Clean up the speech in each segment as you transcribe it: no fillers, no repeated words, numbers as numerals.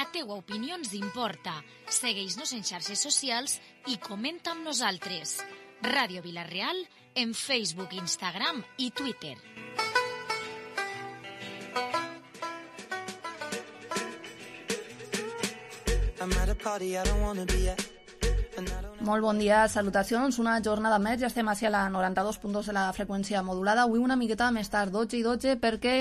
La teua opinió ens importa. Segueix-nos en xarxes socials i comenta amb nosaltres. Ràdio Vila-real en Facebook, Instagram i Twitter. Molt bon dia, salutacions, una jornada més, ja estem hacia la 92.2 de la freqüència modulada, avui una miqueta més tard, 12 i 12, perquè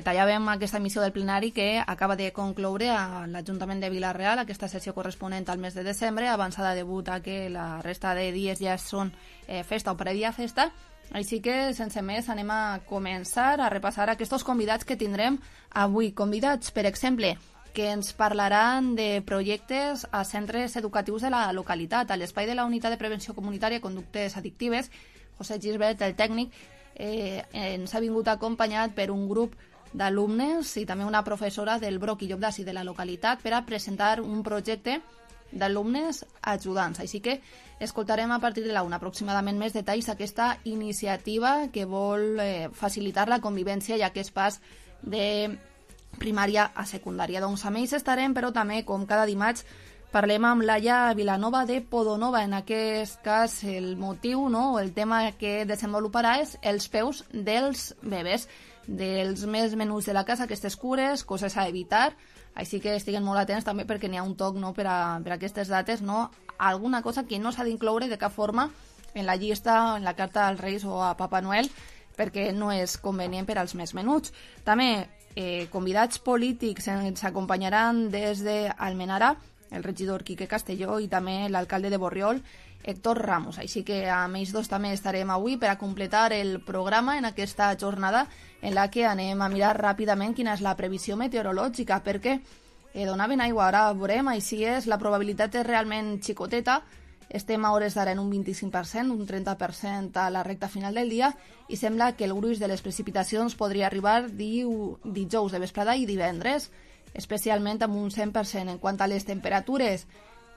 tallàvem aquesta emissió del plenari que acaba de concloure a l'Ajuntament de Vila-real, aquesta sessió corresponent al mes de desembre, avançada debut a que la resta de dies ja són festa o prèvia festa. Així que, sense més, anem a començar a repassar aquests convidats que tindrem avui. Convidats, per exemple, que ens parlaran de projectes a centres educatius de la localitat. A l'espai de la Unitat de Prevenció Comunitària i Conductes Addictives, José Gisbert, el tècnic, ens ha vingut acompanyat per un grup d'alumnes i també una professora del Broc i Llop d'Ací de la localitat per a presentar un projecte d'alumnes ajudants. Així que escoltarem a partir de la 1 aproximadament més detalls d'aquesta iniciativa que vol facilitar la convivència i aquest pas de primària a secundària. Doncs amb ells estarem, però també, com cada dimarts, parlem amb Laia Vilanova de Podonova. En aquest cas, el motiu, no, el tema que desenvoluparà és els peus dels bebès, dels més menuts de la casa, aquestes cures, coses a evitar. Així que estiguen molt atents també perquè n'hi ha un toc, no, per a aquestes dates, no, alguna cosa que no s'ha d'incloure de cap forma en la llista, en la carta als Reis o a Papa Noel, perquè no és convenient per als més menuts. També convidats polítics ens acompanyaran des d'Almenara, el regidor Quique Castelló i també l'alcalde de Borriol, Héctor Ramos. Així que amb ells dos també estarem avui per a completar el programa en aquesta jornada en la que anem a mirar ràpidament quina és la previsió meteorològica, perquè donaven aigua, ara veurem, així és, la probabilitat és realment xicoteta. Estem a hores d'ara en un 25%, un 30% a la recta final del dia i sembla que el gruix de les precipitacions podria arribar dijous de vesprada i divendres, especialment amb un 100%. En quant a les temperatures,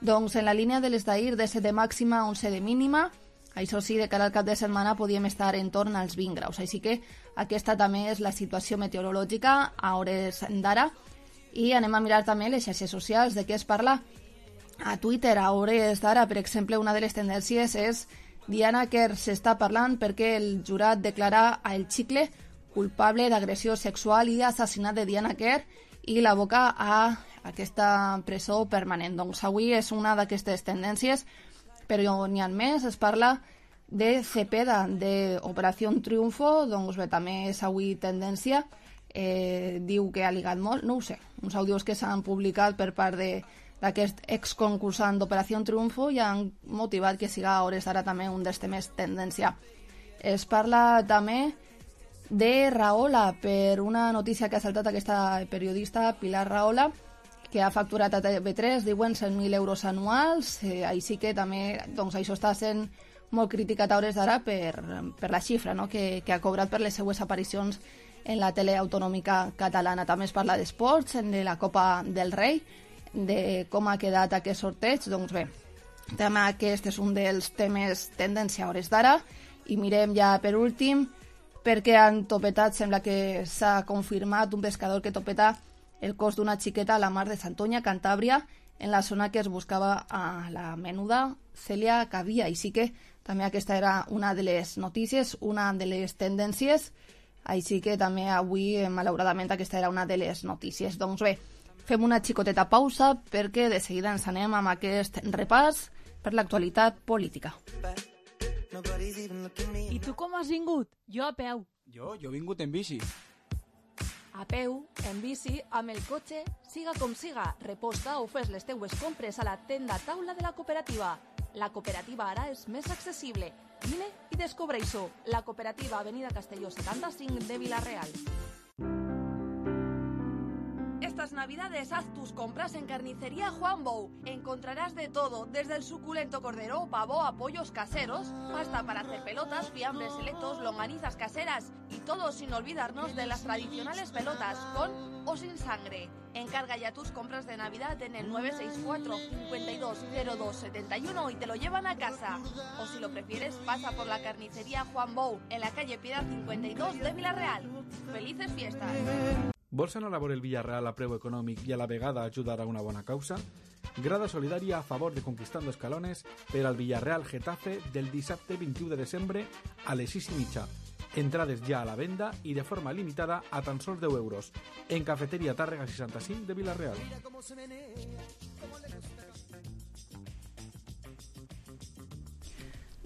doncs en la línia de les d'ahir, de 7 de màxima a 11 de mínima, això sí, de cara al cap de setmana podíem estar en torn als 20 graus. Així que aquesta també és la situació meteorològica a hores d'ara. I anem a mirar també les xarxes socials, de què es parla. A Twitter, a hores d'ara, per exemple, una de les tendències és Diana Kerr s'està parlant perquè el jurat declara a El Chicle culpable d'agressió sexual i assassinat de Diana Kerr i l'aboca a aquesta presó permanent. Doncs avui és una d'aquestes tendències, però n'hi ha més. Es parla de Cepeda, d'Operació Triunfo, doncs bé, també és avui tendència. Diu que ha ligat molt, no ho sé, uns àudios que s'han publicat per part d'aquest exconcursant d'Operació Triunfo i han motivat que siga a hores d'ara també un dels temes tendència. Es parla també de Rahola, per una notícia que ha saltat aquesta periodista Pilar Rahola, que ha facturat a TV3, diuen 100.000 euros anuals, així que també doncs, això està sent molt criticat a hores d'ara per la xifra, no? que ha cobrat per les seues aparicions en la tele autonòmica catalana. També es parla d'esports, de la Copa del Rei, de com ha quedat aquest sorteig. Doncs bé, també aquest és un dels temes tendència a hores d'ara. I mirem ja per últim perquè han topetat, sembla que s'ha confirmat un pescador que topeta el cos d'una xiqueta a la mar de Santoña, Cantàbria, en la zona que es buscava a la menuda Cèlia Cavia. Així que també aquesta era una de les notícies, una de les tendències. Així que també avui, malauradament, aquesta era una de les notícies. Doncs bé, fem una xicoteta pausa perquè de seguida ens anem amb aquest repàs per l'actualitat política. I tu com has vingut? Jo a peu. Jo he vingut en bici. A peu, en bici, amb el cotxe, siga com siga, reposta o fes les teues compres a la tenda taula de la cooperativa. La cooperativa ara és més accessible. Vine i descobreix-ho. La cooperativa Avenida Castelló 75 de Vila-real. Estas navidades haz tus compras en Carnicería Juan Bou. Encontrarás de todo, desde el suculento cordero, pavo a pollos caseros, pasta para hacer pelotas, fiambres selectos, longanizas caseras y todo sin olvidarnos de las tradicionales pelotas, con o sin sangre. Encarga ya tus compras de Navidad en el 964 520271 y te lo llevan a casa. O si lo prefieres, pasa por la Carnicería Juan Bou, en la calle Piedad 52 de Vila-real. ¡Felices fiestas! Vols anar a veure el Villarreal a preu econòmic i a la vegada ajudar a una bona causa? Grada solidària a favor de Conquistando Escalones per al Villarreal Getafe del dissabte 21 de desembre a les 6:30. Entrades ja a la venda i de forma limitada a tan sols 10 euros en Cafeteria Tàrrega 65 de Villarreal.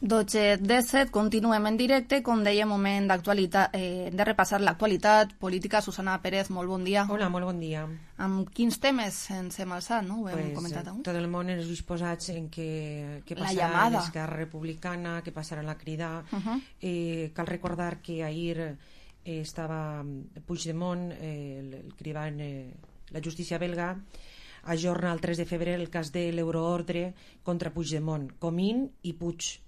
12:17, continuem en directe. Com deia, moment d'actualitat, de repassar l'actualitat política. Susana Pérez, molt bon dia. Hola, molt bon dia. Amb quins temes ens hem alçat, no? Ho hem comentat avui. Tot el món ens disposats en què passarà a l'Esquerra Republicana, què passarà a la Crida. Cal recordar que ahir estava Puigdemont, el cridant la justícia belga, ajorna el 3 de febrer el cas de l'euroordre contra Puigdemont, Comín i Puig.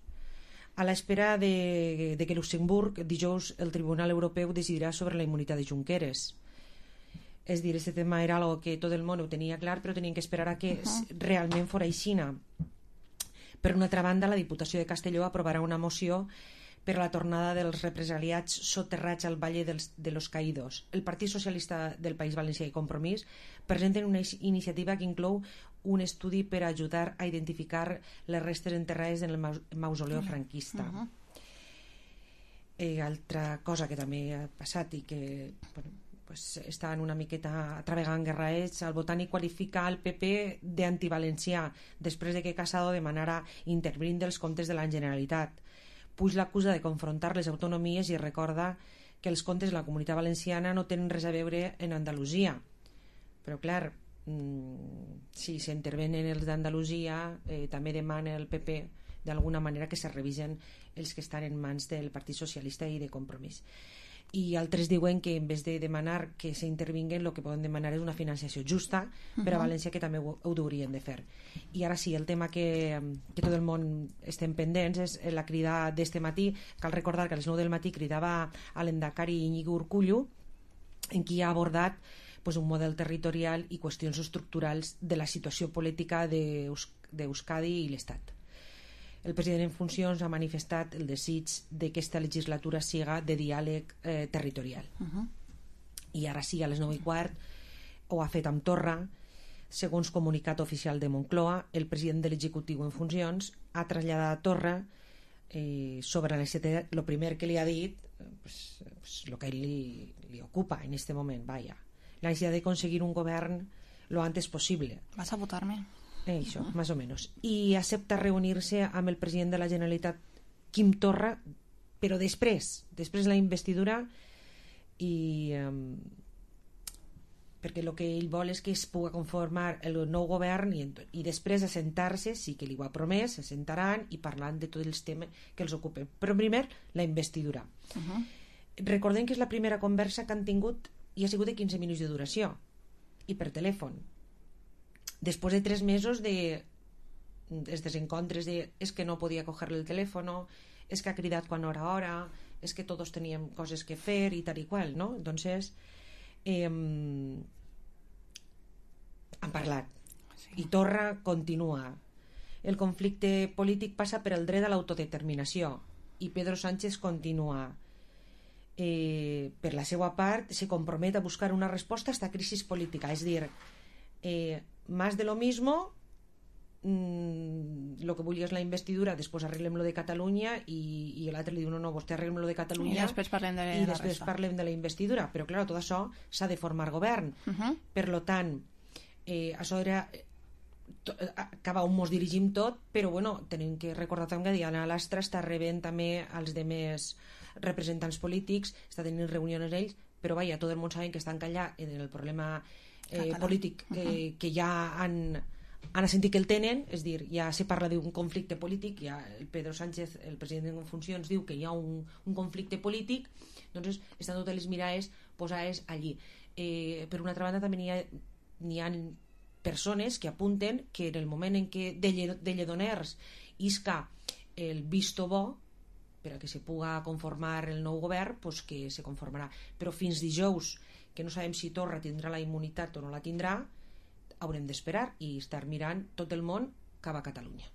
A l'espera de que Luxemburg, dijous, el Tribunal Europeu decidirà sobre la immunitat de Junqueras. És dir, aquest tema era algo que tot el món ho tenia clar, però tenien que esperar a que realment fora aixina. Per una altra banda, la Diputació de Castelló aprovarà una moció per a la tornada dels represaliats soterrats al Valle de los Caídos. El Partit Socialista del País Valencià i Compromís presenten una iniciativa que inclou un estudi per ajudar a identificar les restes enterrades en el mausoleu franquista. Altra cosa que també ha passat i que estan una miqueta travegant guerraets, el Botànic qualifica el PP d'antivalencià després de que Casado demanara intervenir dels comptes de la Generalitat. Puig l'acusa de confrontar les autonomies i recorda que els comptes de la Comunitat Valenciana no tenen res a veure en Andalusia. Però clar, si s'intervenen els d'Andalusia, també demana el PP d'alguna manera que se revisen els que estan en mans del Partit Socialista i de Compromís. I altres diuen que en vez de demanar que s'intervinguen, el que poden demanar és una financiació justa per a València, que també ho haurien de fer. I ara sí, el tema que tot el món estem pendents és la crida d'este matí. Cal recordar que a les 9 del matí cridava a l'Endacari Íñigo Urkullu, en qui ha abordat un model territorial i qüestions estructurals de la situació política d'Euskadi i l'Estat. El president en funcions ha manifestat el desig de que aquesta legislatura siga de diàleg territorial. I ara sí, a les 9:15 ho ha fet amb Torra. Segons comunicat oficial de Moncloa, el president de l'executiu en funcions ha traslladat a Torra sobre la necessitat, el primer que li ha dit, el que li ocupa en este moment, la necessitat de conseguir un govern lo antes possible. Vas a votar-me? Això, más o menos. I accepta reunir-se amb el president de la Generalitat, Quim Torra, però després de la investidura, i perquè el que ell vol és que es pugui conformar el nou govern i després assentar-se, sí que li ho ha promès, s'assentaran i parlant de tots els temes que els ocupen. Però primer, la investidura. Recordem que és la primera conversa que han tingut i ha sigut de 15 minuts de duració i per telèfon. Després de 3 mesos de desencontres de és que no podia cogerle el telèfon, és que ha cridat quan hora, és que tots teníem coses que fer i tal i qual, no? Entonces han parlat i Torra continua. El conflicte polític passa per el dret a l'autodeterminació i Pedro Sánchez continua. Per la seva part se compromet a buscar una resposta a esta crisi política, és dir, más de lo mismo, lo que vulgui és la investidura, després arreglem lo de Catalunya i l'altre li diu no, vostè arreglem lo de Catalunya i després parlem de la investidura, però clar, tot això s'ha de formar govern. Per lo tant, això era acaba on mos dirigim tot, però bueno, tenim que recordar també que Diana Lastra està rebent també els demés representants polítics, està tenint reunions ells, però vaja, tot el món saben que estan callant en el problema polític que ja han sentit que el tenen, és dir, ja se parla d'un conflicte polític, ja el Pedro Sánchez, el president en funcions, diu que hi ha un conflicte polític, doncs estan totes les mirades posades allí. Per una altra banda també n'hi ha persones que apunten que en el moment en què de Lledoners isca el visto bo per a que se puga conformar el nou govern, pues que se conformarà, però fins dijous que no sabem si Torra tindrà la immunitat o no la tindrà, haurem d'esperar i estar mirant tot el món cap a Catalunya.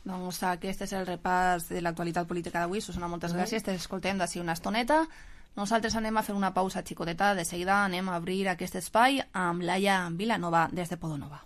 Doncs aquest és el repàs de l'actualitat política d'avui. Susana, moltes gràcies, t'escoltem d'ací una estoneta. Nosaltres anem a fer una pausa xicoteta, de seguida anem a obrir aquest espai amb Laia Vilanova des de Podonova.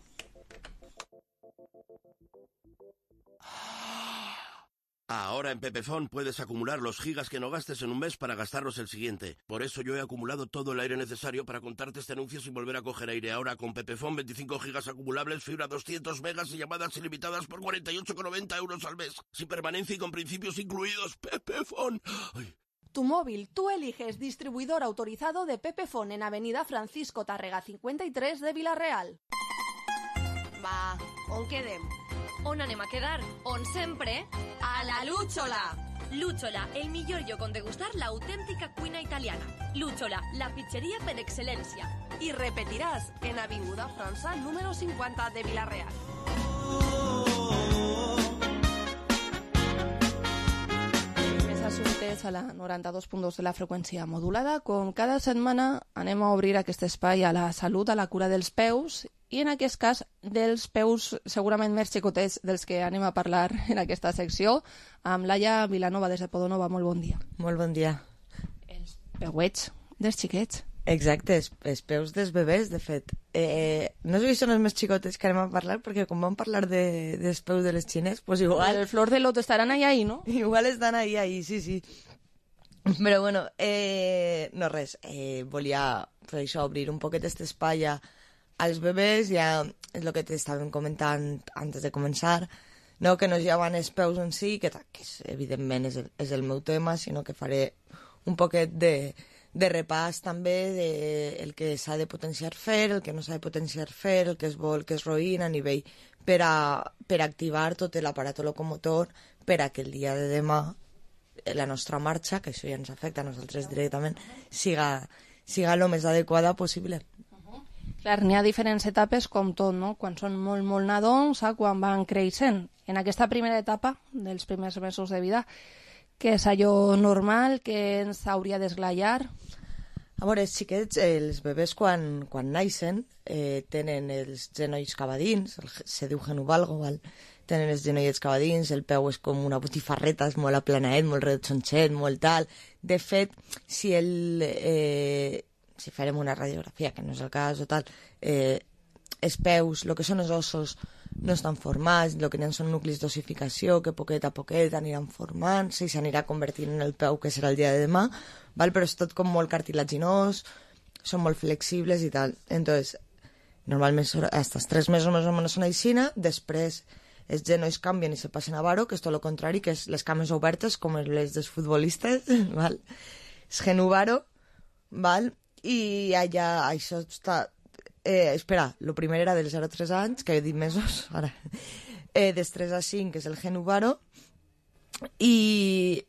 Ahora en Pepefon puedes acumular los gigas que no gastes en un mes para gastarlos el siguiente. Por eso yo he acumulado todo el aire necesario para contarte este anuncio sin volver a coger aire. Ahora con Pepefon 25 gigas acumulables, fibra 200 megas y llamadas ilimitadas por 48,90 € al mes. Sin permanencia y con principios incluidos. Pepefon. Ay. Tu móvil, tú eliges distribuidor autorizado de Pepefon en Avenida Francisco Tárrega 53 de Vila-real. Va, on quedem? On anem a quedar? On sempre? A la Lúchola! Lúchola, el millor lloc on degustar l'autèntica cuina italiana. Lúchola, la pizzeria per excel·lència. Y repetirás en Avinguda França número 50 de Vila-real. Més assumptes a la 92.2 de la freqüència modulada. Com cada setmana anem a obrir aquest espai a la salut, a la cura dels peus, i en aquest cas dels peus segurament més xicotets dels que anem a parlar en aquesta secció, amb Laia Vilanova des de Podonova. Molt bon dia. Molt bon dia. Els peuets dels xiquets. Exacte, els peus dels bebès, de fet. No sé si són els més xicotes que anem a parlar, perquè com vam parlar dels peus de les xines, pues igual... El flor de loto estaran ahí, no? Igual estan ahí, sí. Però bueno, no res, volia per això obrir un poquet aquest espai als bebès, ja és el que t'estàvem comentant antes de començar, no que no llevan els peus en si, que evidentment és el meu tema, sinó que faré un poquet de repàs també del que s'ha de potenciar fer, el que no s'ha de potenciar fer, el que es vol que es roïn a nivell per activar tot l'aparat locomotor per a que el dia de demà la nostra marxa, que això ja ens afecta a nosaltres directament, siga el més adequada possible. Clar, n'hi ha diferents etapes com tot, no? Quan són molt, molt nadons, quan van creixent. En aquesta primera etapa, dels primers mesos de vida, que és allò normal, que ens hauria d'esglaiar? A veure, els xiquets, els bebès quan naixen, tenen els genolls cavadins, se diu genuvalgo, val? Tenen els genollets cavadins, el peu és com una botifarreta, és molt aplanaet, molt redonxet, molt tal. De fet, si farem una radiografia, que no és el cas o tal, els peus, el que són els ossos, no estan formats, el que n'hi ha són nuclis d'ossificació, que poquet a poquet aniran formant-se i s'anirà convertint en el peu que serà el dia de demà, val? Però és tot com molt cartilaginós, són molt flexibles i tal. Entonces, normalment hasta els 3 mesos més o menys són aixina, després els genolls canvien i se passen a varo, que és tot el contrari, que és les cames obertes, com les dels futbolistes, val? És genuvaro, val? I allà això està... espera, el primer era dels 0 a 3 anys, que he dit mesos, ara. Dels 3 a 5 és el genuvaro, i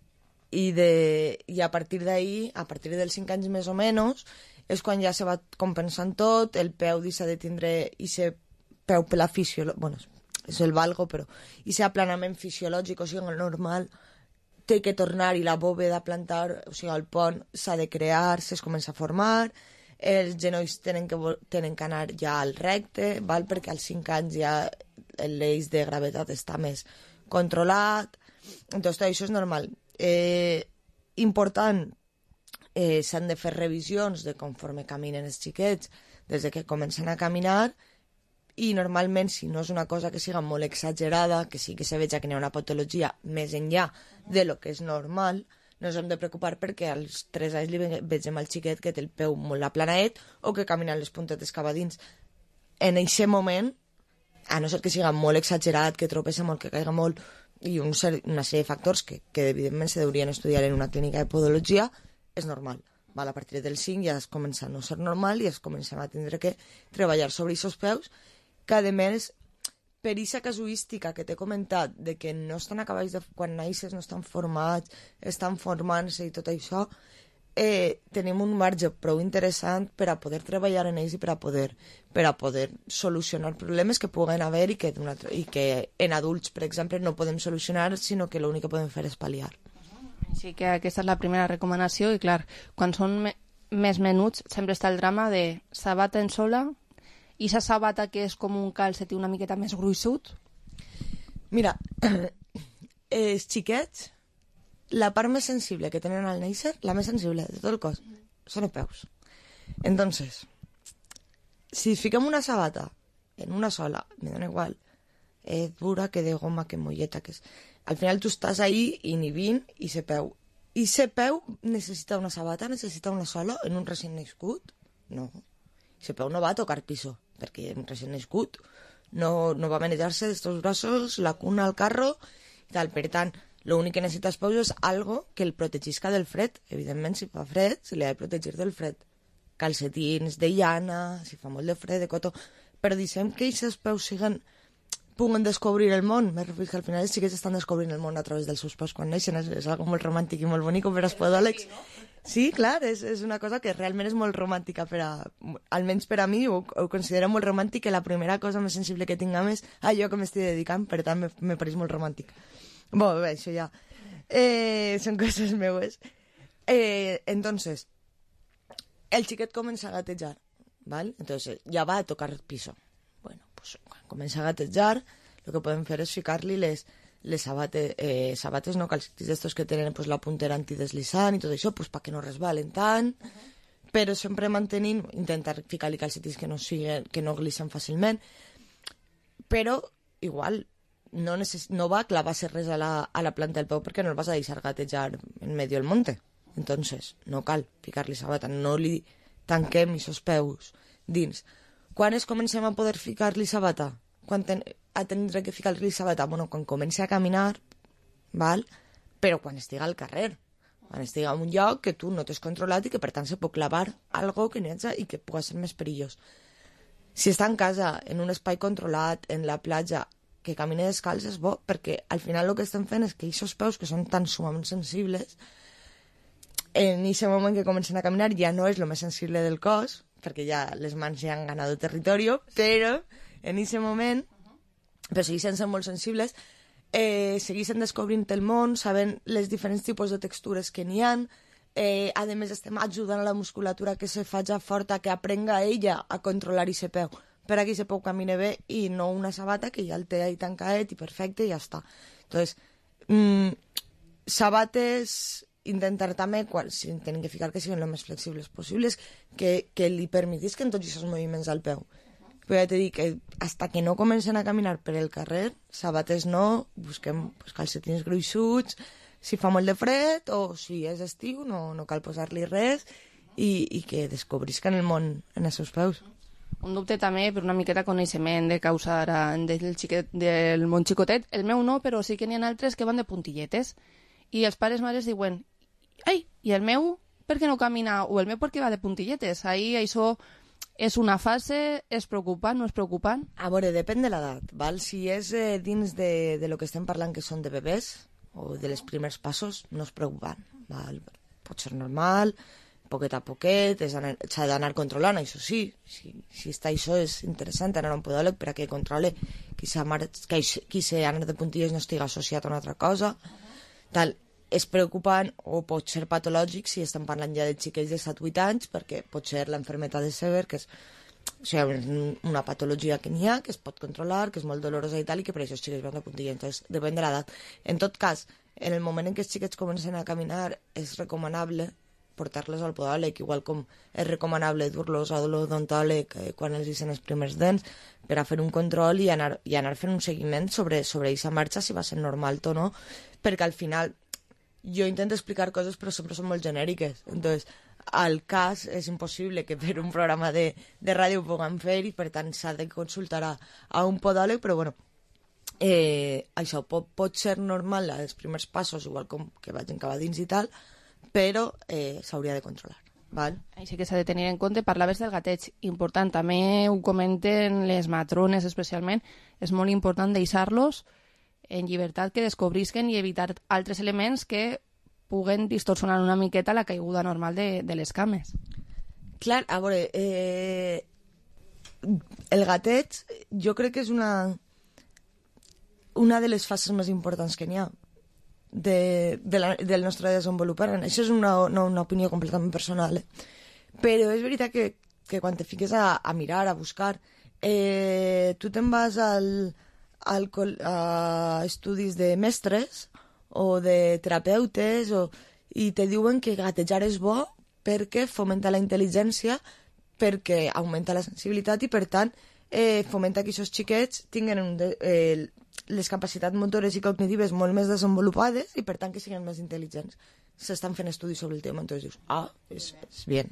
a partir d'ahí, a partir dels 5 anys més o menys, és quan ja se va compensant tot, el peu deixa de tindre aquest peu per la fisiologia, bueno, és el valgo, però aquest aplanament fisiològic, o sigui, el normal, té que tornar i la bòveda plantar, o sigui, el pont s'ha de crear, es comença a formar, els genolls tenen que anar ja al recte, val? Perquè als 5 anys ja l'eix de gravetat està més controlat, doncs tot això és normal. Important, s'han de fer revisions de conforme caminen els xiquets, des que comencen a caminar, i normalment, si no és una cosa que siga molt exagerada, que sí que se veja que hi ha una patologia més enllà de lo que és normal, no ens hem de preocupar perquè als 3 anys li vegem al xiquet que té el peu molt aplanaet o que camina les puntetes cavadins. En aquest moment, a no ser que siga molt exagerat, que tropessa molt, que caiga molt, i una sèrie de factors que evidentment se deurien estudiar en una clínica de podologia, és normal. A partir del 5 ja es comença a no ser normal i es comencem a tindre que treballar sobre aquests peus, que a més, per aquesta casuística que t'he comentat, de que no estan acabats quan naixes, no estan formats, estan formant-se i tot això, tenim un marge prou interessant per a poder treballar en ells i per a poder solucionar problemes que puguen haver i que en adults, per exemple, no podem solucionar, sinó que l'únic que podem fer és pal·liar. Així que aquesta és la primera recomanació i, clar, quan són més menuts sempre està el drama de sabaten sola i sa sabata que és com un calcetí una miqueta més gruixut. Mira, els xiquets la part més sensible que tenen al néixer, la més sensible de tot el cos, són els peus. Entonces, si fiquem una sabata en una sola, me dona igual, dura, que de goma, que molleta, que és... Al final tu estàs ahí inhibint i se peu. I se peu necessita una sabata, necessita una sola en un recient nascut? No. Se peu no va a tocar piso, perquè un recient nascut no va a manejar-se d'estos braços, la cuna al carro i tal. Per tant, l'únic que necessita els peus és algo que el protegisca del fred. Evidentment, si fa fred, se li ha de protegir del fred. Calcetins de llana, si fa molt de fred, de cotó. Però deixem que aquests peus puguen descobrir el món. Me refiero que al final sí que estan descobrint el món a través dels seus peus quan neixen. És algo molt romàntic i molt bonic per als podòlegs. Sí, clar, és una cosa que realment és molt romàntica, almenys per a mi, ho considero molt romàntic, que la primera cosa més sensible que tinguem és allò que m'estic dedicant, per tant, me pareix molt romàntic. Bé, això ja són coses meues. Entonces, el xiquet comença a gatejar, ¿vale? Entonces, ja va a tocar piso. Bueno, pues quan comença a gatejar, el que podem fer és ficar-li les sabates, no, calcetins d'estos que tenen pues, la puntera antideslizant i tot això, pues, perquè no resbalen tant, però sempre mantenint, intentar ficar-li calcetins que no glissem fàcilment, però igual no va clavar-se res a la planta del peu perquè no el vas a deixar gatejar en medio del monte. Entonces, no cal ficar-li sabata, no li tanquem aquests peus dins. Quan comencem a poder ficar-li sabata? Quan a tindre que ficar-li sabata? Bueno, quan comenci a caminar, val? Però quan estiga al carrer, quan estiga en un lloc que tu no t'has controlat i que per tant se pot clavar algo que n'hi hagi i que pugui ser més perillós. Si està en casa, en un espai controlat, en la platja, que camine descalç és bo, perquè al final el que estem fent és que aquests peus que són tan sumament sensibles, en aquest moment que comencen a caminar ja no és el més sensible del cos, perquè ja les mans ja han ganat territori, però en aquest moment, però segueixen sent molt sensibles, segueixen descobrint el món, sabent les diferents tipus de textures que n'hi ha, a més estem ajudant a la musculatura que se faci forta, que aprenga ella a controlar aquest peu, per a que aquest peu camine bé i no una sabata que ja el té ahí tancadet i perfecte i ja està. Entonces, sabates, intentar també, si tenen que ficar que siguin el més flexibles possibles, que li permetisquen tots aquests moviments al peu. Però ja t'he dit que hasta que no comencen a caminar per el carrer, sabates no, busquem calcetins gruixuts, si fa molt de fred o si és estiu no cal posar-li res i que descobrisquen el món en els seus peus. Un dubte també per una miqueta coneixement de causar del món xicotet. El meu no, però sí que n'hi ha altres que van de puntilletes. I els pares mares diuen, ai, i el meu per què no camina? O el meu per què va de puntilletes? Ahí això és una fase, és preocupant, no és preocupant? A veure, depèn de l'edat, val? Si és dins de lo que estem parlant que són de bebès o de les primers passos, no és preocupant, val? Pot ser normal, poquet a poquet, s'ha d'anar controlant, això sí, si està això és interessant anar a un podòleg per a que controle que si anar de puntilles no estigui associat a una altra cosa, tal. És preocupant o pot ser patològic si estem parlant ja de xiquets de 7-8 anys, perquè pot ser l'enfermetat de Sever, que és una patologia que n'hi ha, que es pot controlar, que és molt dolorosa i tal, i que per això els xiquets van de puntilla. Entonces, depèn de l'edat. En tot cas, en el moment en què els xiquets comencen a caminar, és recomanable portar-los al podòleg, igual com és recomanable dur-los a l'odontòleg quan els deixen els primers dents, per a fer un control i anar fent un seguiment sobre aquesta marxa, si va ser normal o no, perquè al final jo intento explicar coses però sempre són molt genèriques, entonces al cas és impossible que per un programa de ràdio ho puguem fer i per tant s'ha de consultar a un podòleg, però bueno, això pot ser normal als primers passos, igual com que vagin cap a dins i tal, però s'hauria de controlar. Val? Així que s'ha de tenir en compte. Parlaves del gateig, important, també ho comenten les matrones especialment, és molt important deixar-los en llibertat que descobrisquen i evitar altres elements que puguen distorsionar una miqueta la caiguda normal de les cames. Clar, a veure, el gateig jo crec que és una de les fases més importants que n'hi ha del nostre desenvolupament. Això és una opinió completament personal, però és veritat que quan te fiques a mirar, a buscar, tu te'n vas a estudis de mestres o de terapeutes, i te diuen que gatejar és bo perquè fomenta la intel·ligència, perquè augmenta la sensibilitat i, per tant, fomenta que aquests xiquets tinguin les capacitats motores i cognitives molt més desenvolupades i, per tant, que siguin més intel·ligents. S'estan fent estudis sobre el tema, entonces dius, és bien.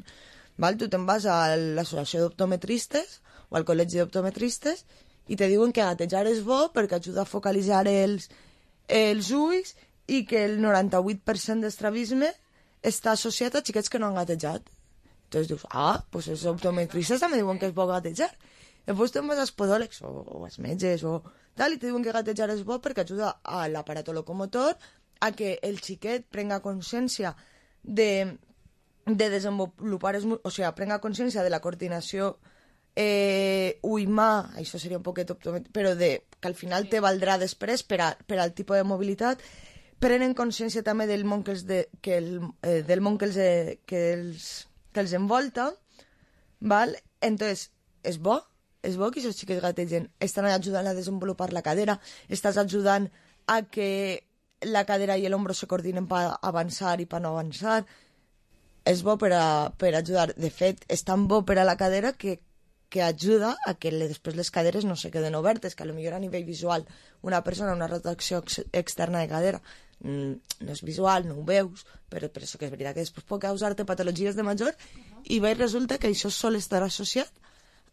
Val? Tu te'n vas a l'associació d'optometristes o al col·legi d'optometristes i te diuen que gatejar és bo perquè ajuda a focalitzar els ulls i que el 98% d'estrabisme està associat a xiquets que no han gatejat. Entonces dius, pues els optometristes també diuen que és bo gatejar. Després te'n vas als podòlegs o als metges o tal, i te diuen que gatejar és bo perquè ajuda a l'aparato locomotor a que el xiquet prenga consciència de desenvolupar, o sigui, prenga consciència de la coordinació ull-mà, això seria un poquet optomètric, però que al final te valdrà després per al tipus de mobilitat. Prenen consciència també del món que els envolta, val? Entonces, és bo que aquests xiquets gategen, estan ajudant a desenvolupar la cadera, estàs ajudant a que la cadera i l'ombro se coordinen per avançar i per no avançar. És bo per ajudar. De fet, és tan bo per a la cadera que ajuda a que després les caderes no se queden obertes, que potser a nivell visual una persona, una rotació externa de cadera no és visual, no ho veus, però això que és veritat que després pot causar-te patologies de major i veus resulta que això sol estar associat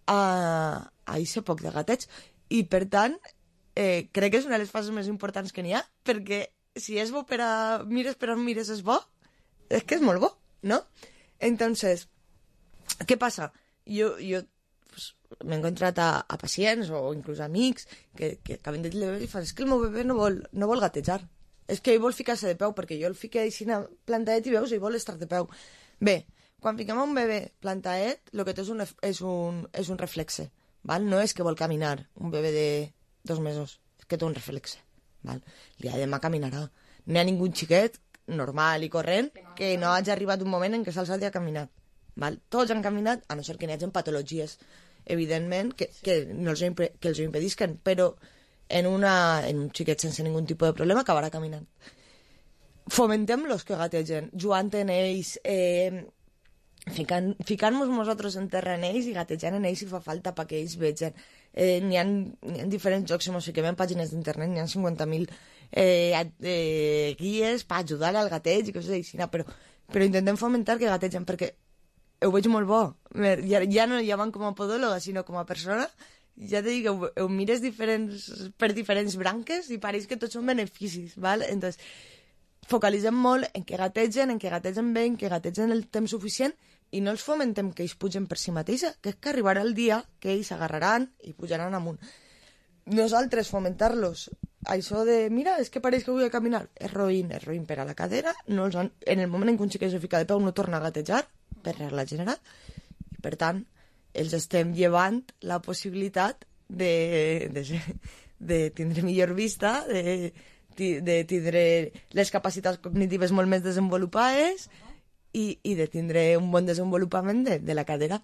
a aquest poc de gateig. I per tant, crec que és una de les fases més importants que n'hi ha, perquè si és bo per a mires per on mires és bo, és que és molt bo, ¿no? Entonces, què passa? Jo pues, m'he encontrat a pacients o inclús amics que acaben de dir i fan, és que el meu bebè no vol gatejar, és que ell vol ficar-se de peu, perquè jo el fiqué així plantadet i veus, i vol estar de peu. Bé, quan fiquem un bebè plantadet, el que té és un reflexe, val? No és que vol caminar un bebè de 2 mesos, és que té un reflexe, val? Demà caminarà. No hi ha ningú xiquet normal i corrent que no hagi arribat un moment en què se'ls hagi caminat, val? Tots han caminat, a no ser que n'hi hagi patologies, evidentment, que els ho impedisquen, però en un xiquet sense ningun tipus de problema acabarà caminant. Fomentem-los que gategen, jugant en ells, ficant-nos nosaltres en terra en ells i gatejant en ells si fa falta perquè ells vegen. N'hi ha diferents jocs, o sigui, en pàgines d'internet n'hi ha 50.000 guies per ajudar al gateig i coses així, però intentem fomentar que gategen perquè ho veig molt bo. Ja no van com a podòloga, sinó com a persona. Ja te dic que ho mires per diferents branques i pareix que tots són beneficis, val? Entonces, focalitzem molt en que gategen bé, en que gategen el temps suficient i no els fomentem que ells pugen per si mateixa, que és que arribarà el dia que ells s'agarraran i pujaran amunt. Nosaltres fomentar-los això de, mira, és que pareix que vull caminar, és roïn per a la cadera, en el moment en què un xiquet se fica de peu no torna a gatejar, per regla general, i per tant, els estem llevant la possibilitat de tindre millor vista, de tindre les capacitats cognitives molt més desenvolupades i de tindre un bon desenvolupament de la cadera.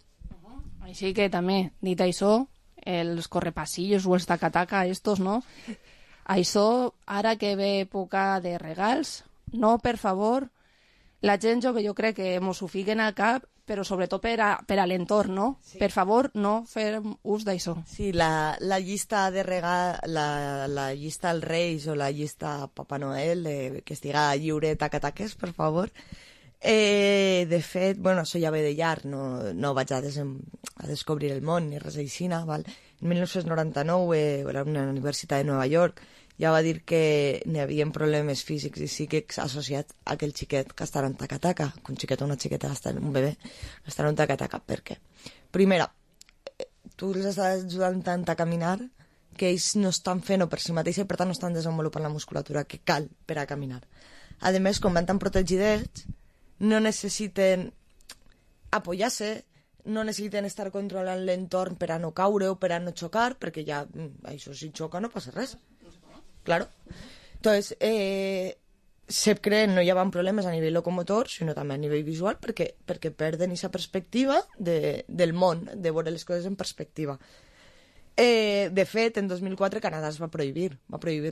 Així que també, dit això, els correpassillos o els taca-taca estos, no? Això, ara que ve època de regals, no, per favor, la gent jo crec que mos ho fiquen al cap, però sobretot per a l'entorn, no? Sí. Per favor, no fer ús d'això. Sí, la llista de regal, la llista als Reis o la llista Papa Noel, que estiga lliure taca-taques, per favor. De fet, bueno, això ja ve de llarg, no vaig a descobrir el món ni res així, val? En 1999, a la Universitat de Nova York, ja va dir que n'hi havia problemes físics i psíquics associats a aquell xiquet que estarà en taca-taca, que un xiquet o una xiqueta, un bebè, estarà en taca-taca. Per què? Primera, tu els estàs ajudant tant a caminar que ells no estan fent-ho per si mateixa i per tant no estan desenvolupant la musculatura que cal per a caminar. A més, com van tan protegidets, no necessiten apoyar-se, no necessiten estar controlant l'entorn per a no caure o per a no xocar, perquè ja, això si xoca no passa res. Claro. Entonces, se creen, no hi ha problemes a nivell locomotor, sinó també a nivell visual, perquè perden aquesta perspectiva del món, de veure les coses en perspectiva. De fet, en 2004 Canadà es va prohibir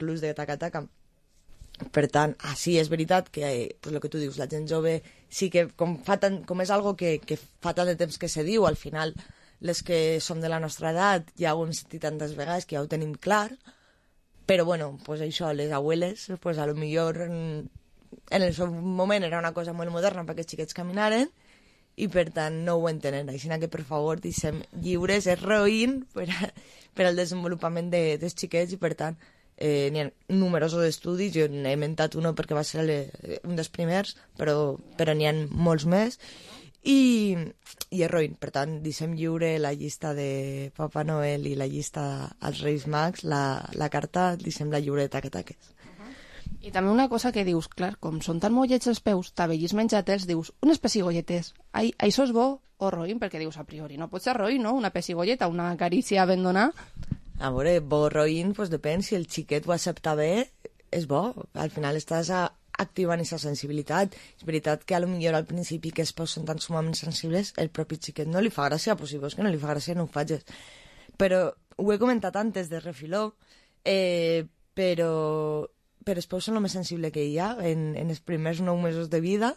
l'ús de taca-taca. Per tant, sí, és veritat que, pues, el que tu dius, la gent jove sí que com és algo que fa tant de temps que se diu, al final les que som de la nostra edat ja ho hem sentit tantes vegades que ja ho tenim clar, però bueno, pues això, les abueles, pues a lo millor en el seu moment era una cosa molt moderna perquè els xiquets caminaren i per tant no ho entenen, així que per favor deixem lliures, és roïn per al desenvolupament dels xiquets i per tant n'hi ha numerosos estudis, jo n'he inventat un perquè va ser un dels primers, però n'hi ha molts més i és roïn, per tant deixem lliure la llista de Papa Noel i la llista als Reis Mags, la carta deixem-la lliure de taques. I també una cosa que dius, clar, com són tan mollets els peus, t'avellis menjatels, dius, unes pessigolletes, això és bo o roïn? Perquè dius, a priori, no pot ser roïn, no? Una pessigolleta, una carícia ben donar. A veure, bo o roïn, doncs depèn, si el xiquet ho accepta bé, és bo, al final estàs activant aquesta sensibilitat. És veritat que a lo millor al principi que els peus són tan sumament sensibles, el propi xiquet no li fa gràcia, pues si veus que no li fa gràcia no ho facis. Però ho he comentat antes de refiló, però els peus són el més sensible que hi ha en els primers 9 mesos de vida.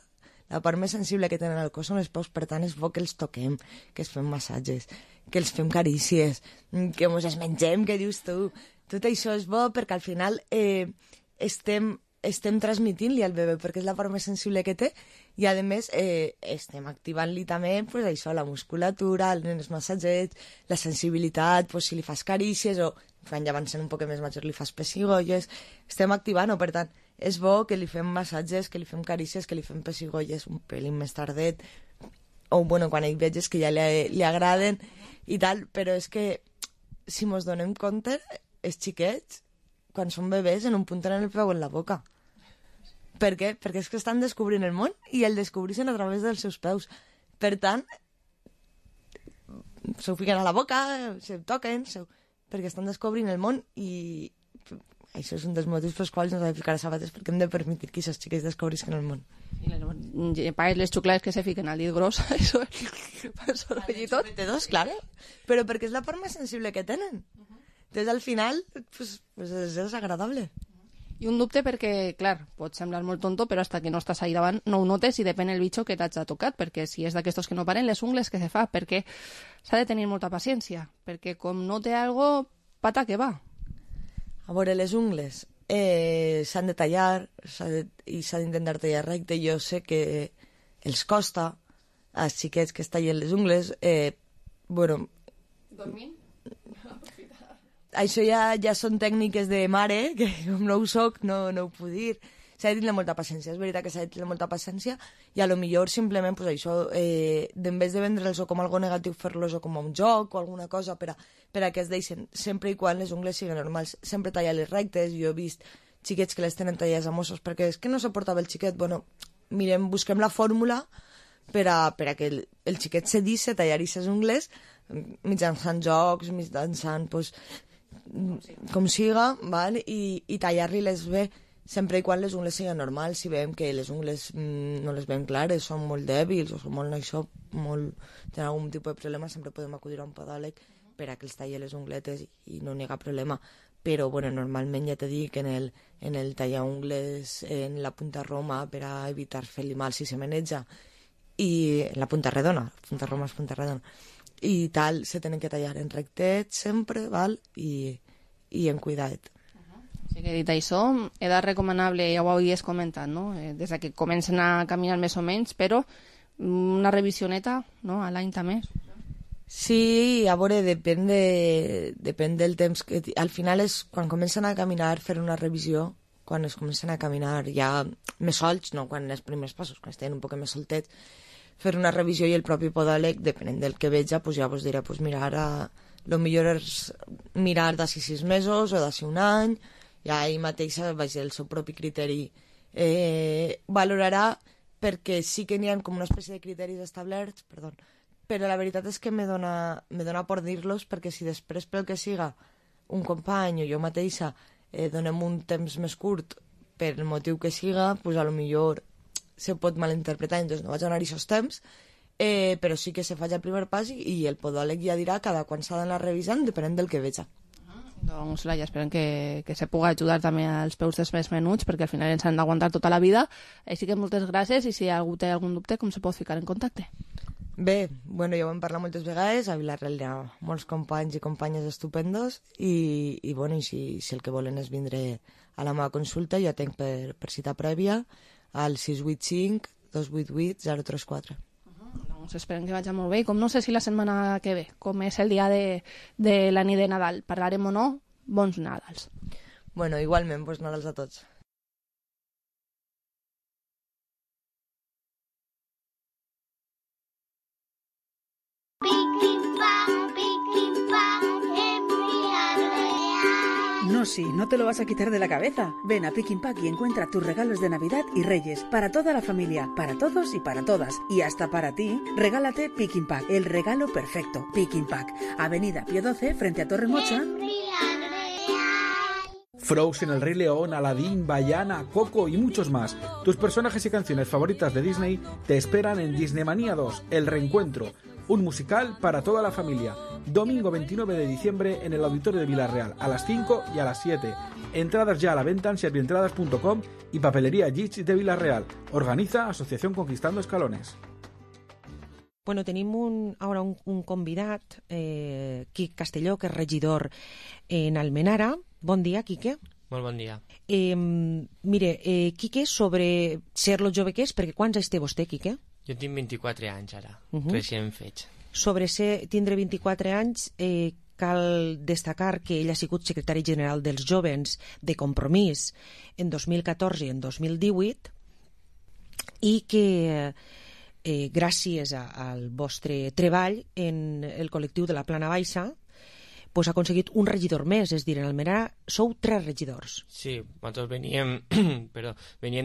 La part més sensible que tenen al cos són els peus, per tant és bo que els toquem, que els fem massatges, que els fem carícies, que ens els mengem, que dius tu. Tot això és bo perquè al final estem transmitint-li al bebè perquè és la part més sensible que té i a més estem activant-li també pues, això, la musculatura, els massatgets, la sensibilitat, pues, si li fas carícies o quan ja van sent un poc més major li fas pessigolles, estem activant-ho, per tant és bo que li fem massatges, que li fem carícies, que li fem pessigolles un pelín més tardet o bueno, quan ell veges que ja li agraden i tal, però és que si mos donem compte els xiquets quan són bebès en un punt tenen el peu en la boca. Per què? Perquè és que estan descobrint el món i el descobreixen a través dels seus peus. Per tant, s'ho fiquen a la boca, se toquen, perquè estan descobrint el món i això és un dels motius pels quals no s'ha de ficar a sabates perquè hem de permetir que aquests xiquets descobrisquen el món. I les xuclades que se fiquen al dit gros, això és soroll i tot. Claro, però perquè és la part més sensible que tenen. Entonces, al final, pues és agradable. I un dubte perquè, clar, pot semblar molt tonto, però hasta que no estàs ahí davant no ho notes i depèn el bitxo que t'hagi tocat, perquè si és d'aquestos que no paren, les ungles que se fa, perquè s'ha de tenir molta paciència, perquè com no té algo, pata que va. A veure, les ungles s'han de tallar i s'ha d'intentar tallar recte. Jo sé que els costa als xiquets que es tallen les ungles, bueno... Dormint? Això ja són tècniques de mare, que com no ho soc, no ho puc dir. S'ha de tenir molta paciència, és veritat que s'ha de tenir molta paciència i a lo millor simplement pues, això, en vez de vendre'ls com algo negatiu, fer-los com un joc o alguna cosa per a que es deixen, sempre i quan les ungles siguin normals. Sempre tallar-les rectes, jo he vist xiquets que les tenen tallades a mossos perquè és que no suportava el xiquet. Bueno, mirem, busquem la fórmula per a que el xiquet se deixi tallar aquestes ungles mitjançant jocs, mitjançant... Pues, com siga, val? I tallar-li-les bé sempre i quan les ungles siguin normals. Si veiem que les ungles no les veiem clares, són molt dèbils o són molt això, tenen algun tipus de problema, sempre podem acudir a un podòleg per a que els talli les ungletes i no n'hi ha problema. Però bueno, normalment ja t'he dit que en el tallar ungles en la punta roma per a evitar fer-li mal si se meneja i en la punta redona, punta roma és punta redona i tal, se tenen que tallar en rectet sempre, val? I en cuidat. Sí que dit això, edat recomanable, ja ho havies comentat, no? Des que comencen a caminar més o menys, però una revisioneta, no? A l'any també. Sí, a veure, depèn del temps que... Al final és quan comencen a caminar, fer una revisió, quan es comencen a caminar ja més solts, no quan els primers passos, quan estan un poc més soltets, fer una revisió i el propi podòleg, depenent del que veja, pues ja vos diré, pues mira, ara el millor és mirar d'ací 6 mesos o d'ací un any, ja ell mateix, vaja, el seu propi criteri valorarà, perquè sí que n'hi ha com una espècie de criteris establerts, perdó, però la veritat és que me dona por dir-los, perquè si després pel que siga un company o jo mateixa donem un temps més curt per el motiu que siga, pues a lo millor se pot malinterpretar, entonces no vaig donar aquests temps, però sí que se faig el primer pas i el podòleg ja dirà cada quan s'ha d'anar revisant, depenent del que veja. Doncs, Laia, esperem que se pugui ajudar també als peus dels més menuts, perquè al final ens han d'aguantar tota la vida. Així que moltes gràcies, i si algú té algun dubte, com se pot ficar en contacte? Bé, bueno, ja ho hem parlat moltes vegades, a Vilareal hi ha molts companys i companyes estupendos, i bueno, i si el que volen és vindre a la meva consulta, jo tenc per cita prèvia al 685 288 034. Doncs esperem que vagi molt bé, i com no sé si la setmana que ve, com és el dia de la nit de Nadal, parlarem o no, bons Nadals. Bueno, igualment, bons Nadals a tots. No, sí, no te lo vas a quitar de la cabeza. Ven a Pick Pack y encuentra tus regalos de Navidad y Reyes para toda la familia, para todos y para todas. Y hasta para ti, regálate Pick Pack, el regalo perfecto. Pick Pack, Avenida Pío 12, frente a Torre Mocha. Frozen, El Rey León, Aladdin, Vaiana, Coco y muchos más. Tus personajes y canciones favoritas de Disney te esperan en Disneymanía 2, El Reencuentro, un musical para toda la familia. Domingo 29 de diciembre en el Auditorio de Vilareal, a las 5 y a las 7. Entradas ya a la venta en servientradas.com y Papelería Gitch de Vilareal. Organiza Asociación Conquistando Escalones. Bueno, tenim ara un convidat, Quique Castelló, que és regidor en Almenara. Bon dia, Quique. Molt bon dia. Mire, Quique, sobre ser lo jove que és, perquè quants anys té vostè, Quique? Jo tinc 24 anys ara, recient fets. Sobre tindre 24 anys, cal destacar que ell ha sigut secretari general dels Jóvens de Compromís en 2014 i en 2018, i que gràcies al vostre treball en el col·lectiu de la Plana Baixa pues ha aconseguit un regidor més, és a dir, en Almenara sou 3 regidors. Sí, nosaltres veníem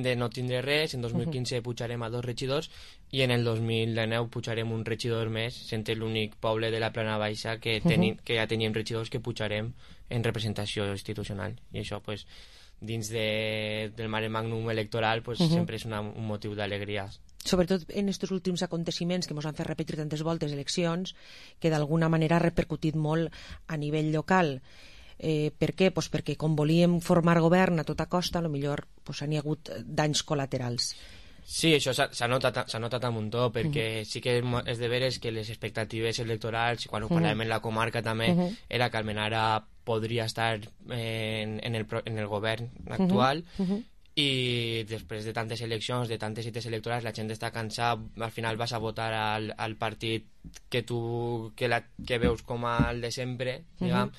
de no tindre res, en 2015 pujarem a 2 regidors i en el 2019 pujarem un regidor més, sent l'únic poble de la Plana Baixa que ja teníem regidors que pujarem en representació institucional. I això, pues, dins del mare magnum electoral, pues, sempre és un motiu d'alegria. Sobretot en aquests últims aconteciments que ens han fet repetir tantes voltes eleccions, que d'alguna manera ha repercutit molt a nivell local. Per què? Pues perquè com volíem formar govern a tota costa, potser pues, hi ha hagut danys col·laterals. Sí, això s'ha notat a muntó, perquè sí que és de veres que les expectatives electorals, quan ho parlàvem en la comarca també, era que Almenara podria estar en el govern actual, i després de tantes eleccions, de tantes cites electorals, la gent està cansada, al final vas a votar al partit que veus com el de sempre, diguem,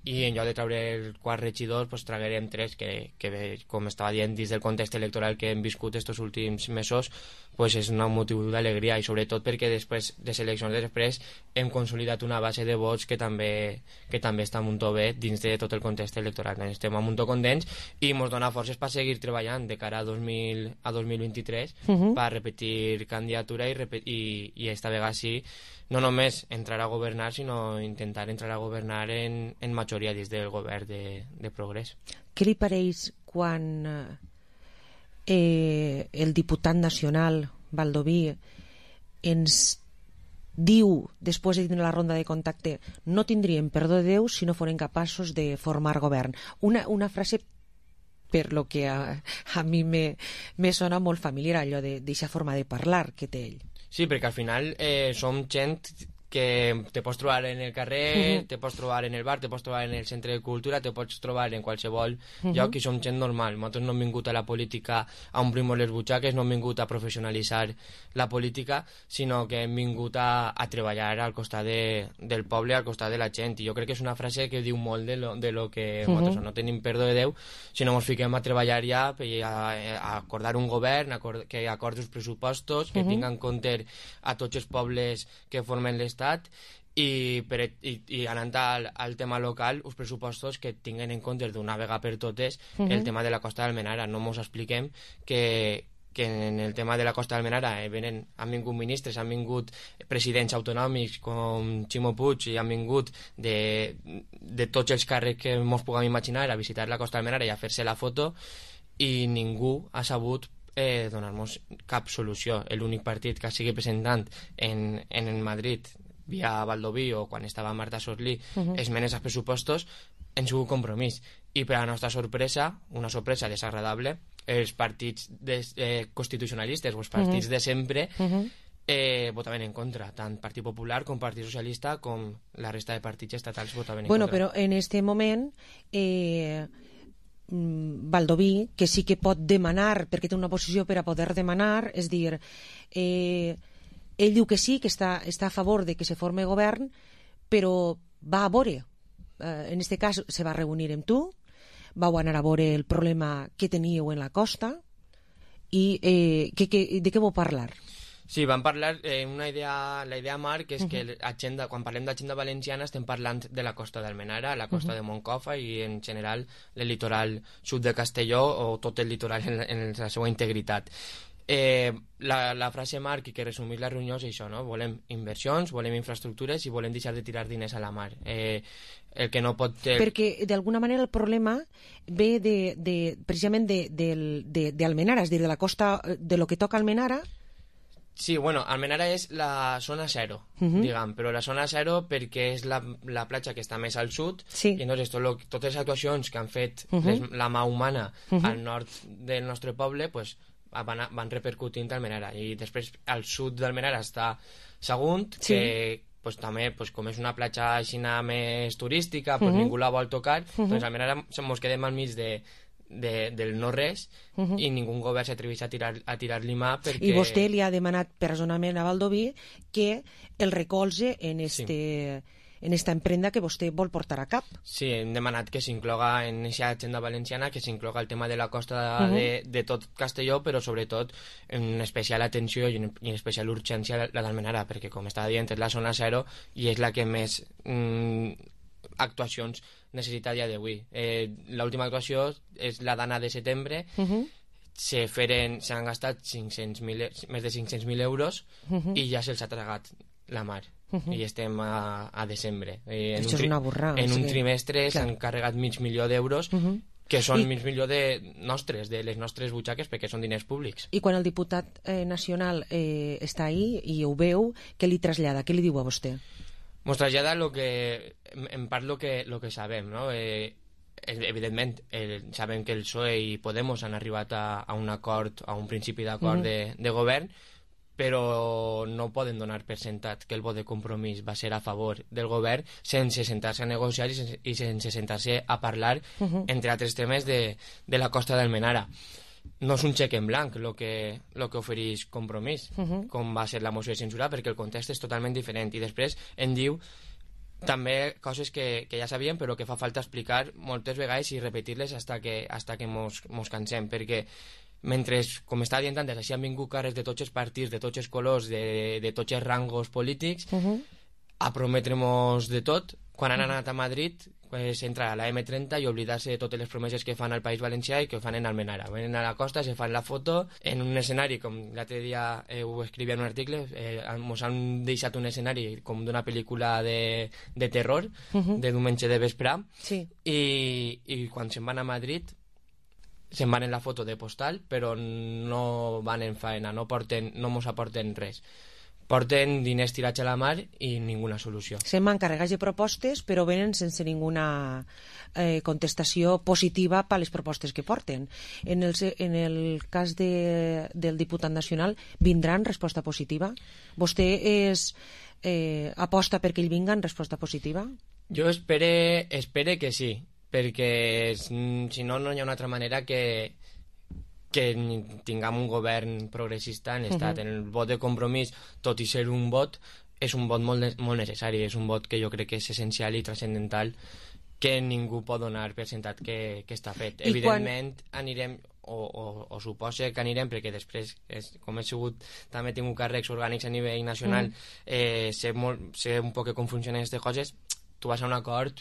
i en lloc de treure 4 regidors pues traguerem 3 que com estava dient, dins del context electoral que hem viscut estos últims mesos, pues és un motiu d'alegria, i sobretot perquè després de seleccions després hem consolidat una base de vots que també està molt bé dins de tot el context electoral. Estem molt contents i ens dona forces per seguir treballant de cara a 2023 per repetir candidatura i esta vegada sí, no només entrar a governar, sinó intentar entrar a governar en majoria dins del govern de Progrés. Què li pareix quan el diputat nacional Baldoví ens diu, després de tenir la ronda de contacte, no tindríem perdó de Déu si no foren capaços de formar govern? Una frase per lo que a mi me sona molt familiar, allò d'aquesta forma de parlar que té ell. Sí, perquè al final som gent que te pots trobar en el carrer, te pots trobar en el bar, te pots trobar en el centre de cultura, te pots trobar en qualsevol lloc, i som gent normal. Nosaltres no hem vingut a la política a omplir-nos les butxaques, no hem vingut a professionalitzar la política, sinó que hem vingut a treballar al costat del poble, al costat de la gent. I jo crec que és una frase que diu molt de lo que nosaltres no tenim perdó de Déu, sinó ens fiquem a treballar ja a acordar un govern, que acordi els pressupostos, que tingui en compte a tots els pobles que formen l'estat, i anant al tema local, els pressupostos que tinguen en compte d'una vegada per totes el tema de la costa d'Almenara. No ens expliquem que en el tema de la costa d'Almenara han vingut ministres, han vingut presidents autonòmics com Ximo Puig, i han vingut de tots els càrrecs que ens puguem imaginar a visitar la costa d'Almenara i a fer-se la foto, i ningú ha sabut donar-nos cap solució. L'únic partit que sigui presentant en Madrid via Baldoví o quan estava Marta Sorlí, esmenes als pressupostos, hem sigut compromís. I per a la nostra sorpresa, una sorpresa desagradable, els partits constitucionalistes o els partits de sempre votaven en contra, tant Partit Popular com Partit Socialista com la resta de partits estatals votaven en contra. Bueno, però en este moment Baldoví, que sí que pot demanar, perquè té una posició per a poder demanar, és dir, ell diu que sí, que està a favor de que se forme govern, però va a veure, en este cas se va reunir amb tu, vau anar a veure el problema que teníeu en la costa i de què vau parlar? Sí, vam parlar, la idea, Marc, és que quan parlem d'agenda valenciana estem parlant de la costa d'Almenara, la costa de Moncofa i en general el litoral sud de Castelló o tot el litoral en la seva integritat. La frase, Marc, i que resumís la reunió és això, no? Volem inversions, volem infraestructures i volem deixar de tirar diners a la mar. El que no pot... Perquè d'alguna manera el problema ve precisament d'Almenara, és a dir, de la costa, de lo que toca Almenara. Sí, bueno, Almenara és la zona zero, diguem, però la zona zero perquè és la platja que està més al sud, i llavors totes les actuacions que han fet la mà humana al nord del nostre poble pues, van repercutint a Almenara. I després al sud d'Almenara està Sagunt, que pues, també pues, com és una platja així més turística, pues, ningú la vol tocar, doncs Almenara ens quedem al mig del no-res i ningú govern s'atreveix a tirar-li mà perquè... I vostè li ha demanat personalment a Baldoví que el recolze en esta emprenda que vostè vol portar a cap. Sí, hem demanat que s'incloga en aquesta agenda valenciana, que s'incloga el tema de la costa de tot Castelló, però sobretot en especial atenció i en especial urgència la d'Almenara, perquè com estava dient és la zona zero i és la que més actuacions necessita a dia d'avui. L'última actuació és la d'Anna de setembre, s'han gastat més de 500.000 euros i ja se'ls ha tragat la mar. I estem a desembre. Això és una borrada. En un trimestre s'han carregat $500.000 d'euros que són $500.000 de les nostres butxaques perquè són diners públics. I quan el diputat nacional està ahí i ho veu, què li trasllada? Què li diu a vostè? Ens trasllada en part lo que sabem, no? Evidentment, sabem que el PSOE i Podemos han arribat a un acord, a un principi d'acord de govern, però no poden donar per sentat que el vot de compromís va ser a favor del govern sense sentar-se a negociar i sense sentar-se a parlar, entre altres temes, de la costa d'Almenara. No és un xec en blanc el que ofereix Compromís, com va ser la moció de censura, perquè el context és totalment diferent. I després en diu també coses que ja sabíem però que fa falta explicar moltes vegades i repetir-les hasta que mos cansem, perquè mentre, com estava dient antes, així han vingut cares de tots els partits, de tots els colors, de tots els rangos polítics a prometre-mos de tot. Quan han anat a Madrid entrar a la M30 i oblidar-se de totes les promeses que fan al País Valencià i que fan en Almenara. Venen a la costa, se fan la foto en un escenari, com l'altre dia ho escrivia en un article, ens han deixat un escenari com d'una pel·lícula de terror, de diumenge de vespre, i quan se'n van a Madrid se'n van en la foto de postal, però no van en faena, no mos aporten res. Porten diners tirats a la mar i ninguna solució. Se'n van carregats de propostes, però venen sense ninguna contestació positiva per les propostes que porten. En el cas del diputat nacional, vindran resposta positiva? Vostè aposta perquè ell vinga en resposta positiva? Jo espere que sí, perquè si no, no hi ha una altra manera que tinguem un govern progressista en l'estat. En el vot de Compromís, tot i ser un vot, és un vot molt necessari, és un vot que jo crec que és essencial i transcendental, que ningú pot donar per sentat que està fet. Evidentment anirem, o suposa que anirem, perquè després, com he sigut, també he tingut càrrecs orgànics a nivell nacional, sé un poc com funcionen aquestes coses. Tu vas a un acord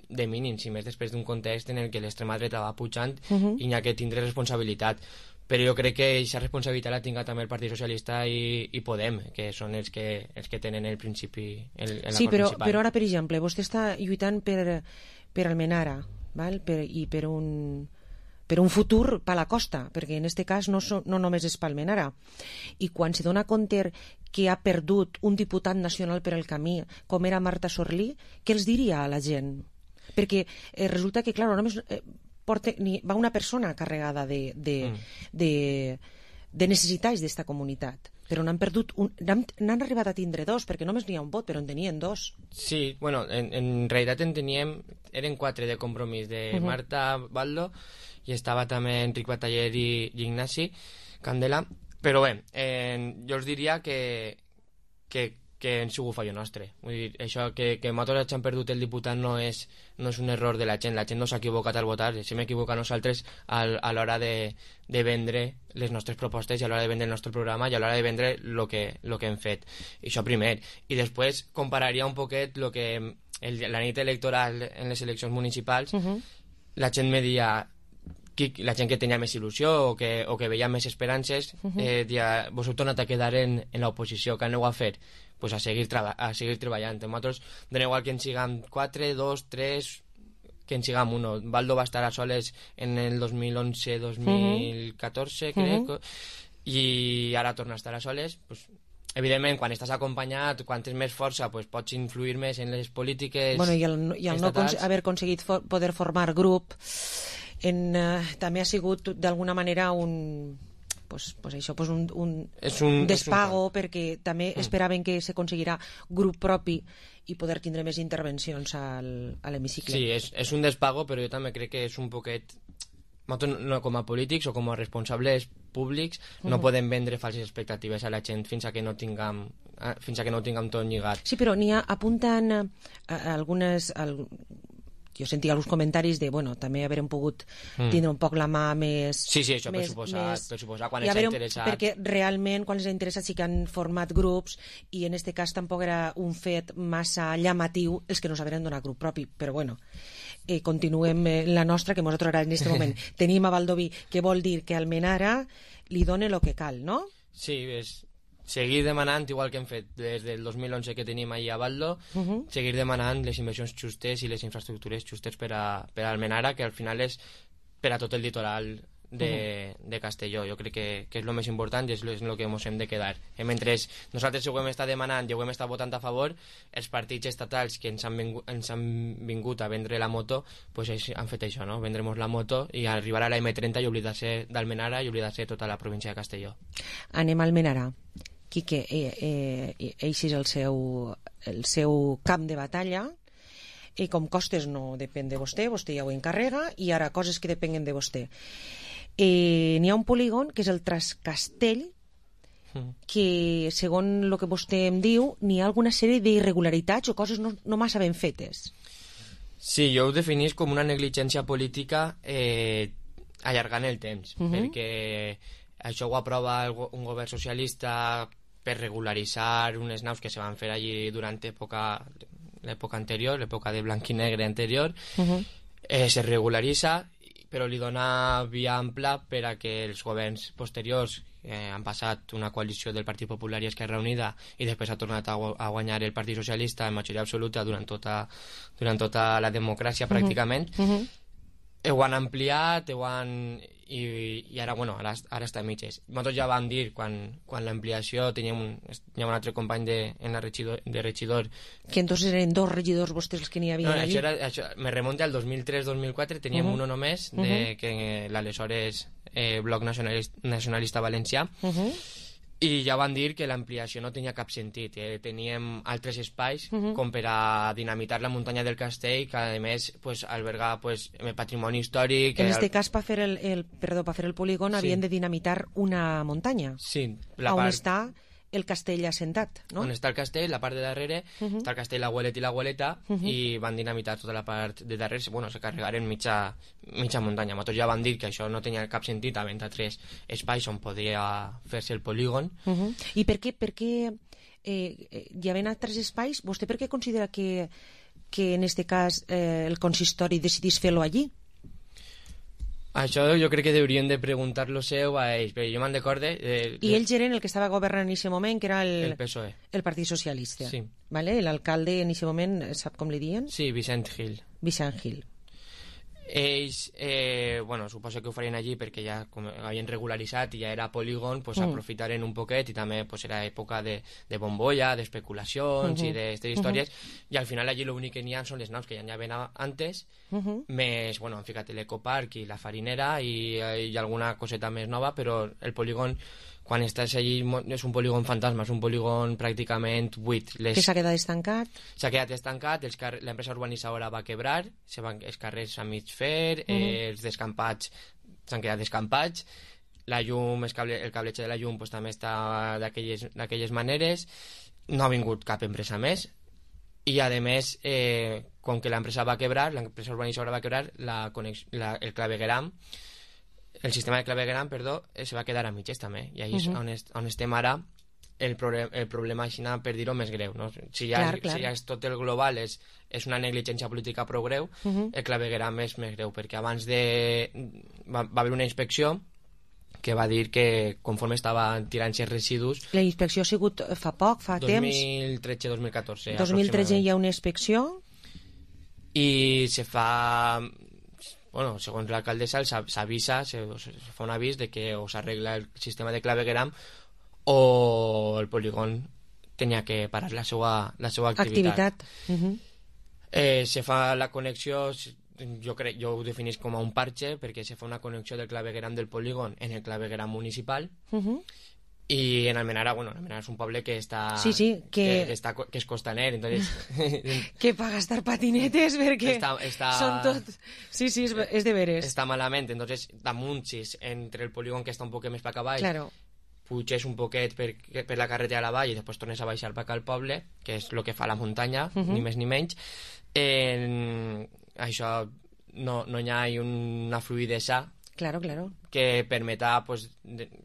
de mínims, i més després d'un context en el que l'extrema dreta va pujant i n'hi ha que tindre responsabilitat. Però jo crec que aquesta responsabilitat la tinga també el Partit Socialista i Podem, que són els que tenen el principi, l'acord principal. Però ara, per exemple, vostè està lluitant per Almenara, val? I per per un futur per la costa, perquè en aquest cas no només és Palmenara. I quan se dona compte que ha perdut un diputat nacional per el camí, com era Marta Sorlí, què els diria a la gent? Perquè resulta que, clar, només va una persona carregada de necessitats d'esta comunitat, però n'han perdut n'han arribat a tindre dos, perquè només n'hi ha un vot, però en tenien dos. Sí, bueno, en realitat en teníem, eren 4 de compromís, de Marta Baldo, i estava també Enric Bataller i Ignasi Candela, però bé, jo us diria que hem sigut fallo nostre. Vull dir, això que nosaltres hagin perdut el diputat no és un error de la gent no s'ha equivocat al votar, si hem equivocat nosaltres a l'hora de vendre les nostres propostes i a l'hora de vendre el nostre programa i a l'hora de vendre el que hem fet. I això primer. I després compararia un poquet la nit electoral en les eleccions municipals, la gent me dia la gent que tenia més il·lusió o que veia més esperances, vos heu tornat a quedar en l'oposició, que aneu a fer? Pues a seguir treballant. Nosaltres doneu igual que en siguem 4, 2, 3, que en siguem 1. Baldo va estar a soles en el 2011-2014, crec, i ara torna a estar a soles. Pues, evidentment, quan estàs acompanyat, quan tens més força, pues, pots influir més en les polítiques estatals. I el no haver aconseguit poder formar grup també ha sigut d'alguna manera un despago, perquè també esperaven que s'aconseguirà grup propi i poder tindre més intervencions a l'hemicicle. Sí, és un despago, però jo també crec que és un poquet... No, com a polítics o com a responsables públics no podem vendre falses expectatives a la gent fins que no tinguem tot lligat. Sí, però apunten algunes... Jo sentia alguns comentaris de, també haurem pogut tindre un poc la mà més... Sí, això per suposar, quan els ha interessat... Perquè realment, quan els ha interessat, sí que han format grups, i en aquest cas tampoc era un fet massa llamatiu els que no saberen donar grup propi, però continuem la nostra, que nosaltres ara en aquest moment tenim a Baldoví, que vol dir que Almenara li dona el que cal, no? Sí, és... seguir demanant, igual que hem fet des del 2011 que tenim allà a Baldo, seguir demanant les inversions justes i les infraestructures justes per a Almenara, que al final és per a tot el litoral de Castelló. Jo crec que és el més important i és el que ens hem de quedar. Mentre nosaltres ho hem estat demanant i ho hem estat votant a favor, els partits estatals que ens han vingut a vendre la moto han fet això, no? Vendremos la moto i arribar a la M30 i oblidar-se d'Almenara i oblidar-se tota la província de Castelló. Anem a Almenara. Quique, eix és el seu camp de batalla, i com costes no depèn de vostè ja ho encarrega, i ara coses que depenguen de vostè. N'hi ha un polígon que és el Trascastell, que segons el que vostè em diu n'hi ha alguna sèrie d'irregularitats o coses no massa ben fetes. Sí, jo ho definís com una negligència política allargant el temps, perquè això ho aprova un govern socialista per regularitzar unes naus que se van fer allí durant l'època anterior, l'època de blanc i negre anterior. Se regularitza, però li dona via ampla per a que els governs posteriors han passat una coalició del Partit Popular i Esquerra Unida i després ha tornat a guanyar el Partit Socialista en majoria absoluta durant tota la democràcia pràcticament. Ho han ampliat, i ara està a mitges. Nosaltres ja vam dir, quan l'ampliació teníem un altre company de regidor. Que entonces eren 2 regidors vostès els que n'hi havia allí? Això me remunta al 2003-2004, teníem uno només, que l'aleshores Bloc Nacionalista Valencià, i ja van dir que l'ampliació no tenia cap sentit. Teníem altres espais com per a dinamitar la muntanya del castell, que a més alberga patrimoni històric. En aquest cas, per fer el polígon, havien de dinamitar una muntanya. Sí. On està el castell assentat, no? On està el castell, la part de darrere, està el castell l'Abuelet i l'Abueleta, i van dinamitar tota la part de darrere, se carregaren mitja muntanya. Nosaltres ja van dir que això no tenia cap sentit, havent altres espais on podia fer-se el polígon. I per què hi havent altres espais, vostè per què considera que en aquest cas el consistori decidís fer-lo allí? Això jo crec que hauríem de preguntar-lo seu a ells, però jo me'n recorde... I ells eren el que estava governant en aquest moment, que era el PSOE. El Partit Socialista. Sí. Vale? L'alcalde en aquest moment, sap com li diuen? Sí, Vicent Gil. Vicent Gil. Ells, suposo que ho farien allí perquè ja com havien regularitzat i ja era polígon, pues aprofitaren un poquet, i també pues, era època de bombolla, d'especulacions i d'aquestes històries, i al final allí l'únic que n'hi ha són les naus que ja n'hi havia antes, més, han ficat l'ecoparc i la farinera i alguna coseta més nova, però el polígon, quan estàs allí, és un polígon fantasma, és un polígon pràcticament buit. Que s'ha quedat estancat? S'ha quedat estancat, l'empresa urbanitzadora va quebrar, els carrers a mig fer, els descampats s'han quedat descampats, la llum, el cabletge de la llum pues, també està d'aquelles maneres, no ha vingut cap empresa més, i a més, com que l'empresa va quebrar, l'empresa urbanitzadora va quebrar, el clavegueram, el sistema de clavegueram, se va quedar a mitges també, i ahí és on estem ara. El problema així per dir-ho més greu, no? Si ja és tot el global és una negligència política prou greu, el clavegueram és més greu, perquè abans va haver una inspecció que va dir que conforme estava tirant-se residus... La inspecció ha sigut fa poc, fa temps? 2013-2014. 2013 hi ha una inspecció? I se fa... segons l'alcaldessa s'avisa, se fa un avís de que o s'arregla el sistema de clavegueram o el polígon tenia que parar la seva activitat. Se fa la connexió, jo ho definís com a un parche, perquè se fa una connexió del clavegueram del polígon en el clavegueram municipal, i en Almenara, Almenara és un poble que està que és costaner, entonces que pa gastar patinetes perquè són tot... Sí, és de veres. Està malament, entonces damunt, entre el polígon que està un poc més per avall, puges un poquet per la carretera a la vall i després tornes a baixar per al poble, que és el que fa la muntanya, ni més ni menys. Això no hi ha una fluïdesa que permeta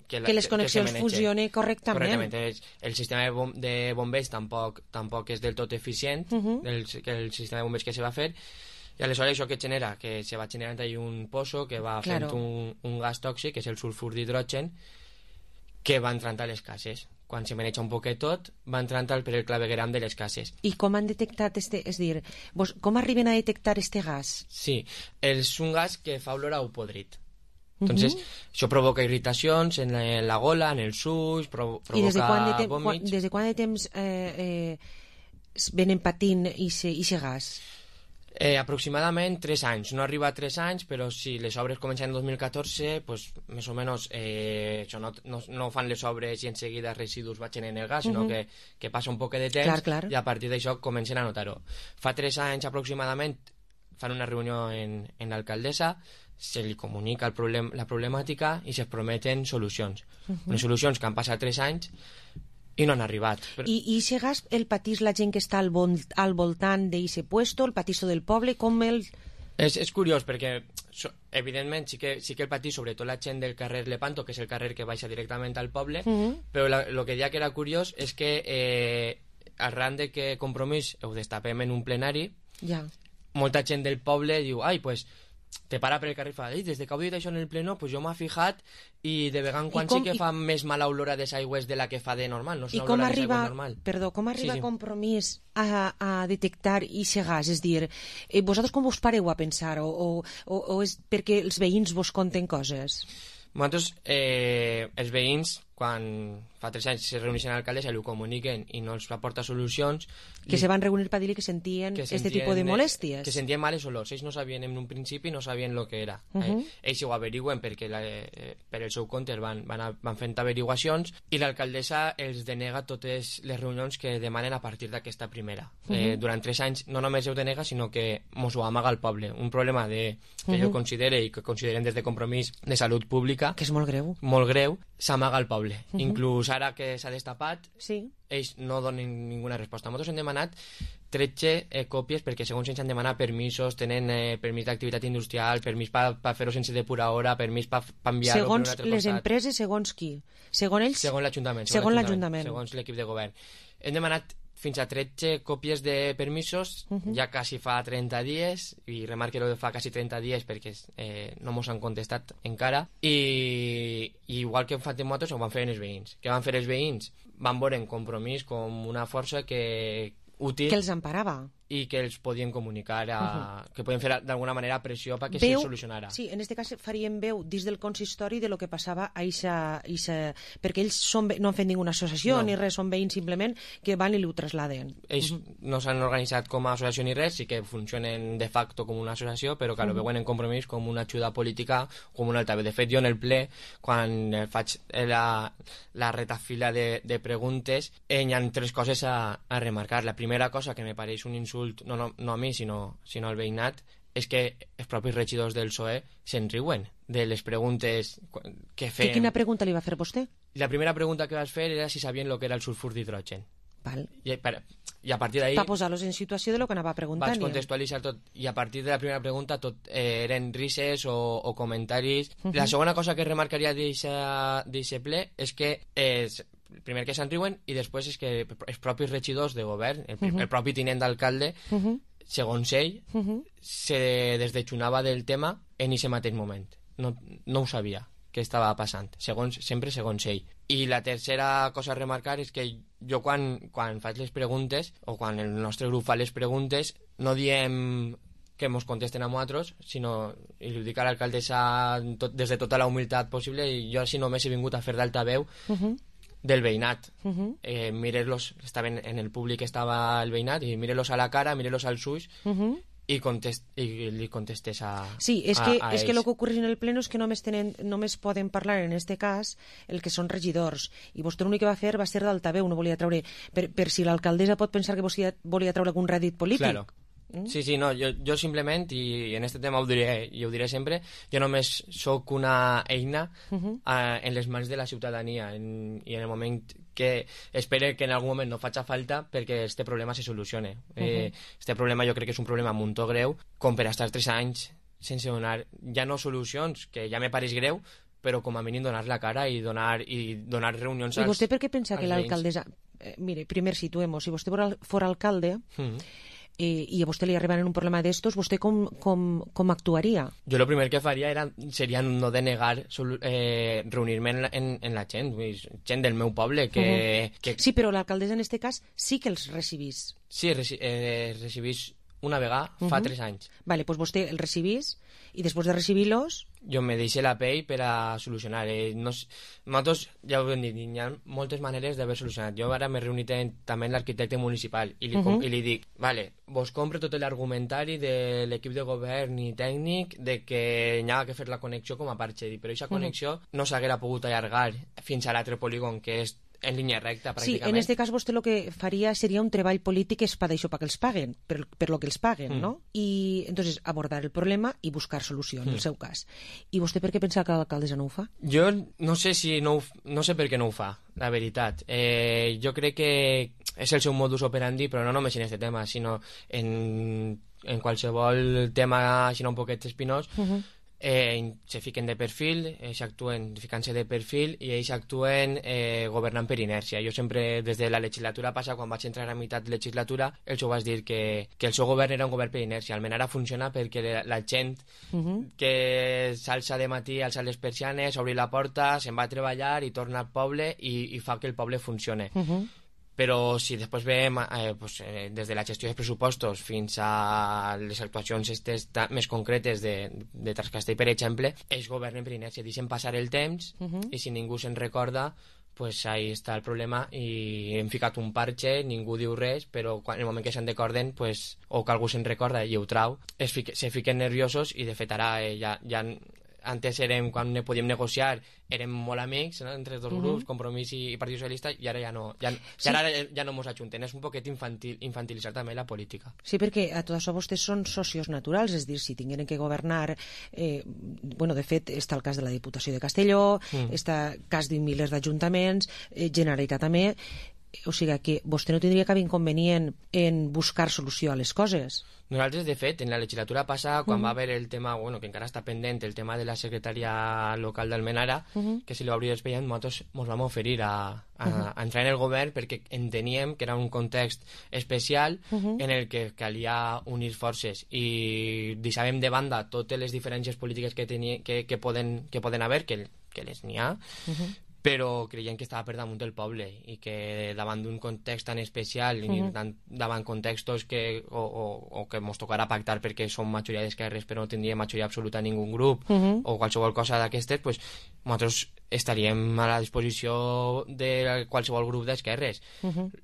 que les connexions funcionen correctament. El sistema de bombers tampoc és del tot eficient, el sistema de bombers que se va fer, i aleshores això que genera, que se va generant un pozo que va fent un gas tòxic, que és el sulfur d'hidrogen, que va entrant a les cases. Quan se maneja un poquet tot, va entrant per el clavegueram de les cases. I com han detectat com arriben a detectar este gas? Sí, és un gas que fa olor a podrit. Entonces, això provoca irritacions en la gola, en els ulls, provoca vòmits. I des de quant de temps venen patint aquest gas? Aproximadament 3 anys. No arriba a 3 anys, però si les obres comencen en 2014, pues, més o menys no fan les obres i en seguida residus vagin en el gas, sinó que passa un poc de temps i a partir d'això comencen a notar-ho. Fa 3 anys aproximadament fan una reunió en l'alcaldessa, se li comunica la problemàtica i se prometen solucions. Unes solucions que han passat 3 anys i no han arribat. I aquest gas el patís la gent que està al voltant d'aquest puesto, el patís del poble, com el... És curiós perquè, evidentment, sí que el patís sobretot la gent del carrer Lepanto, que és el carrer que baixa directament al poble, però el que deia que era curiós és que arran de que Compromís ho destapem en un plenari, molta gent del poble diu, pues te para per el carrer i fa, des de que heu dit això en el pleno, pues jo m'ha fijat i de vegada en quan sí que fa més mala olor a des aigües de la que fa de normal, no és una olor a des aigües normal. Perdó, com arriba Compromís a detectar aquest gas? És dir, vosaltres com us pareu a pensar o és perquè els veïns vos conten coses? Nosaltres, els veïns, quan fa 3 anys se reuneixen a l'alcaldessa i ho comuniquen i no els aporta solucions... Que se van reunir per dir que sentien aquest tipus de molèsties. Que sentien males olors. Ells no sabien en un principi, no sabien el que era. Ells ho averigüen perquè per el seu compte van fent averiguacions i l'alcaldessa els denega totes les reunions que demanen a partir d'aquesta primera. Durant 3 anys no només ho denega, sinó que mos ho amaga al poble. Un problema que jo considere i que considerem des de Compromís de salut pública... Que és molt greu. Molt greu, s'amaga al poble. Inclús ara que s'ha destapat, ells no donen ninguna resposta. Nosaltres hem demanat 13 còpies perquè segons ells han demanat permisos, tenen permís d'activitat industrial, permís per fer-ho sense depuradora, permís per enviar-ho per un altre costat. Segons les empreses, segons qui? Segons ells? Segons l'Ajuntament. Segons l'equip de govern. Hem demanat fins a 13 còpies de permisos, ja quasi fa 30 dies, i remarque que fa quasi 30 dies perquè no mos han contestat encara, i igual que hem fet nosaltres, ho van fer els veïns. Què van fer els veïns? Van veure en Compromís com una força útil... Que els emparava. i que els podien comunicar, que podien fer d'alguna manera pressió perquè se solucionara. Sí, en aquest cas farien veu dins del consistori de lo que passava a eixa perquè ells no han fet ninguna associació ni res, són veïns simplement que van i ho trasladen. Ells no s'han organitzat com a associació ni res, sí que funcionen de facto com una associació, però que lo veuen en Compromís com una ajuda política, com un altaveu. De fet, jo en el ple, quan faig la retafila de preguntes, hi ha 3 coses a remarcar. La primera cosa que me pareix un insult, no a mi, sinó al veïnat, és que els propis regidors del PSOE se'n riuen de les preguntes que fem. Quina pregunta li va fer vostè? La primera pregunta que vas fer era si sabien el que era el sulfur d'hidrogen. Val. I a partir d'ahí... Va posar-los en situació de lo que anava preguntant. Vaig contextualitzar tot, i a partir de la primera pregunta tot eren rises o comentaris. La segona cosa que remarcaria d'aquest ple és que primer que se'n riuen i després és que els propis regidors de govern, el propi tinent d'alcalde, segons ell, se desdejunava del tema en aquest mateix moment. No ho sabia què estava passant, sempre segons ell. I la tercera cosa a remarcar és que jo quan faig les preguntes, o quan el nostre grup fa les preguntes, no diem que ens contesten a nosaltres, sinó, i li dic a l'alcaldessa des de tota la humilitat possible, i jo si només he vingut a fer d'altaveu del veïnat. Mire-los, estaven en el públic, estava el veïnat, i mire-los a la cara, mire-los als ulls, i li contestes a sí, és que el que ocorre en el pleno és que només poden parlar en este cas el que són regidors, i vostè l'únic que va fer va ser d'altaveu, no volia treure per si l'alcaldessa pot pensar que vostè volia treure algun rèdit polític. Claro. Sí, no, jo simplement, i en este tema ho diré, i ho diré sempre, jo només sóc una eina en les mans de la ciutadania, i en el moment que espero que en algun moment no faci falta perquè este problema se solucione. Este problema jo crec que és un problema molt greu, com per estar 3 anys sense donar, ja no solucions, que ja me pareix greu, però com a mínim donar la cara i donar reunions als veïns. I vostè per què pensa que l'alcaldessa... Mire, primer situemos, si vostè fora alcalde... i a vostè li arriben un problema d'estos, vostè com actuaria? Jo el primer que faria seria no denegar reunir-me en la gent del meu poble. Sí, però l'alcaldessa en aquest cas sí que els recibís. Sí, recibís una vegada fa 3 anys. Vale, doncs vostè els recibís i després de recibir-los... Jo me deixo la pell per a solucionar. Nosaltres, ja ho hem dit, hi ha moltes maneres d'haver solucionat. Jo ara m'he reunit també amb l'arquitecte municipal i li dic, vale, vos compro tot l'argumentari de l'equip de govern i tècnic de que hi ha que fer la connexió com a parche, però aquesta connexió no s'haguera pogut allargar fins a l'altre polígon, que és en línia recta, pràcticament. Sí, en aquest cas vostè el que faria seria un treball polític és per això, perquè els paguen, per lo que els paguen, no? I, entonces, abordar el problema i buscar solució, en el seu cas. I vostè per què pensa que l'alcaldessa no ho fa? Jo no sé no sé per què no ho fa, la veritat. Jo crec que és el seu modus operandi, però no només en aquest tema, sinó en qualsevol tema així un poquet espinós, se fiquen de perfil, s'actuen ficant-se de perfil i ells actuen governant per inèrcia. Jo sempre, des de la legislatura passada, quan vaig entrar a meitat de legislatura, els ho vaig dir que el seu govern era un govern per inèrcia. Almenys ara funciona perquè la gent que s'alça de matí, alça les persianes, obri la porta, se'n va a treballar i torna al poble i fa que el poble funcione. Però si després veiem des de la gestió dels pressupostos fins a les actuacions més concretes de Trascastell, per exemple, ells governen per inèrcia, deixen passar el temps i si ningú se'n recorda, pues ahí està el problema i hem ficat un parche, ningú diu res, però en el moment que se'n recorden, pues, o que algú se'n recorda i ho trau, se fiquen nerviosos i de fet ara ja antes quan podíem negociar érem molt amics, no? Entre els dos grups, Compromís i Partit Socialista, i ara ja no mos ajunten. És un poquet infantilitzar també la política. Sí, perquè a tot això vostès són socios naturals, és a dir, si tingueren que governar, de fet, està el cas de la Diputació de Castelló, està el cas de milers d'ajuntaments, Generalitat també, o sigui que vostè no tindria cap inconvenient en buscar solució a les coses. Nosaltres, de fet, en la legislatura passada, quan va haver el tema, que encara està pendent, el tema de la secretaria local d'Almenara, que se li va obrir l'expedient, nosaltres ens vam oferir a entrar en el govern perquè enteníem que era un context especial en el que calia unir forces i deixàvem de banda totes les diferències polítiques que poden haver, que les n'hi ha, però creiem que estava per damunt del poble i que davant d'un context tan especial i davant contextos que mos tocarà pactar perquè som majoria d'esquerres però no tindria majoria absoluta en ningú grup o qualsevol cosa d'aquestes, pues, nosaltres estaríem a la disposició de qualsevol grup d'esquerres.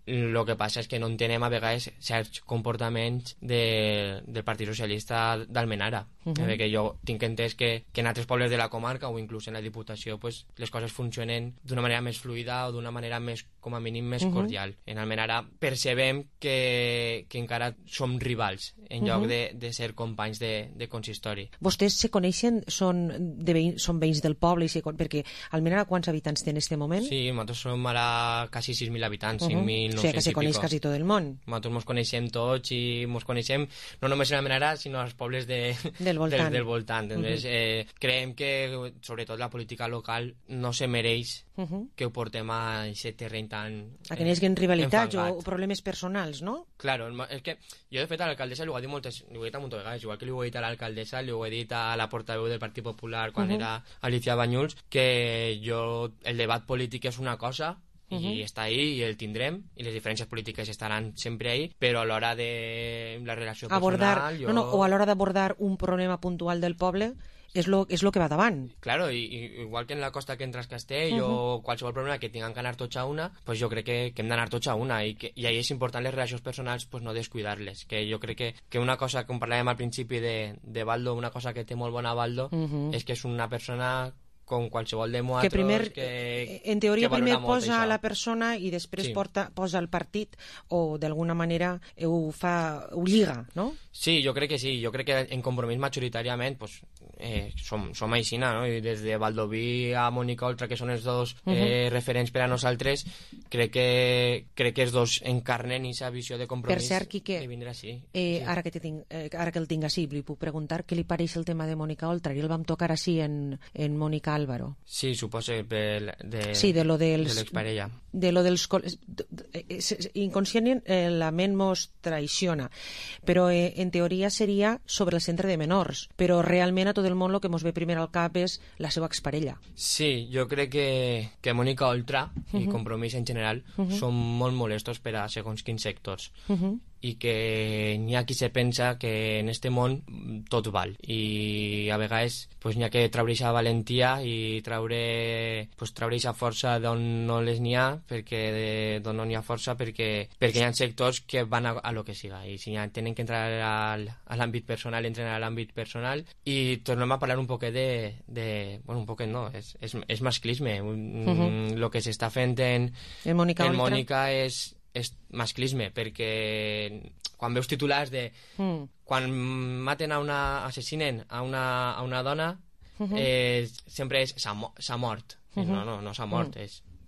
El que passa és que no entenem a vegades certs comportaments del Partit Socialista d'Almenara, perquè jo tinc entès que en altres pobles de la comarca o inclús en la Diputació pues, les coses funcionen d'una manera més fluida o d'una manera més, com a mínim, més cordial. En Almenara percebem que encara som rivals en lloc de ser companys de consistori. Vostès se coneixen, són veïns del poble, perquè Almenara quants habitants té en aquest moment? Sí, nosaltres som ara quasi 6.000 habitants, 5.900 o sigui que se coneix quasi tot el món. Nosaltres mos coneixem tots i mos coneixem no només en Almenara, sinó als pobles del voltant. Entonces, creiem que, sobretot, la política local no se mereix que ho portem a aquest terreny tan a que n'hi hagi rivalitats o problemes personals, no? Claro, és que jo de fet a l'alcaldessa li ho he dit moltes vegades, igual que li ho he dit a l'alcaldessa, li ho he dit a la portaveu del Partit Popular quan era Alicia Banyuls, que jo, el debat polític és una cosa i està ahí i el tindrem i les diferències polítiques estaran sempre ahí, però a l'hora de la relació personal o a l'hora d'abordar un problema puntual del poble és lo que va davant. Claro, igual que en la costa que entra a Castell o qualsevol problema que tinguem que anar tots a una, pues jo crec que hem d'anar tots a una i ahí és important les relacions personals pues no descuidar-les, que jo crec que una cosa, com parlàvem al principi de Baldo, una cosa que té molt bona Baldo és que és una persona com qualsevol de nosaltres que primer, en teoria primer posa a la persona i després posa el partit o d'alguna manera ho lliga, no? Sí, jo crec que sí, jo crec que en Compromís majoritàriament pues, som aixina, no? I des de Baldoví a Mònica Oltra, que són els dos referents per a nosaltres, crec que els dos encarnen aquesta visió de Compromís. Per cert, Quique, sí. Ara que el tinc així, li puc preguntar què li pareix el tema de Mònica Oltra, i el vam tocar així en Mònica Álvaro. Sí, suposo de l'exparella. De lo dels inconscient la ment mos traiciona, però en teoria seria sobre el centre de menors, però realment a tot el món el que mos ve primer al cap és la seva exparella. Sí, jo crec que Mònica Oltra i Compromís en general són molt molestos per a segons quins sectors. I que n'hi ha qui se pensa que en este món tot val i a vegades pues, n'hi ha que treure aquesta valentia i treure aquesta força d'on no les n'hi ha d'on no n'hi ha força perquè hi ha sectors que van a lo que siga i si tenen que entrar a l'àmbit personal entren a l'àmbit personal i tornem a parlar un poquet bueno, un poquet no, és masclisme el que s'està fent en Mònica és masclisme, perquè quan veus titulars de quan maten assassinen a una dona sempre és s'ha mort. No s'ha mort,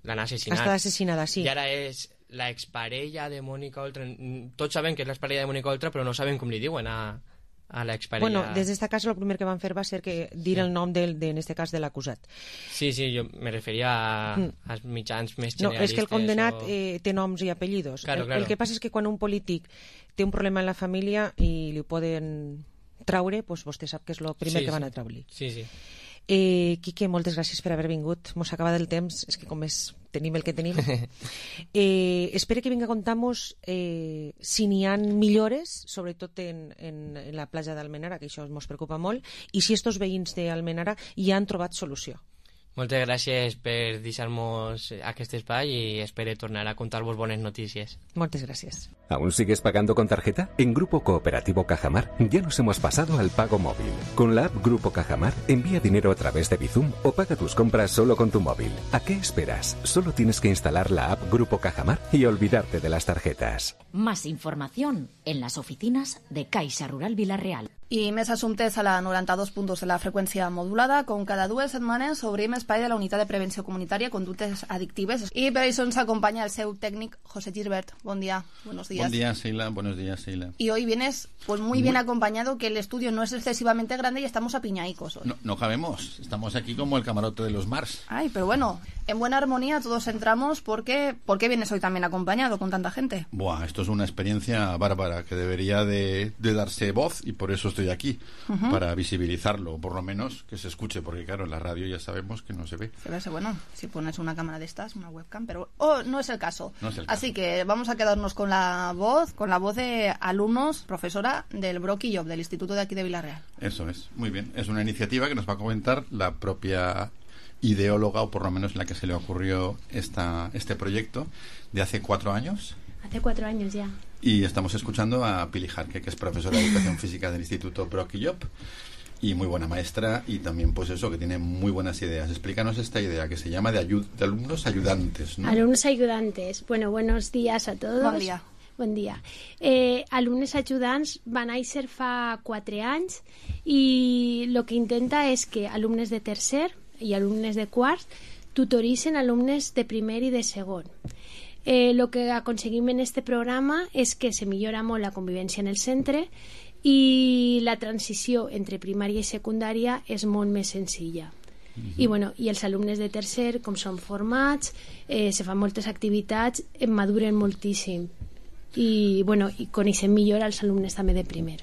l'han assassinat. Està assassinada, sí. I ara és la exparella de Mònica Oltra. Tots sabem que és l'exparella de Mònica Oltra, però no sabem com li diuen a l'exparella. Bueno, des d'esta casa el primer que van fer va ser que dir el nom en este cas de l'acusat. Sí, jo me referia als mitjans més generalistes. No, és que el condenat té noms i apellidos. Claro. El que passa és que quan un polític té un problema en la família i li poden traure, doncs vostè sap que és el primer que van a treure-li. Sí. Quique, moltes gràcies per haver vingut. Mos acaba el temps, és que com és tenim el que tenim. Espero que vinga a contar-nos si n'hi ha millores, sobretot en la platja d'Almenara, que això ens preocupa molt, i si estos veïns d'Almenara hi han trobat solució. Moltes gràcies per deixar-nos aquest espai y espero tornar a contar-vos bones notícies. Moltes gràcies. ¿Aún sigues pagando con tarjeta? En Grupo Cooperativo Cajamar ya nos hemos pasado al pago móvil. Con la app Grupo Cajamar, envía dinero a través de Bizum o paga tus compras solo con tu móvil. ¿A qué esperas? Solo tienes que instalar la app Grupo Cajamar y olvidarte de las tarjetas. Más información en las oficinas de Caixa Rural Vila-real. I més assumptes a la 92 punts de la freqüència modulada. Com cada 2 setmanes obrim espai de la Unitat de Prevenció Comunitària Conductes Adictives i per això ens acompanya el seu tècnic José Gilbert. Bon día, buenos días. Buen día, Sheila. Buenos días, Sheila. Y hoy vienes pues muy bien acompañado, que el estudio no es excesivamente grande y estamos apiñaicos hoy. No cabemos, estamos aquí como el camarote de los Mars. Ay, pero bueno, en buena armonía todos entramos porque... ¿Por qué vienes hoy también acompañado con tanta gente? Buah, esto es una experiencia bárbara que debería de darse voz y por eso estoy aquí, para visibilizarlo, o por lo menos que se escuche, porque claro, en la radio ya sabemos que no se ve. Se ve, bueno, si pones una cámara de estas, una webcam, pero no es el caso. No es el caso. Así que vamos a quedarnos con la voz de alumnos, profesora del Brock y Job, del Instituto de aquí de Vila-real. Eso es, muy bien. Es una iniciativa que nos va a comentar la propia ideóloga, o por lo menos la que se le ocurrió este proyecto de hace 4 años. Hace 4 años ya. Y estamos escuchando a Pili Jarque, que es profesora de Educación Física del Instituto Brock y Job, y muy buena maestra, y también pues eso, que tiene muy buenas ideas. Explícanos esta idea que se llama de alumnos ayudantes, ¿no? Alumnos ayudantes. Bueno, buenos días a todos. Bon dia. Bon dia. Alumnes ajudants van néixer fa 4 anys i el que intenta és que alumnes de tercer i alumnes de quart tutoritzen alumnes de primer i de segon. Lo que aconseguim en este programa és que se millora molt la convivència en el centre i la transició entre primària i secundària és molt més senzilla. I els alumnes de tercer, com són formats, se fan moltes activitats, maduren moltíssim i coneixem millor als alumnes també de primer.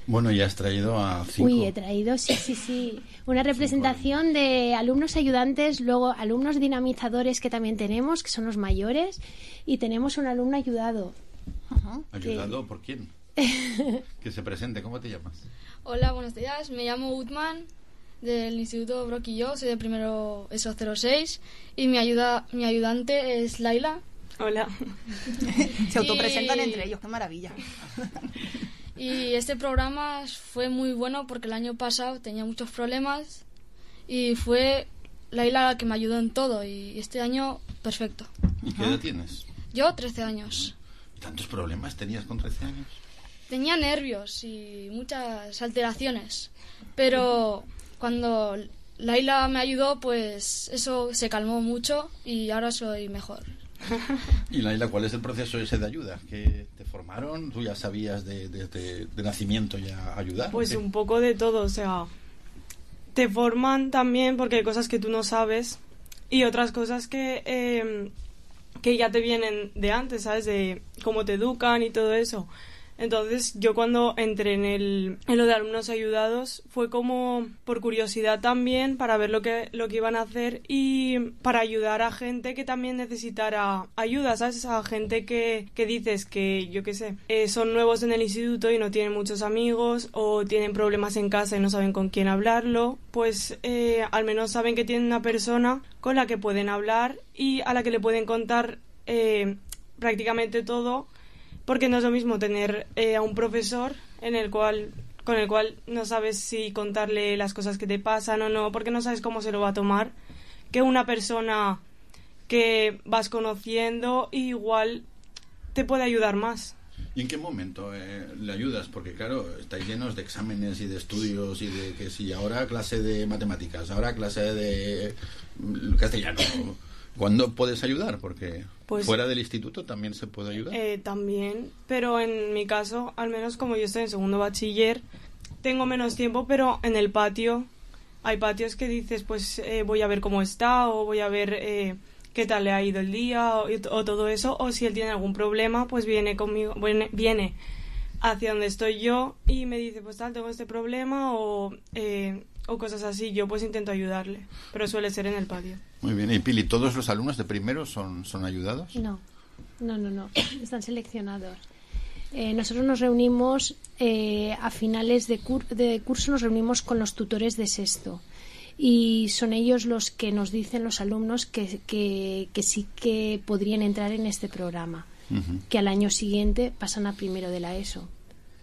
Bueno, ya has traído a 5. Uy, he traído, sí. Una representación de alumnos ayudantes, luego alumnos dinamizadores que también tenemos, que son los mayores, y tenemos un alumno ayudado. ¿Ayudado por quién? Que se presente, ¿cómo te llamas? Hola, buenos días, me llamo Utman, del Instituto Brock y yo, soy de primero ESO 06, y mi ayudante es Laila. Hola. Se autopresentan entre ellos, qué maravilla. Y este programa fue muy bueno porque el año pasado tenía muchos problemas y fue Laila la que me ayudó en todo, y este año perfecto. ¿Y qué edad tienes? Yo 13 años. ¿Y tantos problemas tenías con 13 años? Tenía nervios y muchas alteraciones, pero cuando Laila me ayudó, pues eso se calmó mucho y ahora soy mejor. Y Laila, ¿cuál es el proceso ese de ayuda? ¿Que te formaron? ¿Tú ya sabías de nacimiento ya ayudar? Pues un poco de todo, o sea, te forman también porque hay cosas que tú no sabes y otras cosas que ya te vienen de antes, ¿sabes? De cómo te educan y todo eso. Entonces yo cuando entré en lo de alumnos ayudados fue como por curiosidad también, para ver lo que iban a hacer y para ayudar a gente que también necesitara ayuda, ¿sabes? A gente que dices que, yo qué sé, son nuevos en el instituto y no tienen muchos amigos o tienen problemas en casa y no saben con quién hablarlo, pues al menos saben que tienen una persona con la que pueden hablar y a la que le pueden contar prácticamente todo. Porque no es lo mismo tener a un profesor con el cual no sabes si contarle las cosas que te pasan o no, porque no sabes cómo se lo va a tomar, que una persona que vas conociendo igual te puede ayudar más. ¿Y en qué momento le ayudas? Porque claro, estáis llenos de exámenes y de estudios y de que si ahora clase de matemáticas, ahora clase de castellano. ¿Cuándo puedes ayudar? Porque pues, fuera del instituto también se puede ayudar. También, pero en mi caso, al menos como yo estoy en segundo bachiller, tengo menos tiempo, pero en el patio hay patios que dices, pues voy a ver cómo está, o voy a ver qué tal le ha ido el día, o todo eso, o si él tiene algún problema, pues viene conmigo, viene hacia donde estoy yo y me dice, pues tal, tengo este problema, o cosas así. Yo pues intento ayudarle, pero suele ser en el patio. Muy bien. Y Pili, ¿todos los alumnos de primero son ayudados? No, están seleccionados. Nosotros nos reunimos a finales de curso, nos reunimos con los tutores de sexto y son ellos los que nos dicen, los alumnos, que sí que podrían entrar en este programa, que al año siguiente pasan a primero de la ESO.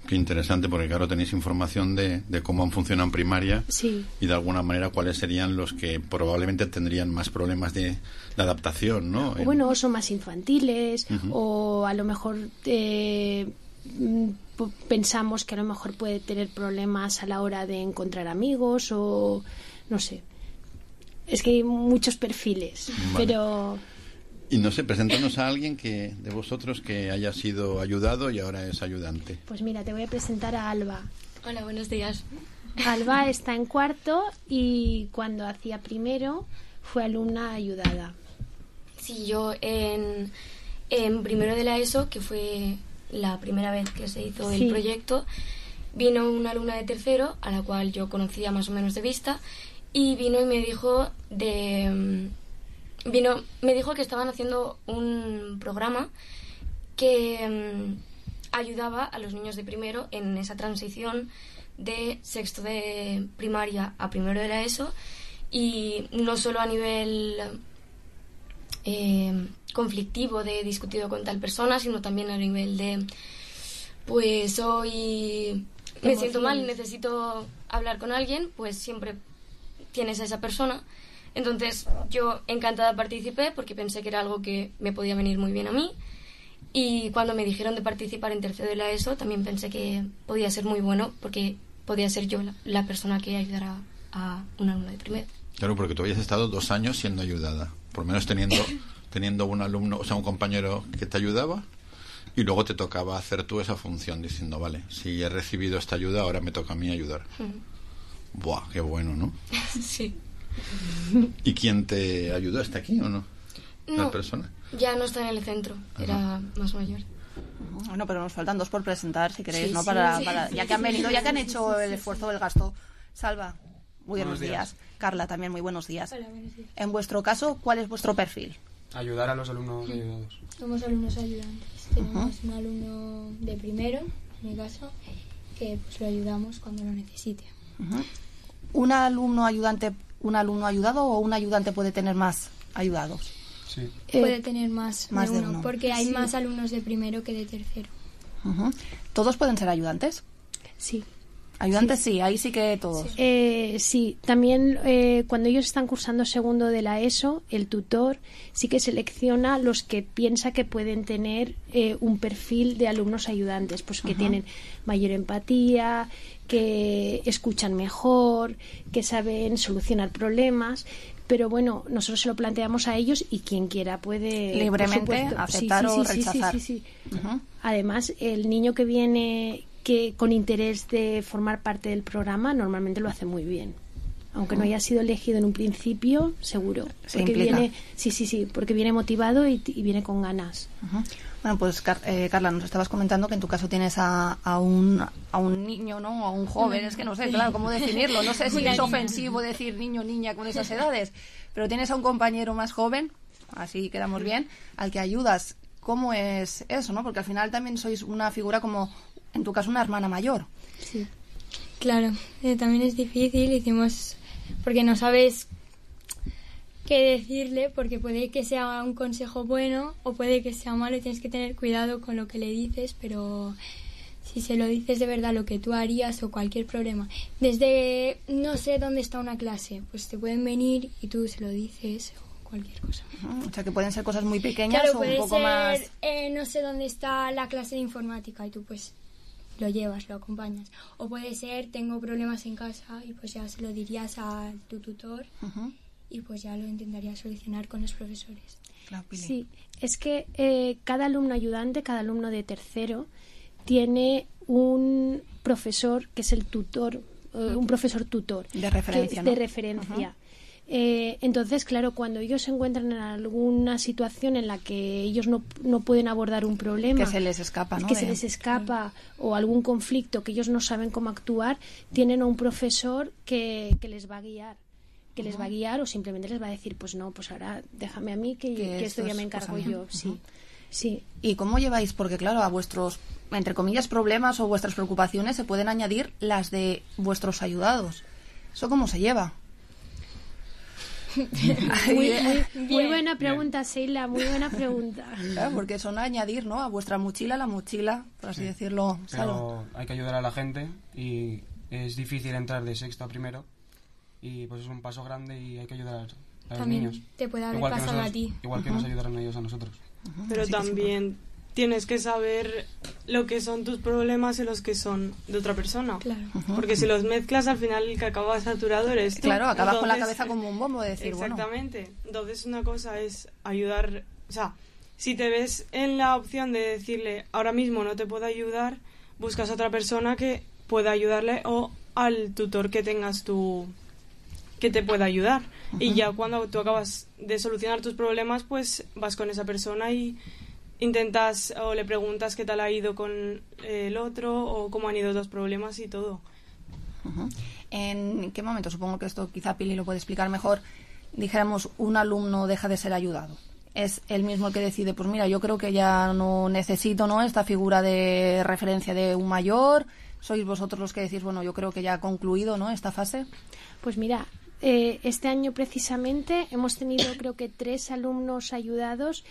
Qué interesante, porque claro, tenéis información de cómo funciona en primaria, sí, y de alguna manera cuáles serían los que probablemente tendrían más problemas de adaptación, ¿no? Bueno, son más infantiles, o a lo mejor pensamos que a lo mejor puede tener problemas a la hora de encontrar amigos, o no sé. Es que hay muchos perfiles, vale. Pero... Y no sé, preséntanos a alguien de vosotros que haya sido ayudado y ahora es ayudante. Pues mira, te voy a presentar a Alba. Hola, buenos días. Alba está en cuarto y cuando hacía primero fue alumna ayudada. Sí, yo en primero de la ESO, que fue la primera vez que se hizo el proyecto, vino una alumna de tercero, a la cual yo conocía más o menos de vista, y vino y me dijo me dijo que estaban haciendo un programa que ayudaba a los niños de primero en esa transición de sexto de primaria a primero de la ESO, y no solo a nivel conflictivo de discutido con tal persona, sino también a nivel de pues hoy me siento mal y necesito hablar con alguien, pues siempre tienes a esa persona. Entonces yo encantada participé porque pensé que era algo que me podía venir muy bien a mí, y cuando me dijeron de participar en tercero de la ESO también pensé que podía ser muy bueno porque podía ser yo la persona que ayudara a un alumno de primero. Claro, porque tú habías estado 2 años siendo ayudada, por lo menos teniendo un alumno, o sea, un compañero que te ayudaba, y luego te tocaba hacer tú esa función diciendo, vale, si he recibido esta ayuda, ahora me toca a mí ayudar. Buah, qué bueno, ¿no? Sí. ¿Y quién te ayudó? ¿Está aquí o no? No, ¿La persona? ya no está en el centro, era más mayor. Bueno, pero nos faltan 2 por presentar, si queréis, Sí, ¿no? sí, Para, sí. ya que han venido, ya que han hecho el esfuerzo del gasto. Salva, muy buenos días. Carla, también muy buenos días. Hola, buenos días. En vuestro caso, ¿cuál es vuestro perfil? Ayudar a los alumnos ayudados. Somos alumnos ayudantes. Tenemos un alumno de primero, en mi caso, que pues lo ayudamos cuando lo necesite. ¿Un alumno ayudado o un ayudante puede tener más ayudados? Sí. Puede tener más de de uno, uno. porque hay Sí. más alumnos de primero que de tercero. ¿Todos pueden ser ayudantes? Sí. Ayudantes sí, ahí sí que todos. Sí, también cuando ellos están cursando segundo de la ESO, el tutor sí que selecciona los que piensa que pueden tener un perfil de alumnos ayudantes, pues que tienen mayor empatía, que escuchan mejor, que saben solucionar problemas. Pero bueno, nosotros se lo planteamos a ellos y quien quiera puede libremente por supuesto, aceptar o rechazar. Sí. Además, el niño que viene con interés de formar parte del programa normalmente lo hace muy bien. Aunque no haya sido elegido en un principio, seguro. Se Porque implica. viene, porque viene motivado y viene con ganas. Bueno, pues Carla, nos estabas comentando que en tu caso tienes a un niño, ¿no? A un joven, es que no sé, claro, cómo definirlo. No sé si es ofensivo decir niño, niña con esas edades, pero tienes a un compañero más joven, así quedamos bien, al que ayudas. ¿Cómo es eso, no? Porque al final también sois una figura como, en tu caso, una hermana mayor. Sí, claro, también es difícil, porque no sabes qué decirle, porque puede que sea un consejo bueno o puede que sea malo y tienes que tener cuidado con lo que le dices, pero si se lo dices de verdad lo que tú harías o cualquier problema, desde no sé dónde está una clase, pues te pueden venir y tú se lo dices o cualquier cosa. O sea, que pueden ser cosas muy pequeñas Claro, o un puede poco ser, más... no sé dónde está la clase de informática y tú pues lo llevas, lo acompañas. O puede ser, tengo problemas en casa y pues ya se lo dirías a tu tutor y pues ya lo intentarías solucionar con los profesores. Sí, es que cada alumno ayudante, cada alumno de tercero tiene un profesor que es el tutor, un profesor tutor. De referencia, de ¿no? referencia. Entonces, claro, cuando ellos se encuentran en alguna situación en la que ellos no pueden abordar un problema, que se les escapa, ¿no? que se les escapa, o algún conflicto que ellos no saben cómo actuar, tienen a un profesor que les va a guiar. Que les va a guiar o simplemente les va a decir, pues no, pues ahora déjame a mí que esto ya me encargo yo. Sí. ¿Y cómo lleváis? Porque claro, a vuestros, entre comillas, problemas o vuestras preocupaciones se pueden añadir las de vuestros ayudados. ¿Eso cómo se lleva? Muy buena pregunta, Sheila, muy buena pregunta. Claro, porque son añadir, ¿no? A vuestra mochila, la mochila, por así decirlo. Pero hay que ayudar a la gente y es difícil entrar de sexto a primero y pues es un paso grande y hay que ayudar a los También niños. te puede haber igual pasado a ti. Igual que nos ayudaron ellos a nosotros. Pero Así que también tienes que saber lo que son tus problemas y los que son de otra persona. Claro. Porque si los mezclas, al final el que acaba saturado eres tú. Claro, acabas con la Entonces, cabeza como un bombo de decir, exactamente. Bueno. Entonces una cosa es ayudar, o sea, si te ves en la opción de decirle ahora mismo no te puedo ayudar, buscas a otra persona que pueda ayudarle o al tutor que tengas tú que te pueda ayudar. Y ya cuando tú acabas de solucionar tus problemas, pues vas con esa persona y intentas o le preguntas qué tal ha ido con el otro o cómo han ido los problemas y todo. ¿En qué momento? Supongo que esto quizá Pili lo puede explicar mejor. Dijéramos, un alumno deja de ser ayudado. Es él mismo el que decide, pues mira, yo creo que ya no necesito, ¿no?, esta figura de referencia de un mayor. ¿Sois vosotros los que decís, bueno, yo creo que ya ha concluido, ¿no?, esta fase? Pues mira, este año precisamente hemos tenido creo que 3 alumnos ayudados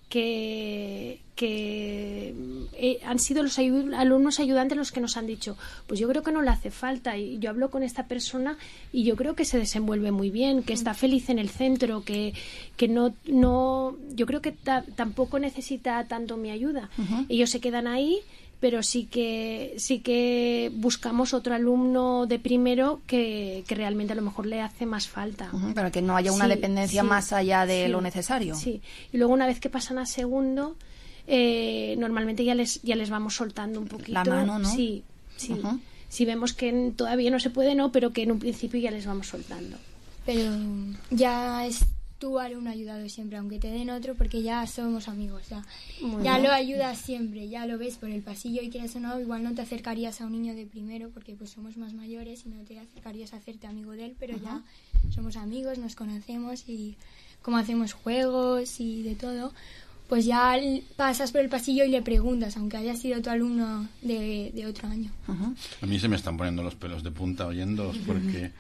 que han sido los alumnos ayudantes los que nos han dicho, pues yo creo que no le hace falta, y yo hablo con esta persona y yo creo que se desenvuelve muy bien, que está feliz en el centro, que no yo creo que tampoco necesita tanto mi ayuda. Ellos se quedan ahí, pero sí que buscamos otro alumno de primero que realmente a lo mejor le hace más falta. Para que no haya una dependencia más allá de lo necesario. Sí, y luego una vez que pasan a segundo, normalmente ya les vamos soltando un poquito. La mano, ¿no? Sí. Si vemos que todavía no se puede, no, pero que en un principio ya les vamos soltando. Pero ya es tu alumno ayudado siempre, aunque te den otro, porque ya somos amigos, ya lo ayudas siempre, ya lo ves por el pasillo y quieras o no, igual no te acercarías a un niño de primero porque pues somos más mayores y no te acercarías a hacerte amigo de él, pero ya somos amigos, nos conocemos y como hacemos juegos y de todo, pues ya pasas por el pasillo y le preguntas, aunque haya sido tu alumno de otro año. A mí se me están poniendo los pelos de punta oyéndoos porque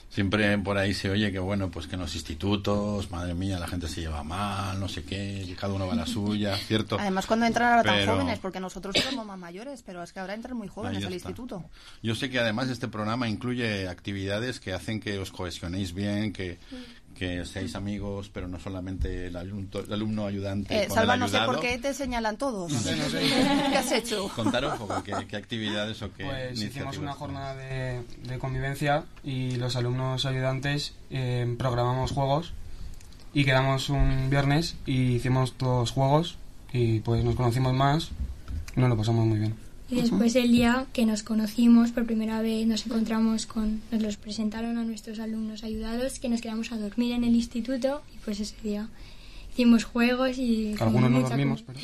siempre por ahí se oye que, bueno, pues que en los institutos, madre mía, la gente se lleva mal, no sé qué, cada uno va a la suya, ¿cierto? Además, cuando entran ahora tan jóvenes, porque nosotros somos más mayores, pero es que ahora entran muy jóvenes al instituto. Yo sé que además este programa incluye actividades que hacen que os cohesionéis bien, que seáis amigos, pero no solamente el alumno ayudante con Salva, el ayudado. no sé por qué te señalan todos. No sé. ¿Qué has hecho? Contar un poco qué actividades o qué Pues iniciativas. hicimos una jornada de convivencia y los alumnos ayudantes programamos juegos y quedamos un viernes y hicimos 2 juegos y pues nos conocimos más y nos lo pasamos muy bien. Y después el día que nos conocimos por primera vez nos encontramos nos los presentaron a nuestros alumnos ayudados, que nos quedamos a dormir en el instituto y pues ese día hicimos juegos y algunos no dormimos, pero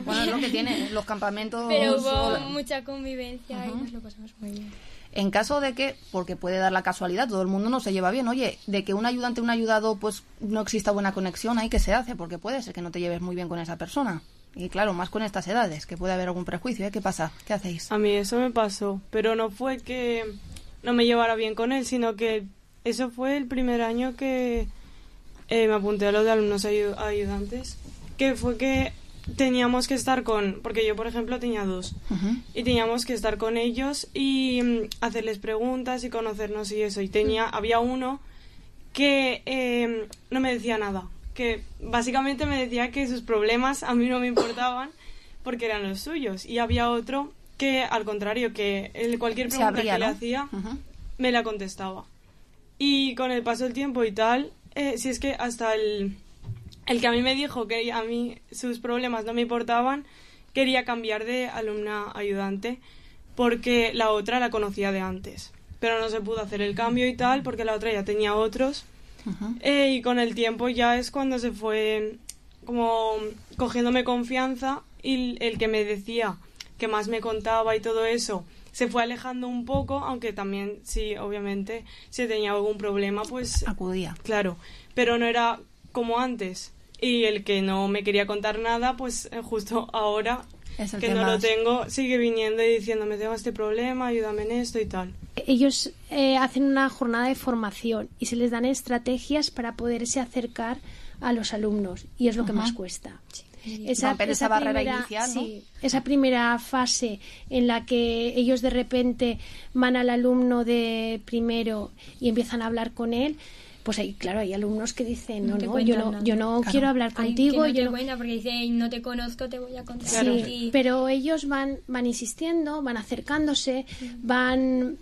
bueno, es lo que tiene los campamentos, pero hubo mucha convivencia y nos lo pasamos muy bien. En caso de que, porque puede dar la casualidad, todo el mundo no se lleva bien, oye, de que un ayudante, un ayudado, pues no exista buena conexión, ahí que se hace, porque puede ser que no te lleves muy bien con esa persona. Y claro, más con estas edades, que puede haber algún prejuicio, ¿eh? ¿Qué pasa? ¿Qué hacéis? A mí eso me pasó, pero no fue que no me llevara bien con él, sino que eso fue el primer año que me apunté a lo de alumnos ayudantes, que fue que teníamos que estar porque yo por ejemplo tenía 2 y teníamos que estar con ellos y hacerles preguntas y conocernos y eso, y había uno que no me decía nada, que básicamente me decía que sus problemas a mí no me importaban porque eran los suyos, y había otro que al contrario, que cualquier pregunta que le hacía me la contestaba, y con el paso del tiempo y tal, si es que hasta el que a mí me dijo que a mí sus problemas no me importaban, quería cambiar de alumna ayudante porque la otra la conocía de antes, pero no se pudo hacer el cambio y tal porque la otra ya tenía otros. Y con el tiempo ya es cuando se fue como cogiéndome confianza, y el que me decía, que más me contaba y todo eso, se fue alejando un poco, aunque también sí, obviamente, si tenía algún problema pues acudía. Claro, pero no era como antes. Y el que no me quería contar nada, pues justo ahora que no lo tengo, sigue viniendo y diciéndome, tengo este problema, ayúdame en esto y tal. Ellos hacen una jornada de formación y se les dan estrategias para poderse acercar a los alumnos, y es lo que más cuesta. Esa barrera inicial, ¿no? Sí, esa primera fase en la que ellos de repente van al alumno de primero y empiezan a hablar con él, pues hay, claro, hay alumnos que dicen yo no quiero hablar contigo, yo no cuenta porque dicen no te conozco, te voy a contar. Sí, pero ellos van insistiendo, van acercándose, van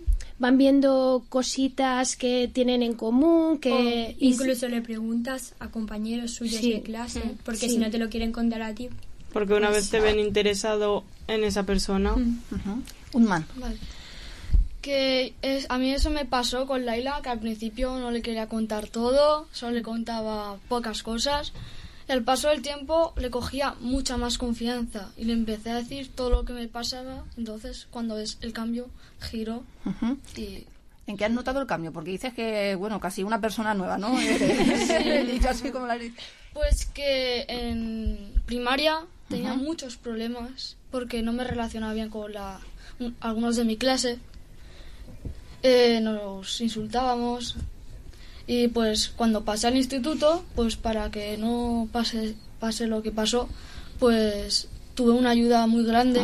viendo cositas que tienen en común, que incluso le preguntas a compañeros suyos de clase, porque si no te lo quieren contar a ti, porque una vez te ven interesado en esa persona. Un man. Vale. A mí eso me pasó con Laila, que al principio no le quería contar todo, solo le contaba pocas cosas. el paso del tiempo le cogía mucha más confianza y le empecé a decir todo lo que me pasaba. Entonces, cuando es el cambio, giró y... ¿En qué has notado el cambio? Porque dices que, bueno, casi una persona nueva, ¿no? Dicho así como Pues que en primaria tenía muchos problemas porque no me relacionaba bien con algunos de mi clase. Nos insultábamos y pues cuando pasé al instituto, pues para que no pase lo que pasó, pues tuve una ayuda muy grande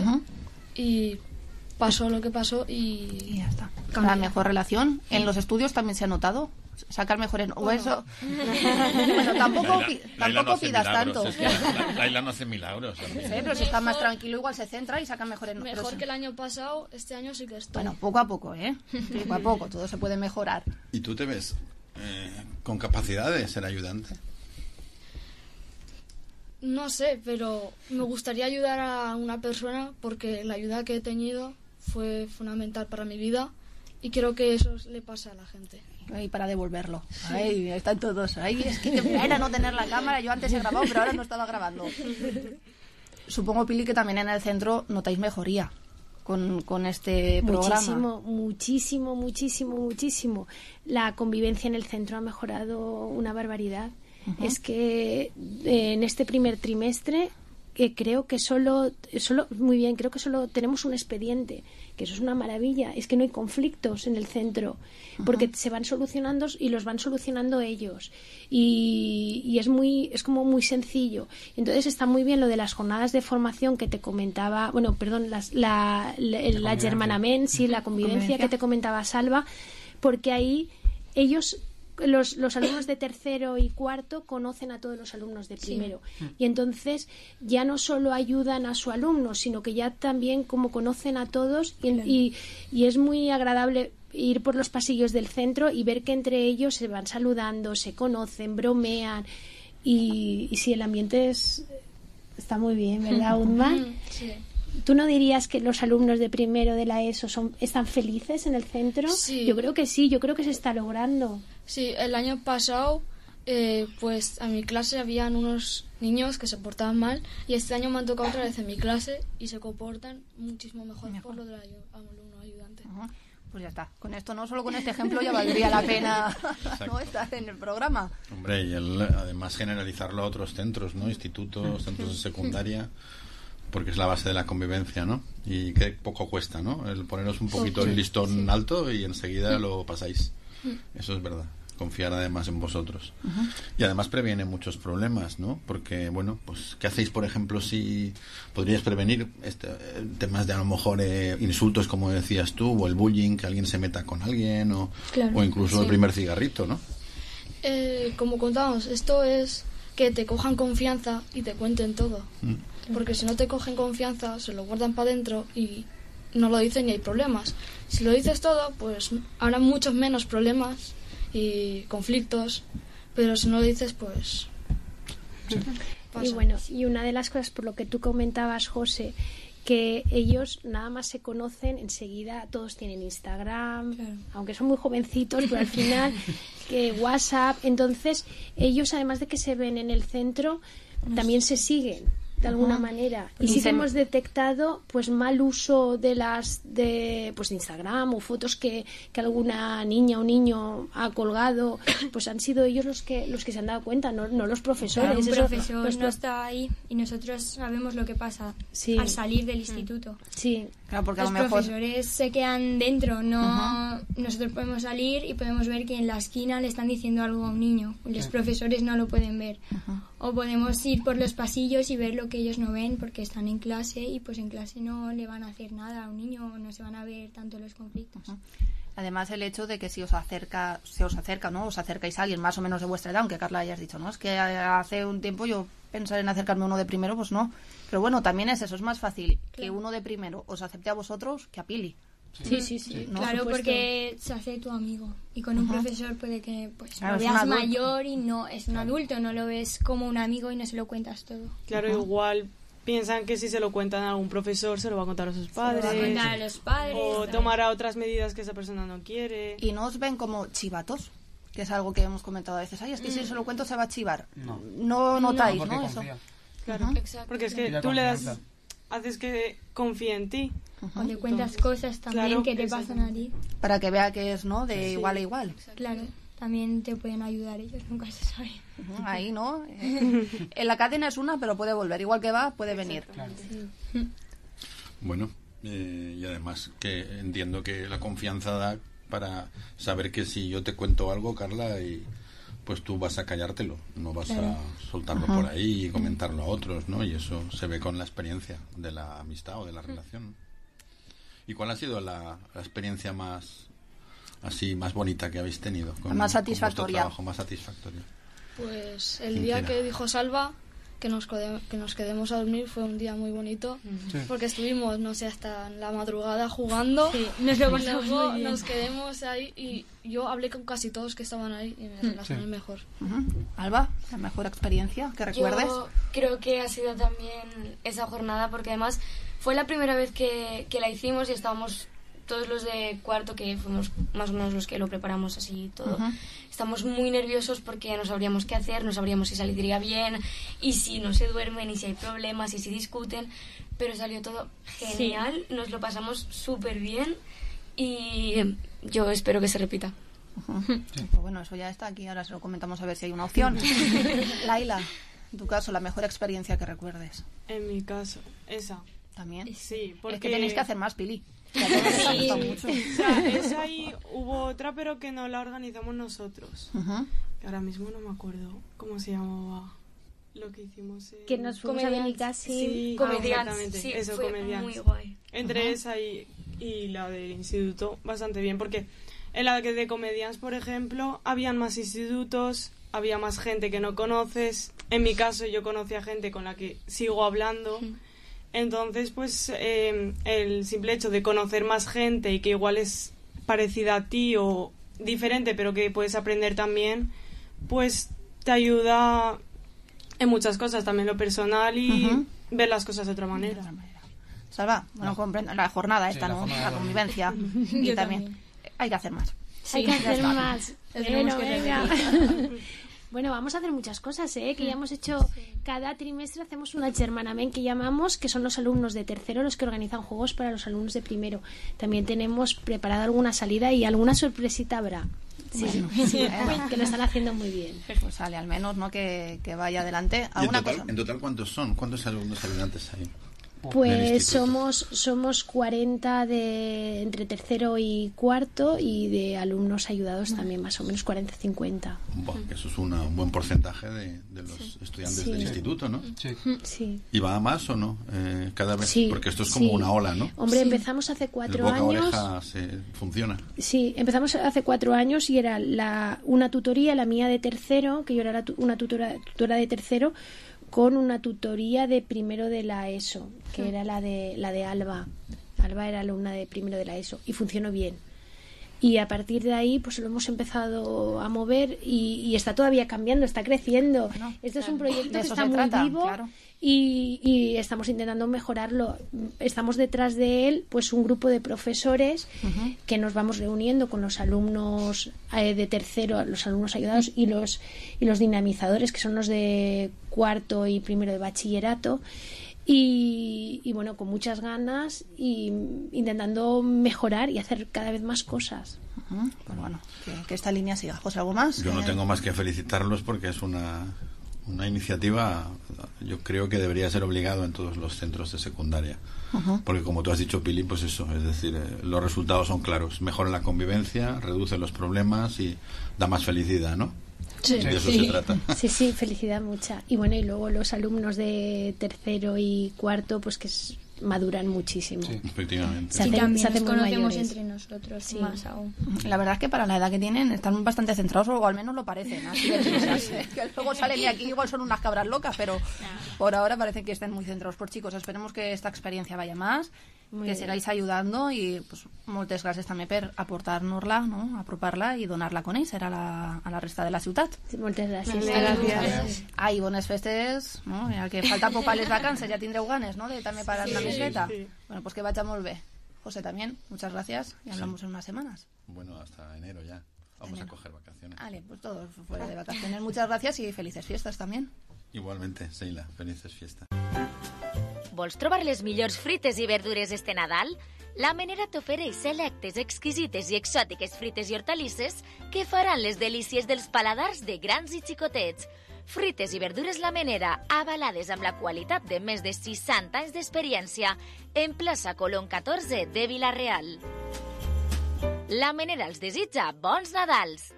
y pasó lo que pasó y ya está. La mejor relación. ¿En los estudios también se ha notado? Sacar mejores... O eso... Bueno, tampoco pidas tanto. Laila no hace milagros. Sí, pero si está más tranquilo igual se centra y saca mejores... Mejor que el año pasado, este año sí que estoy. Bueno, poco a poco, ¿eh? Poco a poco, todo se puede mejorar. ¿Y tú te ves con capacidad de ser ayudante? No sé, pero me gustaría ayudar a una persona porque la ayuda que he tenido fue fundamental para mi vida y creo que eso le pasa a la gente. Y para devolverlo. Sí. Ay, están todos. Ay, es que era no tener la cámara. Yo antes he grabado, pero ahora no estaba grabando. Supongo, Pili, que también en el centro notáis mejoría con este programa. Muchísimo. La convivencia en el centro ha mejorado una barbaridad. Es que en este primer trimestre creo que solo tenemos un expediente, que eso es una maravilla. Es que no hay conflictos en el centro porque se van solucionando y los van solucionando ellos y es como muy sencillo. Entonces está muy bien lo de las jornadas de formación que te comentaba, la germanament, sí, la convivencia que te comentaba Salva, porque ahí ellos... Los alumnos de tercero y cuarto conocen a todos los alumnos de primero y entonces ya no solo ayudan a su alumno, sino que ya también como conocen a todos y es muy agradable ir por los pasillos del centro y ver que entre ellos se van saludando, se conocen, bromean y sí, el ambiente está muy bien, ¿verdad, Udman? Sí. ¿Tú no dirías que los alumnos de primero de la ESO están felices en el centro? Sí. Yo creo que sí, yo creo que se está logrando. Sí, el año pasado pues a mi clase habían unos niños que se portaban mal y este año me han tocado otra vez en mi clase y se comportan muchísimo mejor. Por lo del alumno ayudante. Pues ya está. Con esto, no solo con este ejemplo, ya valdría la pena no estar en el programa. Hombre, y además generalizarlo a otros centros, ¿no? Institutos, centros de secundaria, porque es la base de la convivencia, ¿no? Y que poco cuesta, ¿no? El poneros un poquito el listón alto y enseguida lo pasáis. Eso es verdad. Confiar además en vosotros. Y además previene muchos problemas, ¿no? Porque, bueno, pues ¿qué hacéis, por ejemplo, si podríais prevenir temas de a lo mejor insultos, como decías tú, o el bullying, que alguien se meta con alguien, o incluso el primer cigarrito, ¿no? Como contábamos, esto es que te cojan confianza y te cuenten todo. Porque si no te cogen confianza, se lo guardan para adentro y no lo dicen y hay problemas. Si lo dices todo, pues habrá muchos menos problemas y conflictos, pero si no lo dices, pues... Y bueno, y una de las cosas por lo que tú comentabas, José, que ellos nada más se conocen, enseguida todos tienen Instagram, aunque son muy jovencitos, pero al final que WhatsApp, entonces ellos además de que se ven en el centro, también se siguen de alguna manera y sí que hemos detectado pues mal uso de Instagram o fotos que alguna niña o niño ha colgado, pues han sido ellos los que se han dado cuenta, no los profesores. Claro, un profesor no está ahí y nosotros sabemos lo que pasa al salir del instituto. Sí, claro, porque los a lo mejor profesores se quedan dentro, nosotros podemos salir y podemos ver que en la esquina le están diciendo algo a un niño, los profesores no lo pueden ver. O podemos ir por los pasillos y ver lo que ellos no ven porque están en clase y pues en clase no le van a hacer nada a un niño, no se van a ver tanto los conflictos. Además, el hecho de que si os acerca, ¿no? Os acercáis a alguien más o menos de vuestra edad, aunque Carla hayas dicho, ¿no? Es que hace un tiempo yo pensar en acercarme a uno de primero, pues no. Pero bueno, también es eso, es más fácil que uno de primero os acepte a vosotros que a Pili. Sí. ¿no? Claro, porque se hace tu amigo y con un profesor puede que pues lo veas mayor y no es un adulto, no lo ves como un amigo y no se lo cuentas todo. Claro, igual piensan que si se lo cuentan a algún profesor se lo va a contar a sus padres, o tomará otras medidas que esa persona no quiere. Y no os ven como chivatos. que es algo que hemos comentado a veces. Ay, es que si se lo cuento se va a chivar. No notáis, ¿no? Eso. Claro, porque es que tú le das, haces que confíe en ti. O le cuentas cosas también que te pasan a ti. Para que vea que es, ¿no? De igual a igual. Claro, también te pueden ayudar ellos, nunca se sabe. Ahí, ¿no? En la cadena es una, pero puede volver. Igual que va, puede venir. Claro. Bueno, y además que entiendo que la confianza da para saber que si yo te cuento algo, Carla, y pues tú vas a callártelo, no vas a soltarlo por ahí y comentarlo a otros, ¿no? Y eso se ve con la experiencia de la amistad o de la relación. ¿Y cuál ha sido la experiencia más bonita que habéis tenido? Más satisfactoria. Con vuestro trabajo, más satisfactoria. Pues el día que dijo Salva que nos quedemos a dormir fue un día muy bonito, porque estuvimos, no sé, hasta la madrugada jugando. Sí, nos lo pasamos luego muy bien. nos quedemos ahí y yo hablé con casi todos que estaban ahí y me relacioné mejor. Alba, la mejor experiencia que recuerdes. Yo creo que ha sido también esa jornada, porque además fue la primera vez que la hicimos y estábamos todos los de cuarto, que fuimos más o menos los que lo preparamos así todo. Estamos muy nerviosos porque no sabríamos qué hacer, no sabríamos si saldría bien y si no se duermen y si hay problemas y si discuten, pero salió todo genial, nos lo pasamos súper bien y yo espero que se repita. Pues bueno, eso ya está aquí, ahora se lo comentamos a ver si hay una opción. Laila, en tu caso, la mejor experiencia que recuerdes. En mi caso, esa. ¿También? Sí, porque... Es que tenéis que hacer más, Pili. Que a todos les ha gustado mucho. O sea, esa y hubo otra, pero que no la organizamos nosotros. Que ahora mismo no me acuerdo cómo se llamaba lo que hicimos. Que nos fuimos a Benicassim. Sí, Comedians. Sí, eso, fue Comedians. muy guay. Entre esa y la del instituto, bastante bien, porque en la que de Comedians, por ejemplo, habían más institutos, había más gente que no conoces. En mi caso, yo conocí a gente con la que sigo hablando. Entonces, pues, el simple hecho de conocer más gente y que igual es parecida a ti o diferente, pero que puedes aprender también, pues te ayuda en muchas cosas, también lo personal y ver las cosas de otra manera. Salva, bueno, comprendo la jornada esta, ¿no? La convivencia. Y también hay que hacer más. Sí, hay que hacer más. Bueno, venga. Bueno, vamos a hacer muchas cosas, que ya hemos hecho, cada trimestre hacemos una Germanament que llamamos, que son los alumnos de tercero los que organizan juegos para los alumnos de primero. También tenemos preparada alguna salida y alguna sorpresita habrá. Sí, que lo están haciendo muy bien. Pues sale, al menos, ¿no? Que vaya adelante. ¿En total cuántos son? ¿Cuántos alumnos ayudantes hay? Pues somos 40 entre tercero y cuarto y de alumnos ayudados también más o menos 40-50. Bueno, eso es un buen porcentaje de los estudiantes del instituto, ¿no? Sí. ¿Y va a más o no? Cada vez, porque esto es como una ola, ¿no? Hombre, empezamos hace 4 años. El boca a oreja funciona. Sí, empezamos hace 4 años y era una tutoría, la mía de tercero, que yo era una tutora de tercero, con una tutoría de primero de la ESO, que era la de Alba. Alba era alumna de primero de la ESO y funcionó bien. Y a partir de ahí pues lo hemos empezado a mover y está todavía cambiando, está creciendo. Esto es un proyecto que está muy vivo y estamos intentando mejorarlo. Estamos detrás de él pues un grupo de profesores que nos vamos reuniendo con los alumnos de tercero, los alumnos ayudados y los dinamizadores, que son los de cuarto y primero de bachillerato. Y bueno, con muchas ganas y intentando mejorar y hacer cada vez más cosas. Pues bueno, que esta línea siga. José, ¿algo más? Yo no tengo más que felicitarlos porque es una iniciativa, yo creo que debería ser obligado en todos los centros de secundaria. Porque como tú has dicho, Pili, pues eso, es decir, los resultados son claros. Mejora la convivencia, reduce los problemas y da más felicidad, ¿no? Sí. De eso se trata. Sí, felicidad mucha. Y bueno, y luego los alumnos de tercero y cuarto, pues que maduran muchísimo. Sí, efectivamente. Se hacen nos conocemos mayores. entre nosotros más aún. La verdad es que para la edad que tienen están bastante centrados, o al menos lo parecen. Así que luego salen y aquí igual son unas cabras locas, pero por ahora parece que estén muy centrados. Pues chicos, esperemos que esta experiencia vaya más, que sigáis ayudando y pues moltes gràcies també per aportar-nos-la, no? apropar-la i donar-la a conèixer a la resta de la ciutat. Sí, moltes gràcies. Gràcies. Ai, bones festes, no? El que falta poc a les vacances, ja tindreu ganes, ¿no? De també parar una miqueta. Bueno, pues que vaya molt bé. José, también, muchas gracias y hablamos en unas semanas. Bueno, hasta enero ya. Vamos a coger vacaciones. Vale, pues todos fuera de vacaciones. Muchas gracias y felices fiestas también. Igualmente, Seila, felices fiestas. Vols trobar les millors frites i verdures este Nadal? La Menera t'ofereix selectes, exquisites i exòtiques frites i hortalisses que faran les delícies dels paladars de grans i xicotets. Frites i verdures La Menera, avalades amb la qualitat de més de 60 anys d'experiència, en plaça Colón 14 de Vila-real. La Menera els desitja bons Nadals!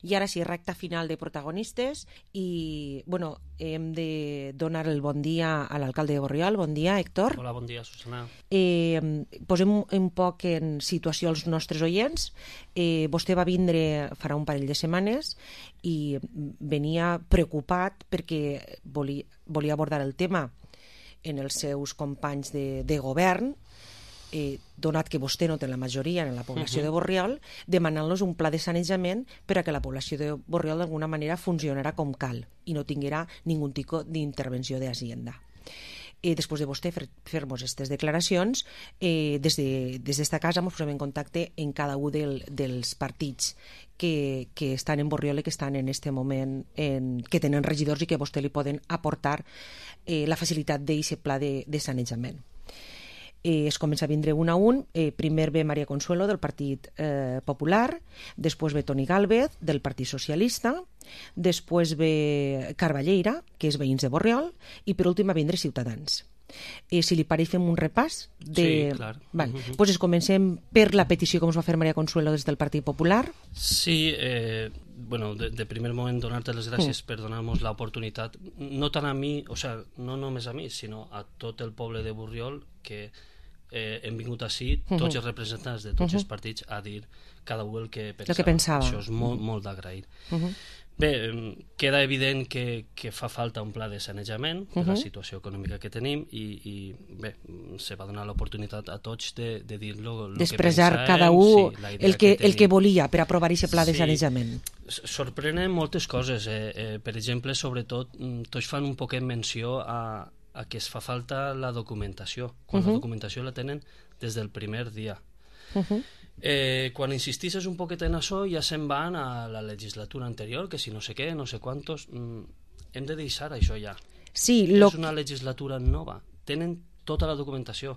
I ara sí, recta final de protagonistes i, bueno, hem de donar el bon dia a l'alcalde de Borriol. Bon dia, Héctor. Hola, bon dia, Susana. Posem un poc en situació els nostres oients. Vostè va vindre farà un parell de setmanes i venia preocupat perquè volia abordar el tema en els seus companys de govern, donat que vostè no té la majoria en la població de Borriol, demanant-los un pla de sanejament per a que la població de Borriol d'alguna manera funcionarà com cal i no tinguera ningun tipus d'intervenció d'Hacienda. Després de vostè fer-nos aquestes declaracions, des d'esta casa ens posem en contacte en cada un dels partits que estan en Borriol i que estan en aquest moment, que tenen regidors i que a vostè li poden aportar la facilitat d'aquest pla de sanejament. Es comença a vindre un a un. Primer ve Maria Consuelo del Partit Popular, després ve Toni Gálvez del Partit Socialista, després ve Carballeira, que és Veïns de Borriol, i per últim va vindre Ciutadans. Si li pareix fem un repàs Sí, clar. Pues comencem per la petició que ens va fer Maria Consuelo des del Partit Popular. Sí, bueno, de primer moment donar-te les gràcies per donar-nos l'oportunitat, no tant a mi, o sea, no només a mi, sinó a tot el poble de Borriol, que hem vingut així, tots els representants de tots els partits, a dir cada un el que pensava. Això és molt d'agrair. Bé, queda evident que fa falta un pla de sanejament per la situació econòmica que tenim i bé, se va donar l'oportunitat a tots de dir-lo, d'expressar cada un el que volia per aprovar aquest pla de sanejament. Sorprenen moltes coses, per exemple, sobretot tots fan un poquet menció a que es fa falta la documentació, quan la documentació la tenen des del primer dia. Quan insistisses un poquet en això ja se'n van a la legislatura anterior, que si no sé què, no sé quantos, hem de deixar això ja. Sí, és una legislatura nova, tenen tota la documentació,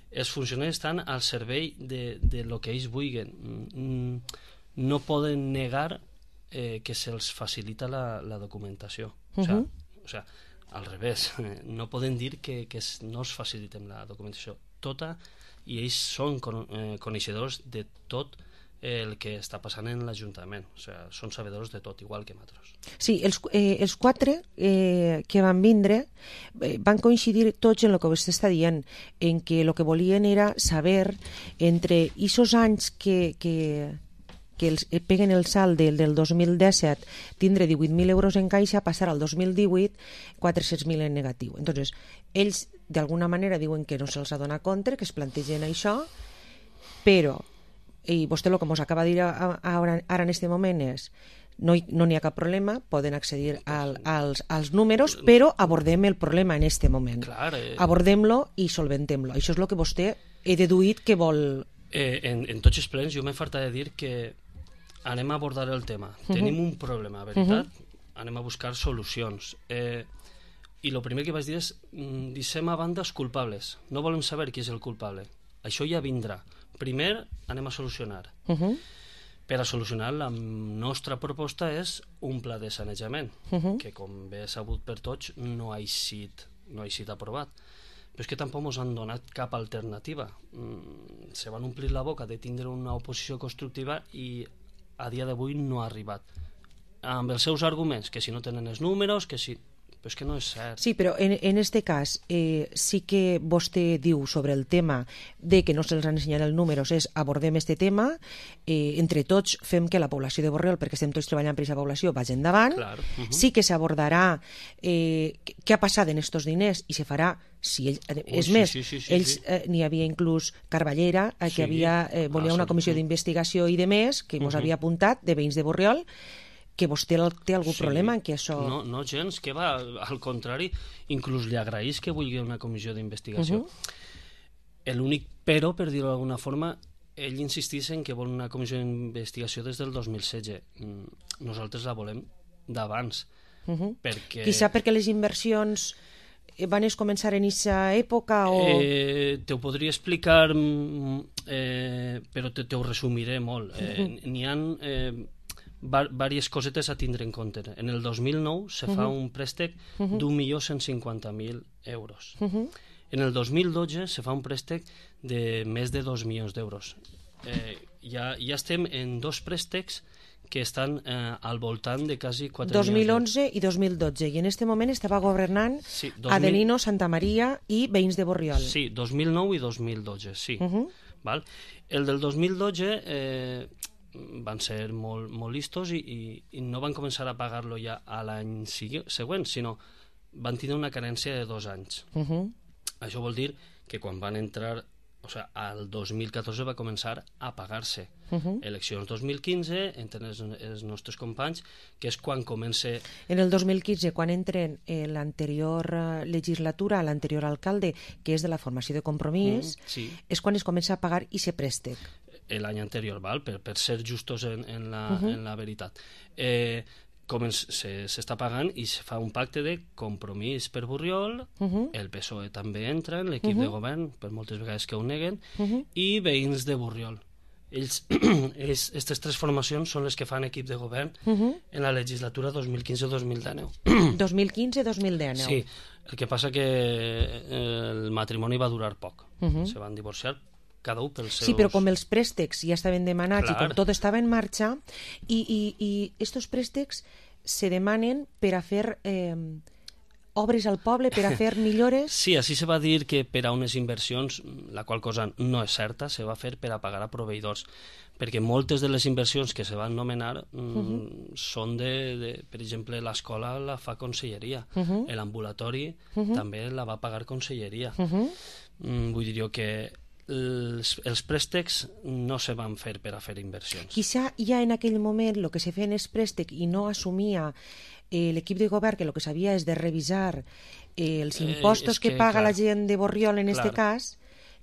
els funcionaris estan al servei de lo que ells vulguin, no poden negar que se'ls facilita la documentació, o sea, al revés, no poden dir que no es facilitem la documentació tota, i ells són coneixedors de tot el que està passant en l'Ajuntament, o sigui, són sabedors de tot, igual que nosaltres. Sí, els quatre que van vindre van coincidir tots en el que vostè està dient, en que el que volien era saber entre aquests anys que els peguen el salt del 2017, tindre 18.000 euros en caixa, passar al 2018 400.000 en negatiu. Entonces, ells d'alguna manera diuen que no se'ls adona compte, que es plantegen això, però, i vostè el que ens acaba de dir ara en aquest moment és no n'hi ha cap problema, poden accedir als números, però abordem el problema en aquest moment. Abordem-lo i solventem-lo. Això és el que vostè he deduït que vol... En tots els plens jo m'he fartat de dir que anem a abordar el tema. Tenim un problema, veritat? Anem a buscar solucions. I el primer que vaig dir és deixem a banda els culpables. No volem saber qui és el culpable. Això ja vindrà. Primer anem a solucionar. Per a solucionar, la nostra proposta és un pla de sanejament, que com bé sabut per tots no ha eixit aprovat. Però és que tampoc ens han donat cap alternativa. Se van omplir la boca de tindre una oposició constructiva i a dia d'avui no ha arribat. Amb els seus arguments, que si no tenen els números, que si... Però és que no és cert. Sí, però en aquest cas sí que vostè diu sobre el tema de que no se'ls han ensenyat els números és abordem aquest tema, entre tots fem que la població de Borriol, perquè estem tots treballant per aquesta població, vagi endavant. Sí que s'abordarà què ha passat en aquests diners i se farà, és més, ells n'hi havia inclús Carballeira, que volia una comissió d'investigació i de més, que ens havia apuntat, de veïns de Borriol, que vostè té algun problema en que això... No, gens, que va, al contrari, inclús li agraís que vulgui una comissió d'investigació. L'únic però, per dir-ho d'alguna forma, ell insistís en que vol una comissió d'investigació des del 2016. Nosaltres la volem d'abans. Perquè... Quizá perquè les inversions van començar en aquesta època o... Te ho podria explicar, però te ho resumiré molt. N'hi ha diverses cosetes a tindre en compte. En el 2009 se fa un préstec d'1.150.000 euros. En el 2012 se fa un préstec de més de 2 milions d'euros. Ja estem en dos préstecs que estan al voltant de quasi 4 2011 i 2012, i en aquest moment estava governant Adelino Santamaría i veïns de Borriol. Sí, 2009 i 2012, sí. Val? El del 2012 van ser molt listos i no van començar a pagar-lo ja a l'any següent, sinó van tenir una carència de 2 anys. Això vol dir que quan van entrar, o sigui, al 2014 va començar a pagar-se. Eleccions 2015, entren els nostres companys, que és quan comença... En el 2015, quan entren l'anterior legislatura, l'anterior alcalde, que és de la formació de Compromís, és quan es comença a pagar i se préstec. L'any anterior, val? Per ser justos en la veritat. S'està pagant i se fa un pacte de Compromís per Borriol, el PSOE també entra en l'equip de govern, per moltes vegades que ho neguen, i veïns de Borriol. Aquestes tres formacions són les que fan equip de govern en la legislatura 2015-2019. 2015-2019. Sí, el que passa que el matrimoni va durar poc. Se van divorciar cada un pels seus... Sí, però com els préstecs ja estaven demanats i com tot estava en marxa, i estos préstecs se demanen per a fer obres al poble, per a fer millores... Sí, així se va dir que per a unes inversions, la qual cosa no és certa, se va fer per a pagar a proveïdors, perquè moltes de les inversions que se van nomenar són per exemple, l'escola la fa conselleria, l'ambulatori també la va pagar conselleria. Vull dir que els préstecs no se van fer per a fer inversions. Quizá ja en aquell moment el que se feia en el préstec i no assumia l'equip de govern, que el que sabia és de revisar els impostos que paga la gent de Borriol en aquest cas,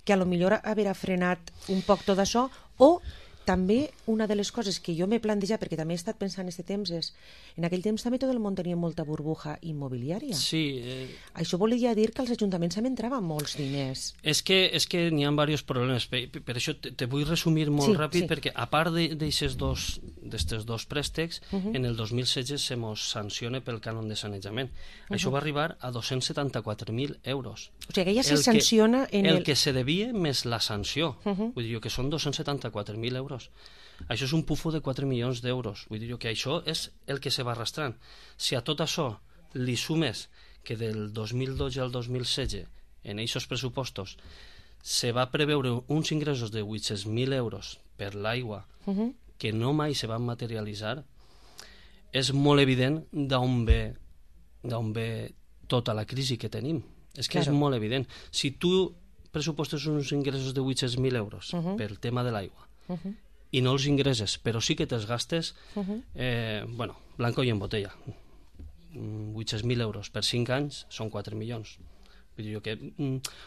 que a lo millor haver frenat un poc tot això, o també una de les coses que jo m'he plantejat, perquè també he estat pensant en aquest temps, és en aquell temps també tot el món tenia molta burbuja immobiliària. Sí. Això volia dir que als ajuntaments també entraven molts diners. És que n'hi ha diversos problemes. Per això te vull resumir molt ràpid, perquè a part d'aquests dos préstecs, en el 2016 se mos sanciona pel cànon de sanejament. Això va arribar a 274.000 euros. O sigui que ja se sanciona en el que se devia més la sanció. Vull dir que són 274.000 euros. Això és un pufo de 4 milions d'euros. Vull dir que això és el que se va arrastrant. Si a tot això li sumes que del 2012 al 2016 en aquests pressupostos se va preveure uns ingressos de 800.000 euros per l'aigua que no mai se van materialitzar, és molt evident d'on ve tota la crisi que tenim. És que és molt evident. Si tu pressupostes uns ingressos de 800.000 euros pel tema de l'aigua i no els ingresses, però sí que te'ls gastes, blanco i en botella. 800.000 euros per 5 anys són 4 milions. Vull dir que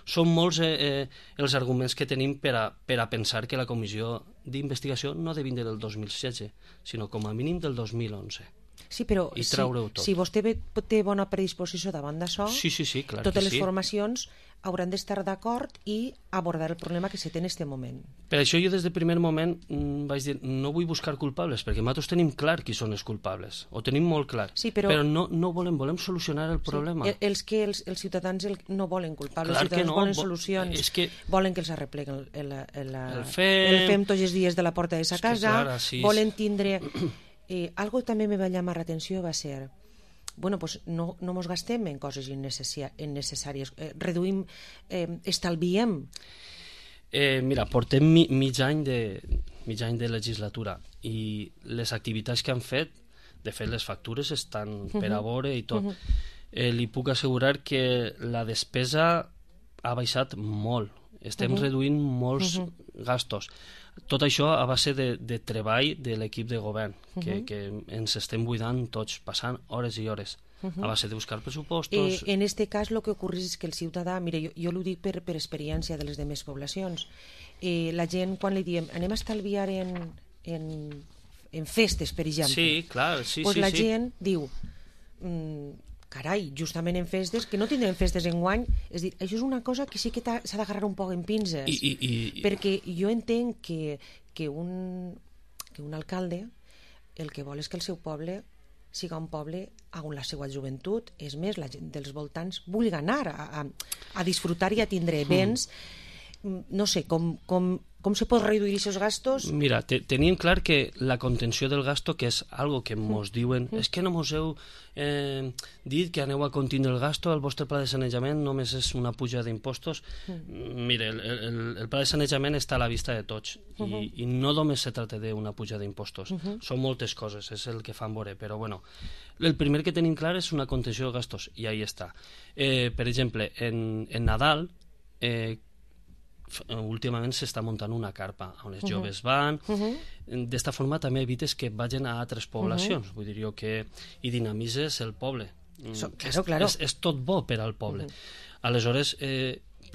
són molts els arguments que tenim per a pensar que la comissió d'investigació no ha de vindre del 2016, sinó com a mínim del 2011. Sí, però si vostè té bona predisposició davant d'això, totes les formacions hauran d'estar d'acord i abordar el problema que se té en aquest moment. Per això jo des del primer moment vaig dir no vull buscar culpables, perquè nosaltres tenim clar qui són els culpables, ho tenim molt clar, però no volem solucionar el problema. Els ciutadans no volen culpables, els ciutadans volen solucions, volen que els arrepleguen el fem tots els dies de la porta de sa casa, volen tindre... Algo que també me va llamar l'atenció va ser no mos gastem en coses innecessàries, reduïm, estalviem. Mira, portem mig any de legislatura i les activitats que han fet, de fet les factures estan per a veure i tot. Li puc assegurar que la despesa ha baixat molt, estem reduint molts gastos. Tot això a base de treball de l'equip de govern, que ens estem buidant tots, passant hores i hores. a base de buscar pressupostos. En este cas el que ocorre és que el ciutadà, mira, jo l'ho dic per experiència de les demés poblacions, la gent quan li diem anem a estalviar en festes, per exemple, sí, clar, pues la gent diu carai, justament en festes, que no tindrem festes enguany, és dir, això és una cosa que sí que s'ha d'agarrar un poc en pinces, perquè jo entenc que un alcalde el que vol és que el seu poble siga un poble on la seva joventut, és més, la gent dels voltants vulgui anar a disfrutar i a tindre béns. No sé, com se pot reduir aquests gastos? Mira, tenim clar que la contenció del gasto, que és algo que mos diuen, és que no mos heu dit que aneu a contindre el gasto, el vostre pla de sanejament només és una puja d'impostos. Mire, el pla de sanejament està a la vista de tots i no només se tracta d'una puja d'impostos, són moltes coses, és el que fan veure, però bueno, el primer que tenim clar és una contenció de gastos i ahí està. Per exemple, en Nadal últimament s'està muntant una carpa on els joves van, d'esta forma també evites que vagin a altres poblacions, vull dir jo que hi dinamitzes el poble. Claro. És tot bo per al poble. Aleshores,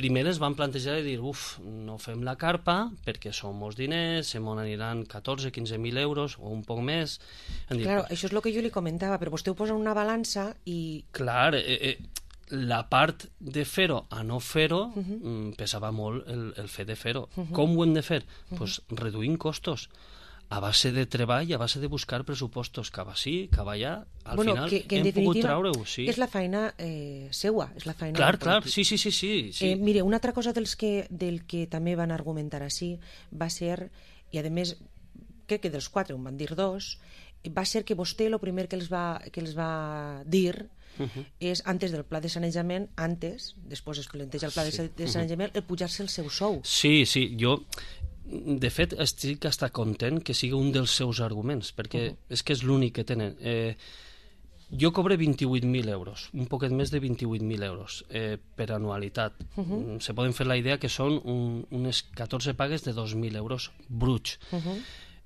primer es van plantejar de dir, no fem la carpa perquè són molts diners, se m'on aniran 14-15.000 euros o un poc més. Claro, això és el que jo li comentava, però vostè ho posa en una balança i... Clar, la part de fer-ho a no fer-ho pesava molt el fet de fer-ho. Com ho hem de fer? Pues reduint costos a base de treball, a base de buscar pressupostos que va sí, que va allà, al final hem pogut traure-ho. És la feina seua, és la feina... Clar, sí. Mire, una altra cosa del que també van argumentar així va ser, i a més crec que dels 4 en van dir 2, va ser que vostè el primer que els va dir és antes del pla de sanejament, després es planteja el pla de sanejament, el pujar-se el seu sou. Sí, jo de fet estic hasta content que sigui un dels seus arguments, perquè és que és l'únic que tenen. Jo cobre 28.000 euros, un poquet més de 28.000 euros per anualitat. Se poden fer la idea que són unes 14 pagues de 2.000 euros bruts.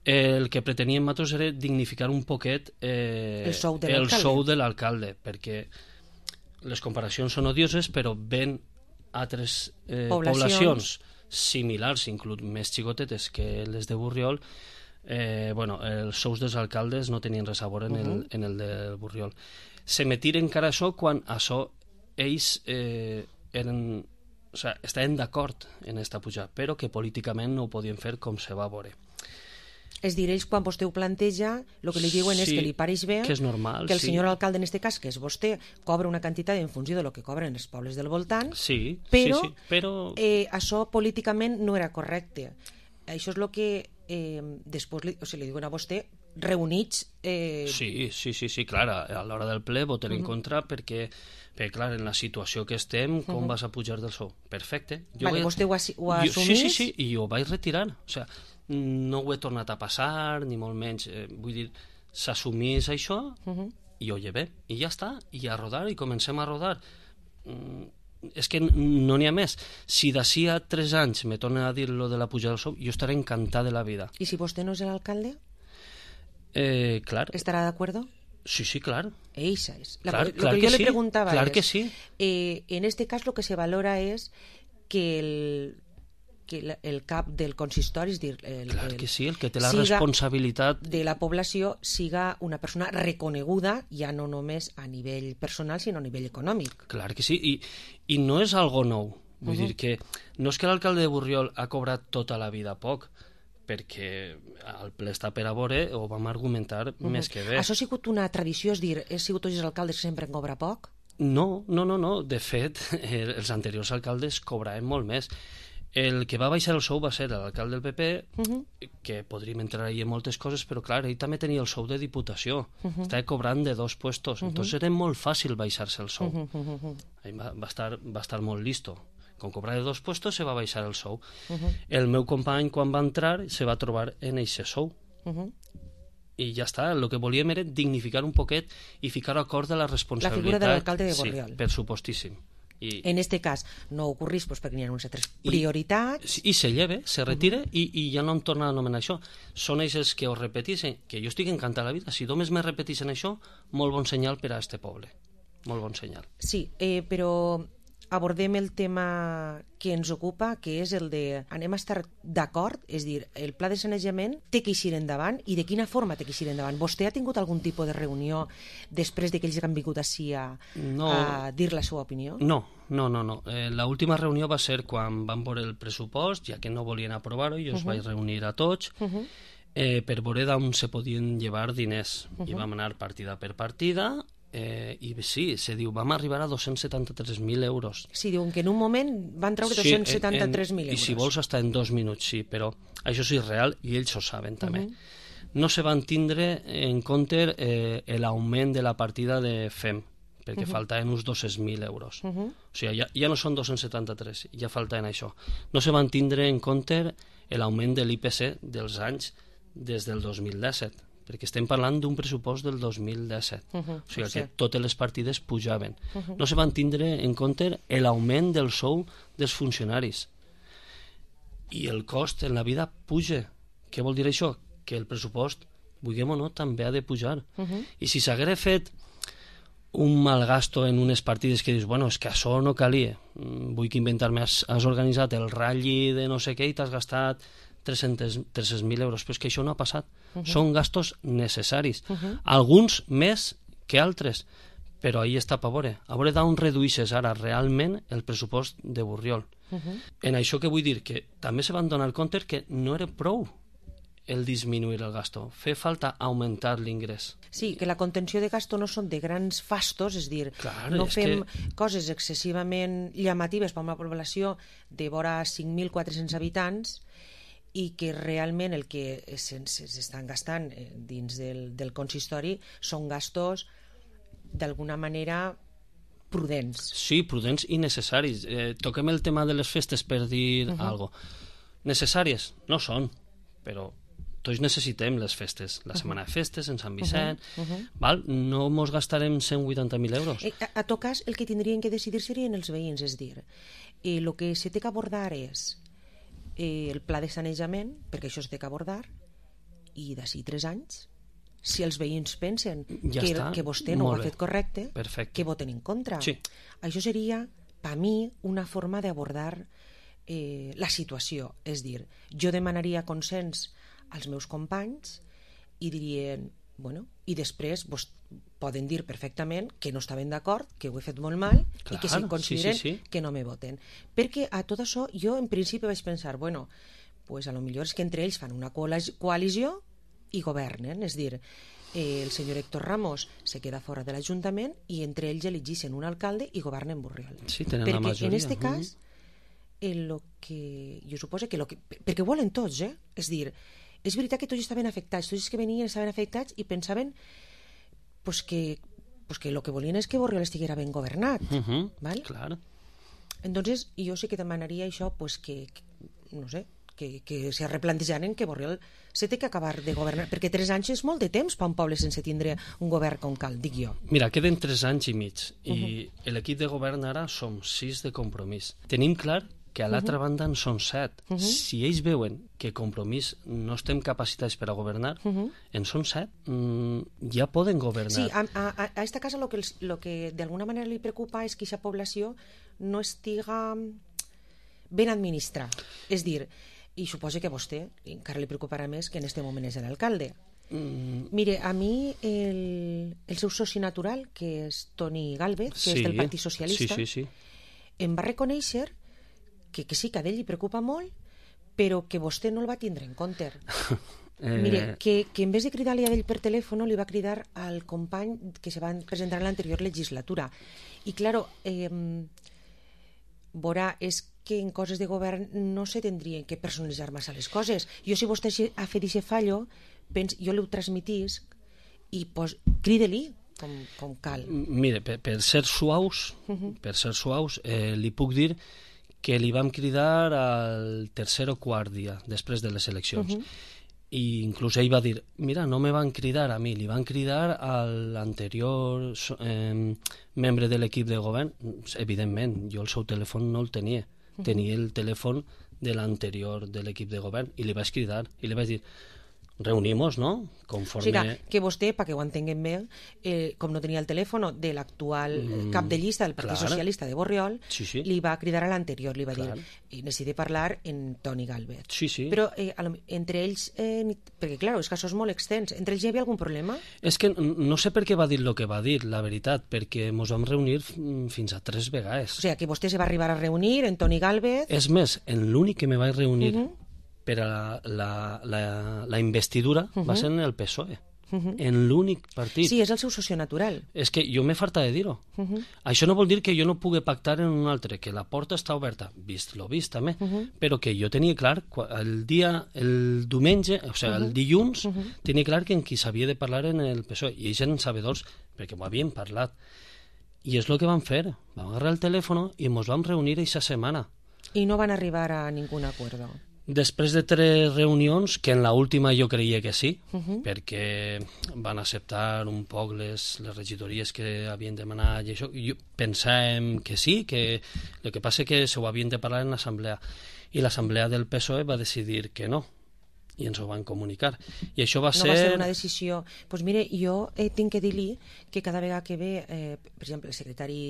El que preteníem nosaltres era dignificar un poquet el sou de l'alcalde, perquè les comparacions són odioses, però ven altres poblacions similars, inclús més xicotetes que les de Borriol, els sous dels alcaldes no tenien res a veure en el de Borriol. Se me tira encara això quan això ells estaven d'acord en esta pujada, però que políticament no ho podien fer com se va veure. És dir, ells quan vostè ho planteja el que li diuen és que li pareix bé que és normal, que el senyor alcalde en aquest cas, que és vostè, cobra una quantitat en funció de lo que cobren els pobles del voltant, però això políticament no era correcte. Això és el que després li diuen a vostè reunits... Sí, clar, a l'hora del ple voten en contra perquè clar, en la situació que estem, com vas a pujar del sou? Perfecte. Vostè ho ha assumit? Sí, i ho vaig retirar. O sigui, no ho he tornat a passar, ni molt menys. Vull dir, s'assumís això i ho llevé. I ja està, i a rodar, i comencem a rodar. És que no n'hi ha més. Si d'ací a 3 anys me tornen a dir lo de la pujada del sou, jo estaré encantat de la vida. I si vostè no és l'alcalde? Clar. ¿Estarà d'acuerdo? Sí, clar. Esa es. Clar lo que yo le preguntaba claro es, que sí. En este caso lo que se valora es que el cap del consistori, és dir, que sí, el que té la responsabilitat de la població siga una persona reconeguda, ja no només a nivell personal, sinó a nivell econòmic. Clar que sí, i no és algo nou. Vull dir que no és que l'alcalde de Borriol ha cobrat tota la vida poc, perquè el ple està per a veure, ho vam argumentar més que bé. Això ha sigut una tradició, és dir, he sigut tots els alcaldes que sempre en cobra poc? No. De fet, els anteriors alcaldes cobraven molt més. El que va baixar el sou va ser l'alcalde del PP, que podríem entrar ahí en moltes coses, però clar, ell també tenia el sou de diputació, estava cobrant de 2 puestos, entonces era molt fàcil baixar-se el sou. Va estar molt listo. Com cobrava de 2 puestos, se va baixar el sou. El meu company, quan va entrar, se va trobar en eixe sou. I ja està, el que volíem era dignificar un poquet i ficar acord de la responsabilitat. La figura de l'alcalde de Borriol. Sí, per supostíssim. En este cas no ocorrís perquè n'hi ha unes altres prioritats i se lleve, se retira i ja no em torna a anomenar això. Són ells els que ho repeteixen, que jo estic encantat de la vida. Si només me repeteixen això, molt bon senyal per a este poble. molt bon senyal. Sí, però abordem el tema que ens ocupa, que és el de anem a estar d'acord, és dir, el pla de sanejament té que eixir endavant i de quina forma té que eixir endavant. Vostè ha tingut algun tipus de reunió després de que ells han vingut així a dir la seva opinió? No. L'última reunió va ser quan van veure el pressupost, ja que no volien aprovar-ho, i els vaig reunir a tots per veure d'on se podien llevar diners. I vam anar partida per partida. I sí, se diu, vam arribar a 273.000 euros. Sí, diuen que en un moment van treure 273.000 euros. I si vols, hasta en 2 minuts, sí, però això és irreal i ells ho saben també. No se van tindre en compte l'augment de la partida de FEM, perquè faltaven uns 200.000 euros. O sigui, ja no són 273, ja faltaven això. No se van tindre en compte l'augment de l'IPC dels anys des del 2017, perquè estem parlant d'un pressupost del 2017. O sigui que totes les partides pujaven. No se van tindre en compte l'augment del sou dels funcionaris. I el cost en la vida puja. Què vol dir això? Que el pressupost, vulguem o no, també ha de pujar. I si s'hagués fet un mal gasto en unes partides que dius, bueno, és que això no calia. Vull que inventar-me, has organitzat el ratll de no sé què i t'has gastat 300.000 euros, però és que això no ha passat. Són gastos necessaris, alguns més que altres, però ahí està per veure d'on reduïsses ara realment el pressupost de Borriol. En això que vull dir que també se van donar compte que no era prou el disminuir el gasto, fer falta augmentar l'ingrés. Sí, que la contenció de gasto no són de grans fastos, és dir, no fem coses excessivament llamatives per a una població de vora 5.400 habitants i que realment el que s'estan gastant dins del consistori són gastos d'alguna manera prudents. Sí, prudents i necessaris. Toquem el tema de les festes per dir alguna cosa. Necessàries? No són, però tots necessitem les festes. La setmana de festes en Sant Vicent, no mos gastarem 180.000 euros. A tot cas, el que tindrien que decidir serien els veïns, és dir, el que se té que abordar és el pla de sanejament, perquè això es té que abordar, i d'ací 3 anys, si els veïns pensen que vostè no ho ha fet correcte, que voten en contra. Això seria, per mi, una forma d'abordar la situació. És dir, jo demanaria consens als meus companys i dirien, bueno, i després poden dir perfectament que no estaven d'acord, que ho he fet molt mal i que si consideren que no me voten. Perquè a tot això jo en principi vaig pensar, bueno, pues a lo millor és que entre ells fan una coalició i governen, és dir, el senyor Héctor Ramos se queda fora de l'Ajuntament i entre ells elegixen un alcalde i governen Borriol. Sí, tenen la majoria. Perquè en aquest cas, jo suposo que perquè ho volen tots, és dir, és veritat que tots estaven afectats, tots els que venien estaven afectats i pensaven pues que el que volien és que Borriol estiguera ben governat. Claro. Entonces, jo sí que demanaria això, pues que no sé, que se replantejaren que Borriol se té que acabar de governar, perquè 3 anys és molt de temps per un poble sense tindre un govern com cal, dic jo. Mira, queden 3 anys i mig, i l'equip de govern ara som 6 de Compromís. Tenim clar que a l'altra banda en són 7. Si ells veuen que Compromís no estem capacitats per a governar, en són 7, ja poden governar. Sí, a esta casa lo que d'alguna manera li preocupa és que aquesta població no estiga ben administrada. És dir, i suposo que a vostè encara li preocuparà més que en este moment és l'alcalde. Mire, a mi el seu soci natural, que és Toni Gálvez, que és del Partit Socialista, em va reconèixer que sí, que a ell li preocupa molt, però que vostè no el va tindre en compte. Mire, que en vez de cridar-li a ell per telèfon, li va cridar al company que se va presentar en l'anterior legislatura. I, claro, veurà, és que en coses de govern no se tindrien que personalitzar massa les coses. Jo, si vostè ha fet aquest fallo, jo li ho transmitís i crida-li com cal. Mire, per ser suaus, li puc dir que li vam cridar al tercer o quart dia després de les eleccions. I inclús ell va dir, mira, no me van cridar a mi, li van cridar a l'anterior membre de l'equip de govern. Evidentment, jo el seu telèfon no el tenia. Tenia el telèfon de l'anterior de l'equip de govern i li vaig cridar i li vaig dir, reunimos, ¿no? O sigui, que vostè, perquè ho entenguem bé, com no tenia el telèfon de l'actual cap de llista del Partit Socialista de Borriol, li va cridar a l'anterior, li va dir, necessite parlar en Toni Galvez. Però entre ells, perquè clar, és que això és molt extens, entre ells hi havia algun problema? És que no sé per què va dir el que va dir, la veritat, perquè ens vam reunir fins a 3 vegades. O sigui, que vostè se va arribar a reunir en Toni Galvez... És més, en l'únic que me vaig reunir per a la investidura va ser en el PSOE, en l'únic partit. Sí, és el seu soci natural. És que jo m'he farta de dir-ho. Això no vol dir que jo no pugui pactar en un altre, que la porta està oberta, vist lo vist també, però que jo tenia clar, el diumenge, o sigui, el dilluns, tenia clar que en qui s'havia de parlar en el PSOE, i ells eren sabedors, perquè m'ho havien parlat. I és el que vam fer, vam agarrar el telèfon i ens vam reunir aquesta setmana. I no van arribar a ningun acuerdo? Després de 3 reunions, que en l'última jo creia que sí, perquè van acceptar un poc les regidories que havien demanat i això, jo pensàvem que sí, que el que passa que se ho havien de parlar en l'assemblea, i l'assemblea del PSOE va decidir que no, i ens ho van comunicar. I això va ser... No va ser una decisió... Doncs mire, jo tinc que dir-li que cada vegada que ve, per exemple, el secretari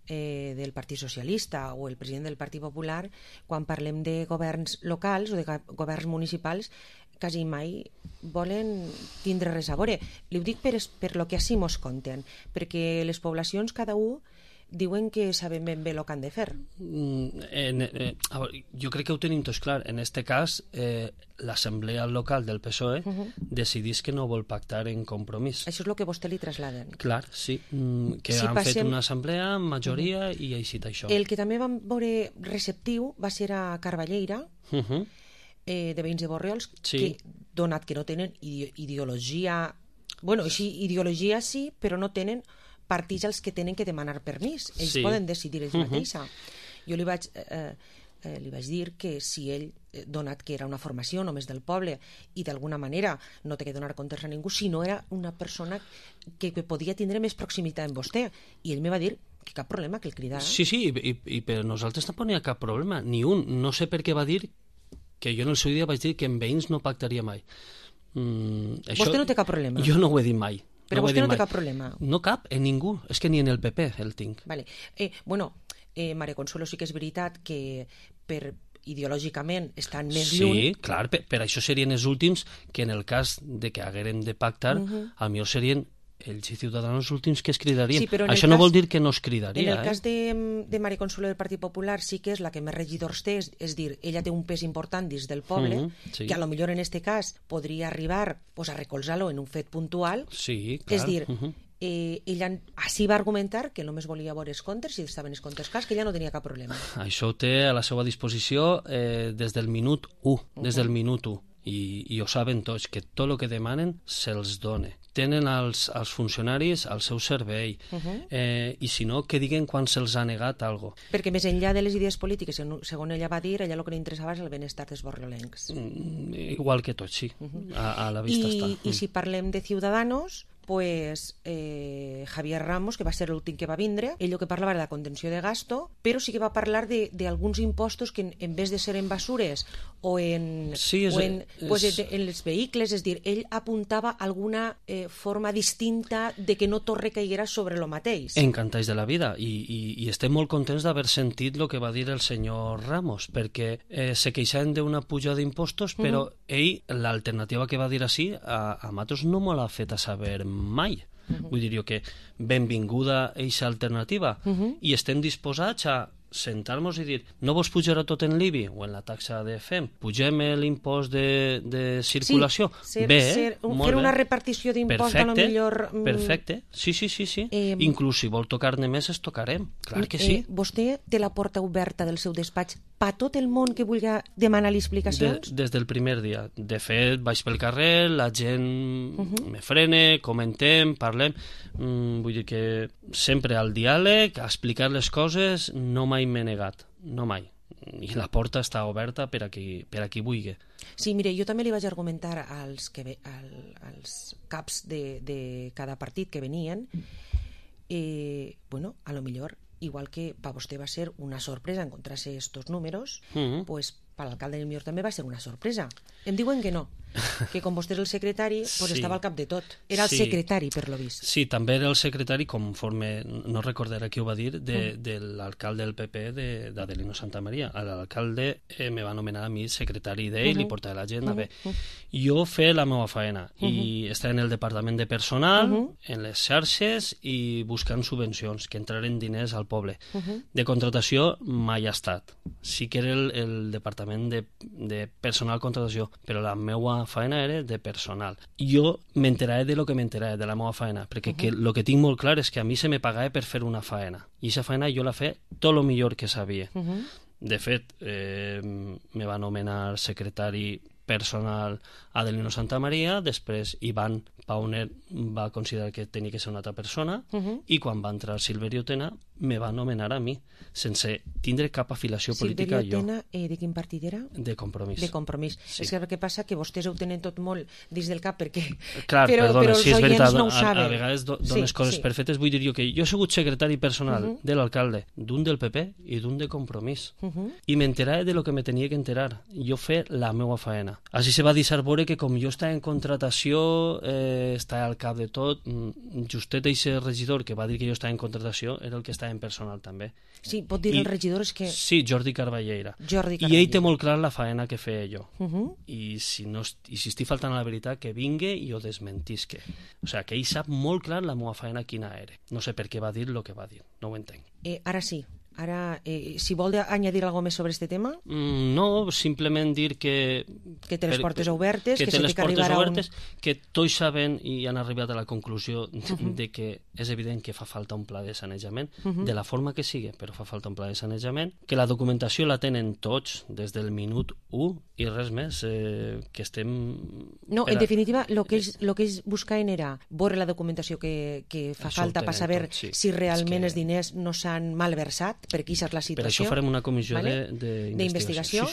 del Partit Socialista o el president del Partit Popular, quan parlem de governs locals o de governs municipals, quasi mai volen tindre res a veure. Li ho dic per lo que així mos conten, perquè les poblacions cada un diuen que saben ben bé el que han de fer. Jo crec que ho tenim tots clar. En aquest cas, l'assemblea local del PSOE decidís que no vol pactar en compromís. Això és el que vostè li trasladen. Clar, sí. Que han fet una assemblea amb majoria i així això. El que també vam veure receptiu va ser a Carballeira, de veïns de Borriols, que, donat que no tenen ideologia... Bueno, ideologia sí, però no tenen partits als que tenen que demanar permís. Ells poden decidir ells mateixa. Jo li vaig dir que si ell, donat que era una formació només del poble i d'alguna manera no té que donar comptes a ningú, si no era una persona que podia tindre més proximitat amb vostè. I ell me va dir que cap problema, que el cridara. Sí, i per nosaltres tampoc n'hi ha cap problema, ni un. No sé per què va dir que jo en el seu dia vaig dir que amb veïns no pactaria mai. Vostè no té cap problema? Jo no ho he dit mai. Però vostè no té cap problema? No cap, en ningú. És que ni en el PP el tinc. Vale. Maria Consuelo, sí que és veritat que ideològicament estan més lluny. Sí, clar, per això serien els últims que en el cas de que haguérem de pactar, a millor serien ells i Ciutadans últims que es cridarien. Sí, això no vol dir que no es cridaria. En el cas de Maria Consuelo del Partit Popular sí que és la que més regidors té, és dir, ella té un pes important dins del poble, que a lo millor en este cas podria arribar a recolzar-lo en un fet puntual. Sí, clar. És dir, ella així va argumentar que només volia veure els comptes i estaven els comptes clars, que ella no tenia cap problema. Això ho té a la seva disposició des del minut 1, des del minut 1. I ho saben tots, que tot el que demanen se'ls dona. Tenen els funcionaris al seu servei, i si no, que diguen quan se'ls ha negat alguna cosa. Perquè més enllà de les idees polítiques, segons ella va dir, ella el que li interessava és el benestar dels borriolencs. Igual que tots, sí. A la vista està. I si parlem de Ciudadanos, pues Javier Ramos, que va ser l'últim que va vindre, ell el que parlava era de contenció de gasto, però sí que va parlar d'alguns impostos que en vez de ser en basures o en els vehicles, és dir, ell apuntava alguna forma distinta de que no tot recaiguera sobre el mateix. Encantats de la vida, i estem molt contents d'haver sentit el que va dir el senyor Ramos, perquè se queixaven d'una puja d'impostos, però ell, l'alternativa que va dir així, a nosaltres no me l'ha fet a saber mai. Vull dir jo que benvinguda eixa alternativa, i estem disposats a sentar-nos i dir, no vos pujarà tot en l'IBI o en la taxa de FEM, pugem l'impost de circulació. Sí, fer una repartició d'impost a lo millor... Perfecte, sí. Inclús si vol tocar-ne més, es tocarem, clar que sí. Vostè té la porta oberta del seu despatx per tot el món que vulgui demanar-li explicacions? Des del primer dia. De fet, vaig pel carrer, la gent me frena, comentem, parlem. Vull dir que sempre al diàleg, a explicar les coses, no mai m'he negat, no mai. I la porta està oberta per a qui vulgui. Sí, mire, jo també li vaig argumentar als caps de cada partit que venien, a lo millor, igual que per vostè va ser una sorpresa encontrar-se estos números, pues per l'alcalde del millor també va ser una sorpresa. Em diuen que no, que com vostè és el secretari, pues Sí. estava al cap de tot. Era el Sí. secretari, per lo vist. Sí, també era el secretari, conforme, no recordaré qui ho va dir, de l'alcalde del PP d'Adelino Santamaria. L'alcalde me va anomenar a mi secretari d'ell i portar la gent a bé. Jo fer la meva feina i estar en el departament de personal, en les xarxes i buscant subvencions, que entraren diners al poble. De contratació mai ha estat. Sí que era el departament de personal contratació, però la meva feina era de personal. Jo m'enteraré de lo que m'enteraré de la meva feina, perquè el que tinc molt clar és que a mi se me pagava per fer una feina, i aquesta feina jo la fe tot el millor que sabia. De fet, me va anomenar secretari personal Adelino Santamaria, després Ivan Pauner va considerar que tenia que ser una altra persona, i quan va entrar Silverio Tena me va anomenar a mi, sense tindre cap afiliació política jo. Silverio Tena, de quin partit era? De Compromís. De Compromís. Sí. És que el que passa que vostès ho tenen tot molt dins del cap, perquè... Clar, però perdona, els sí, és oients veritat, no ho saben. a vegades dones coses per fetes. Vull dir jo que jo he sigut secretari personal de l'alcalde, d'un del PP i d'un de Compromís, i m'enterava de lo que me tenia que enterar. Jo fer la meva faena. Així se va deixar veure que com jo estava en contratació, estava al cap de tot, justet eixe regidor que va dir que jo estava en contratació era el que estava en personal també. Sí, pot dir el regidor és que... Sí, Jordi Carballera. I ell té molt clar la faena que feia jo. I si estic faltant a la veritat, que vingui i ho desmentisque. O sigui, que ell sap molt clar la meva faena quina era. No sé per què va dir el que va dir, no ho entenc. Ara sí. Ara, si vol añadir alguna cosa més sobre este tema? No, simplement dir que... Que té les portes obertes, que té les portes obertes, que tots saben i han arribat a la conclusió de que és evident que fa falta un pla de sanejament, de la forma que sigui, però fa falta un pla de sanejament, que la documentació la tenen tots des del minut 1 i res més, que estem... No, en definitiva, el que ells buscaven era veure la documentació que fa falta per saber si realment els diners no s'han malversat, perquè aquesta és la situació. Per això farem una comissió d'investigació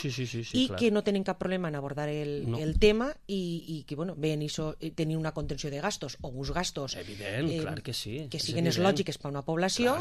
i que no tenen cap problema en abordar el tema i que, bueno, veien tenir una contenció de gastos o uns gastos clar que sí, que siguin lògiques per a una població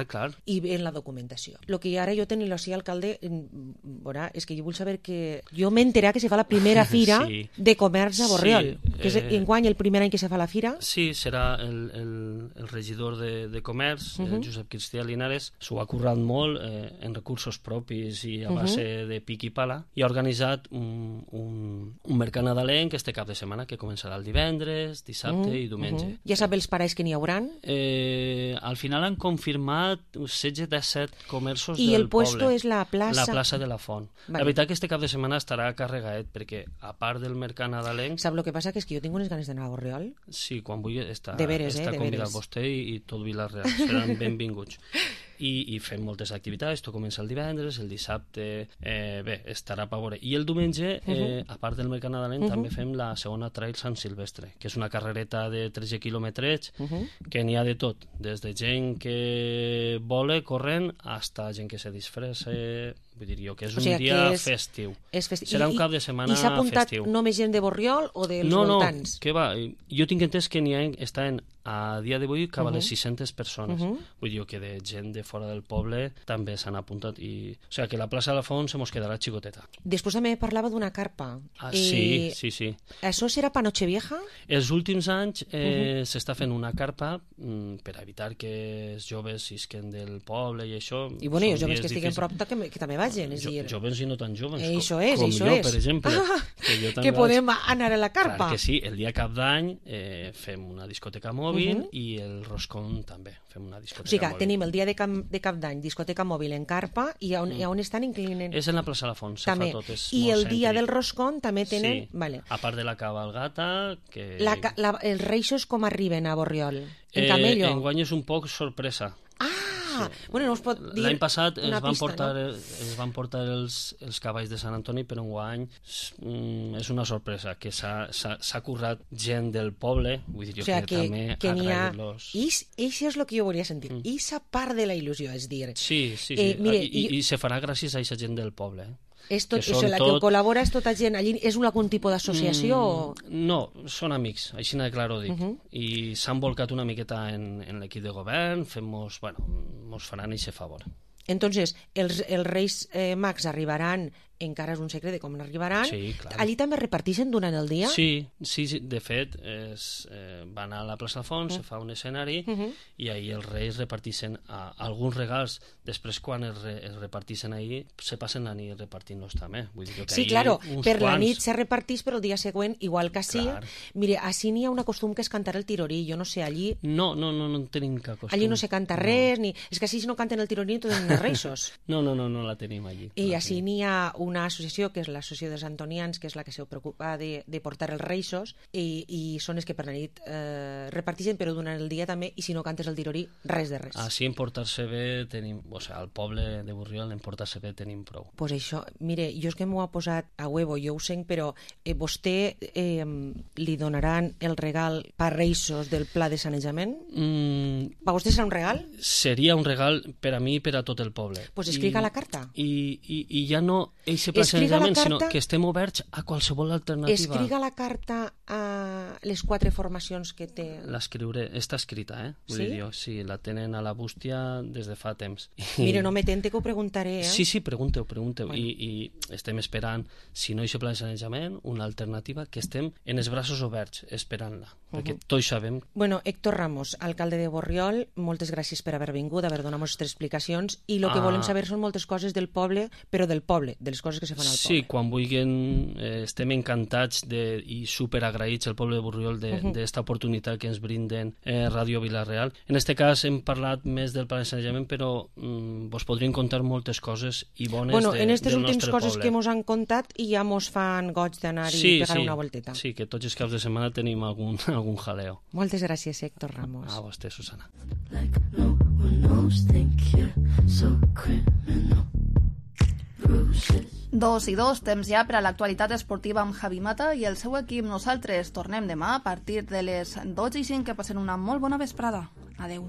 i en la documentació. El que ara jo tenia l'ací alcalde és que jo vull saber que jo m'enteré que se fa la primera fira de comerç a Borriol, que és enguany el primer any que se fa la fira. Sí, serà el regidor de comerç, Josep Cristià Linares, s'ho ha currat molt en recursos propis i a base de pic i pala, i ha organitzat un mercat nadalenc este cap de setmana que començarà el divendres, dissabte i diumenge. Ja sap els parells que n'hi hauran? Al final han confirmat 16-17 comerços del poble. I el puesto és la plaça? La plaça de la Font. La veritat que este cap de setmana estarà carregat perquè a part del mercat nadalenc... Sap el que passa? Que és que jo tinc unes ganes d'anar a Borriol. Sí, quan vulgui està veres. convidat vostè i tot Vila-real. Seran benvinguts. I fem moltes activitats, tot comença el divendres, el dissabte, bé, estarà per veure. I el diumenge, a part del mercat nadalenc, també fem la segona Trail Sant Silvestre, que és una carrereta de 13 quilòmetres, que n'hi ha de tot, des de gent que vola corrent hasta gent que se disfressa, vull dir jo que és un dia festiu. Serà un cap de setmana festiu. I s'ha apuntat només gent de Borriol o dels voltants? No, que va, jo tinc entès que estan a dia d'avui cap a les 600 persones. Vull dir que de gent de fora del poble també s'han apuntat. O sigui que la plaça de la Font se mos quedarà xicoteta. Després també parlava d'una carpa. Sí. Això serà per Nochevieja? Els últims anys s'està fent una carpa per evitar que els joves isquen del poble i això. I bueno, els joves que estiguen prop que també vagin. Joves i no tan joves. Això és. Com jo, per exemple. Que podem anar a la carpa. Clar que sí, el dia cap d'any fem una discoteca mòbil i el roscón també fem una discoteca mòbil. O sigui, tenim el dia de cap d'any discoteca mòbil en carpa i on estan inclinant? És en la plaça de la Font, se fa tot. I el dia del roscón també tenen... Sí, a part de la cabalgata... Els reixos com arriben a Borriol? En camello? Enguany és un poc sorpresa. Bueno, no us pot dir... L'any passat es van portar els cavalls de Sant Antoni, però enguany és una sorpresa, que s'ha currat gent del poble, vull dir jo que també agrair-los. Això és el que jo volia sentir. Ixa part de la il·lusió, és dir... Sí. I se farà gràcies a aquesta gent del poble, la que col·labora és tota gent allí, és algun tipus d'associació? No, són amics, així de clar ho dic, i s'han volcat una miqueta en l'equip de govern, mos faran aquest favor. Entonces, els Reis Mags arribaran encara és un secret de com n'arribaran. Sí, clar. Allí també reparteixen durant el dia? Sí, de fet, van a la plaça Alfons, se fa un escenari i ahir els reis reparteixen alguns regals. Després, quan es reparteixen ahir, se passen la nit repartint-los també. Vull dir que sí, claro, per la nit se reparteix, però el dia següent, igual que així. Mire, així n'hi ha una costum que és cantar el tirorí. Jo no sé, allí... No tenim cap costum. Allí no se canta res, ni... És que així si no canten el tirorí no tenen reisos. No la tenim allí. I així n'hi ha una associació, que és l'associació dels antonians, que és la que se preocupa de portar els reisos, i són els que per la nit reparteixen, però durant el dia també, i si no cantes el tirorí, res de res. Així en portar-se bé tenim... O sigui, al poble de Borriol en portar-se bé tenim prou. Pues això, mire, jo és que m'ho ha posat a huevo, jo ho sent, però vostè li donaran el regal per reisos del pla de sanejament? Per vostè serà un regal? Seria un regal per a mi i per a tot el poble. Pues escriga la carta. I ja no eixe pla de sanejament, sinó que estem oberts a qualsevol alternativa. Escriga la carta a les 4 formacions que té. L'escriuré, està escrita, Vull dir jo, sí, la tenen a la bústia des de fa temps. Mire, no me tente que ho preguntaré, Sí, pregunteu. Bueno. I estem esperant, si no hi ha pla de sanejament, una alternativa, que estem en els braços oberts esperant-la, perquè tots sabem. Bueno, Héctor Ramos, alcalde de Borriol, moltes gràcies per haver vingut, haver donat les explicacions, i el que volem saber són moltes coses del poble, però del poble, de les coses que se fan al poble. Sí, quan vulguin, estem encantats i superagraïts el poble de Borriol d'esta oportunitat que ens brinden Ràdio Vila-real. En este cas hem parlat més del pla de sanejament, però vos podrien contar moltes coses i bones del nostre poble. En aquestes últimes coses que mos han contat ja mos fan goig d'anar-hi pegar una volteta. Sí, que tots els caps de setmana tenim algun jaleo. Moltes gràcies, Héctor Ramos. A vostè, Susana. Dos i dos, temps ja per a l'actualitat esportiva amb Javi Mata i el seu equip. Nosaltres tornem demà a partir de les 12:05. Que passen una molt bona vesprada. Adeu.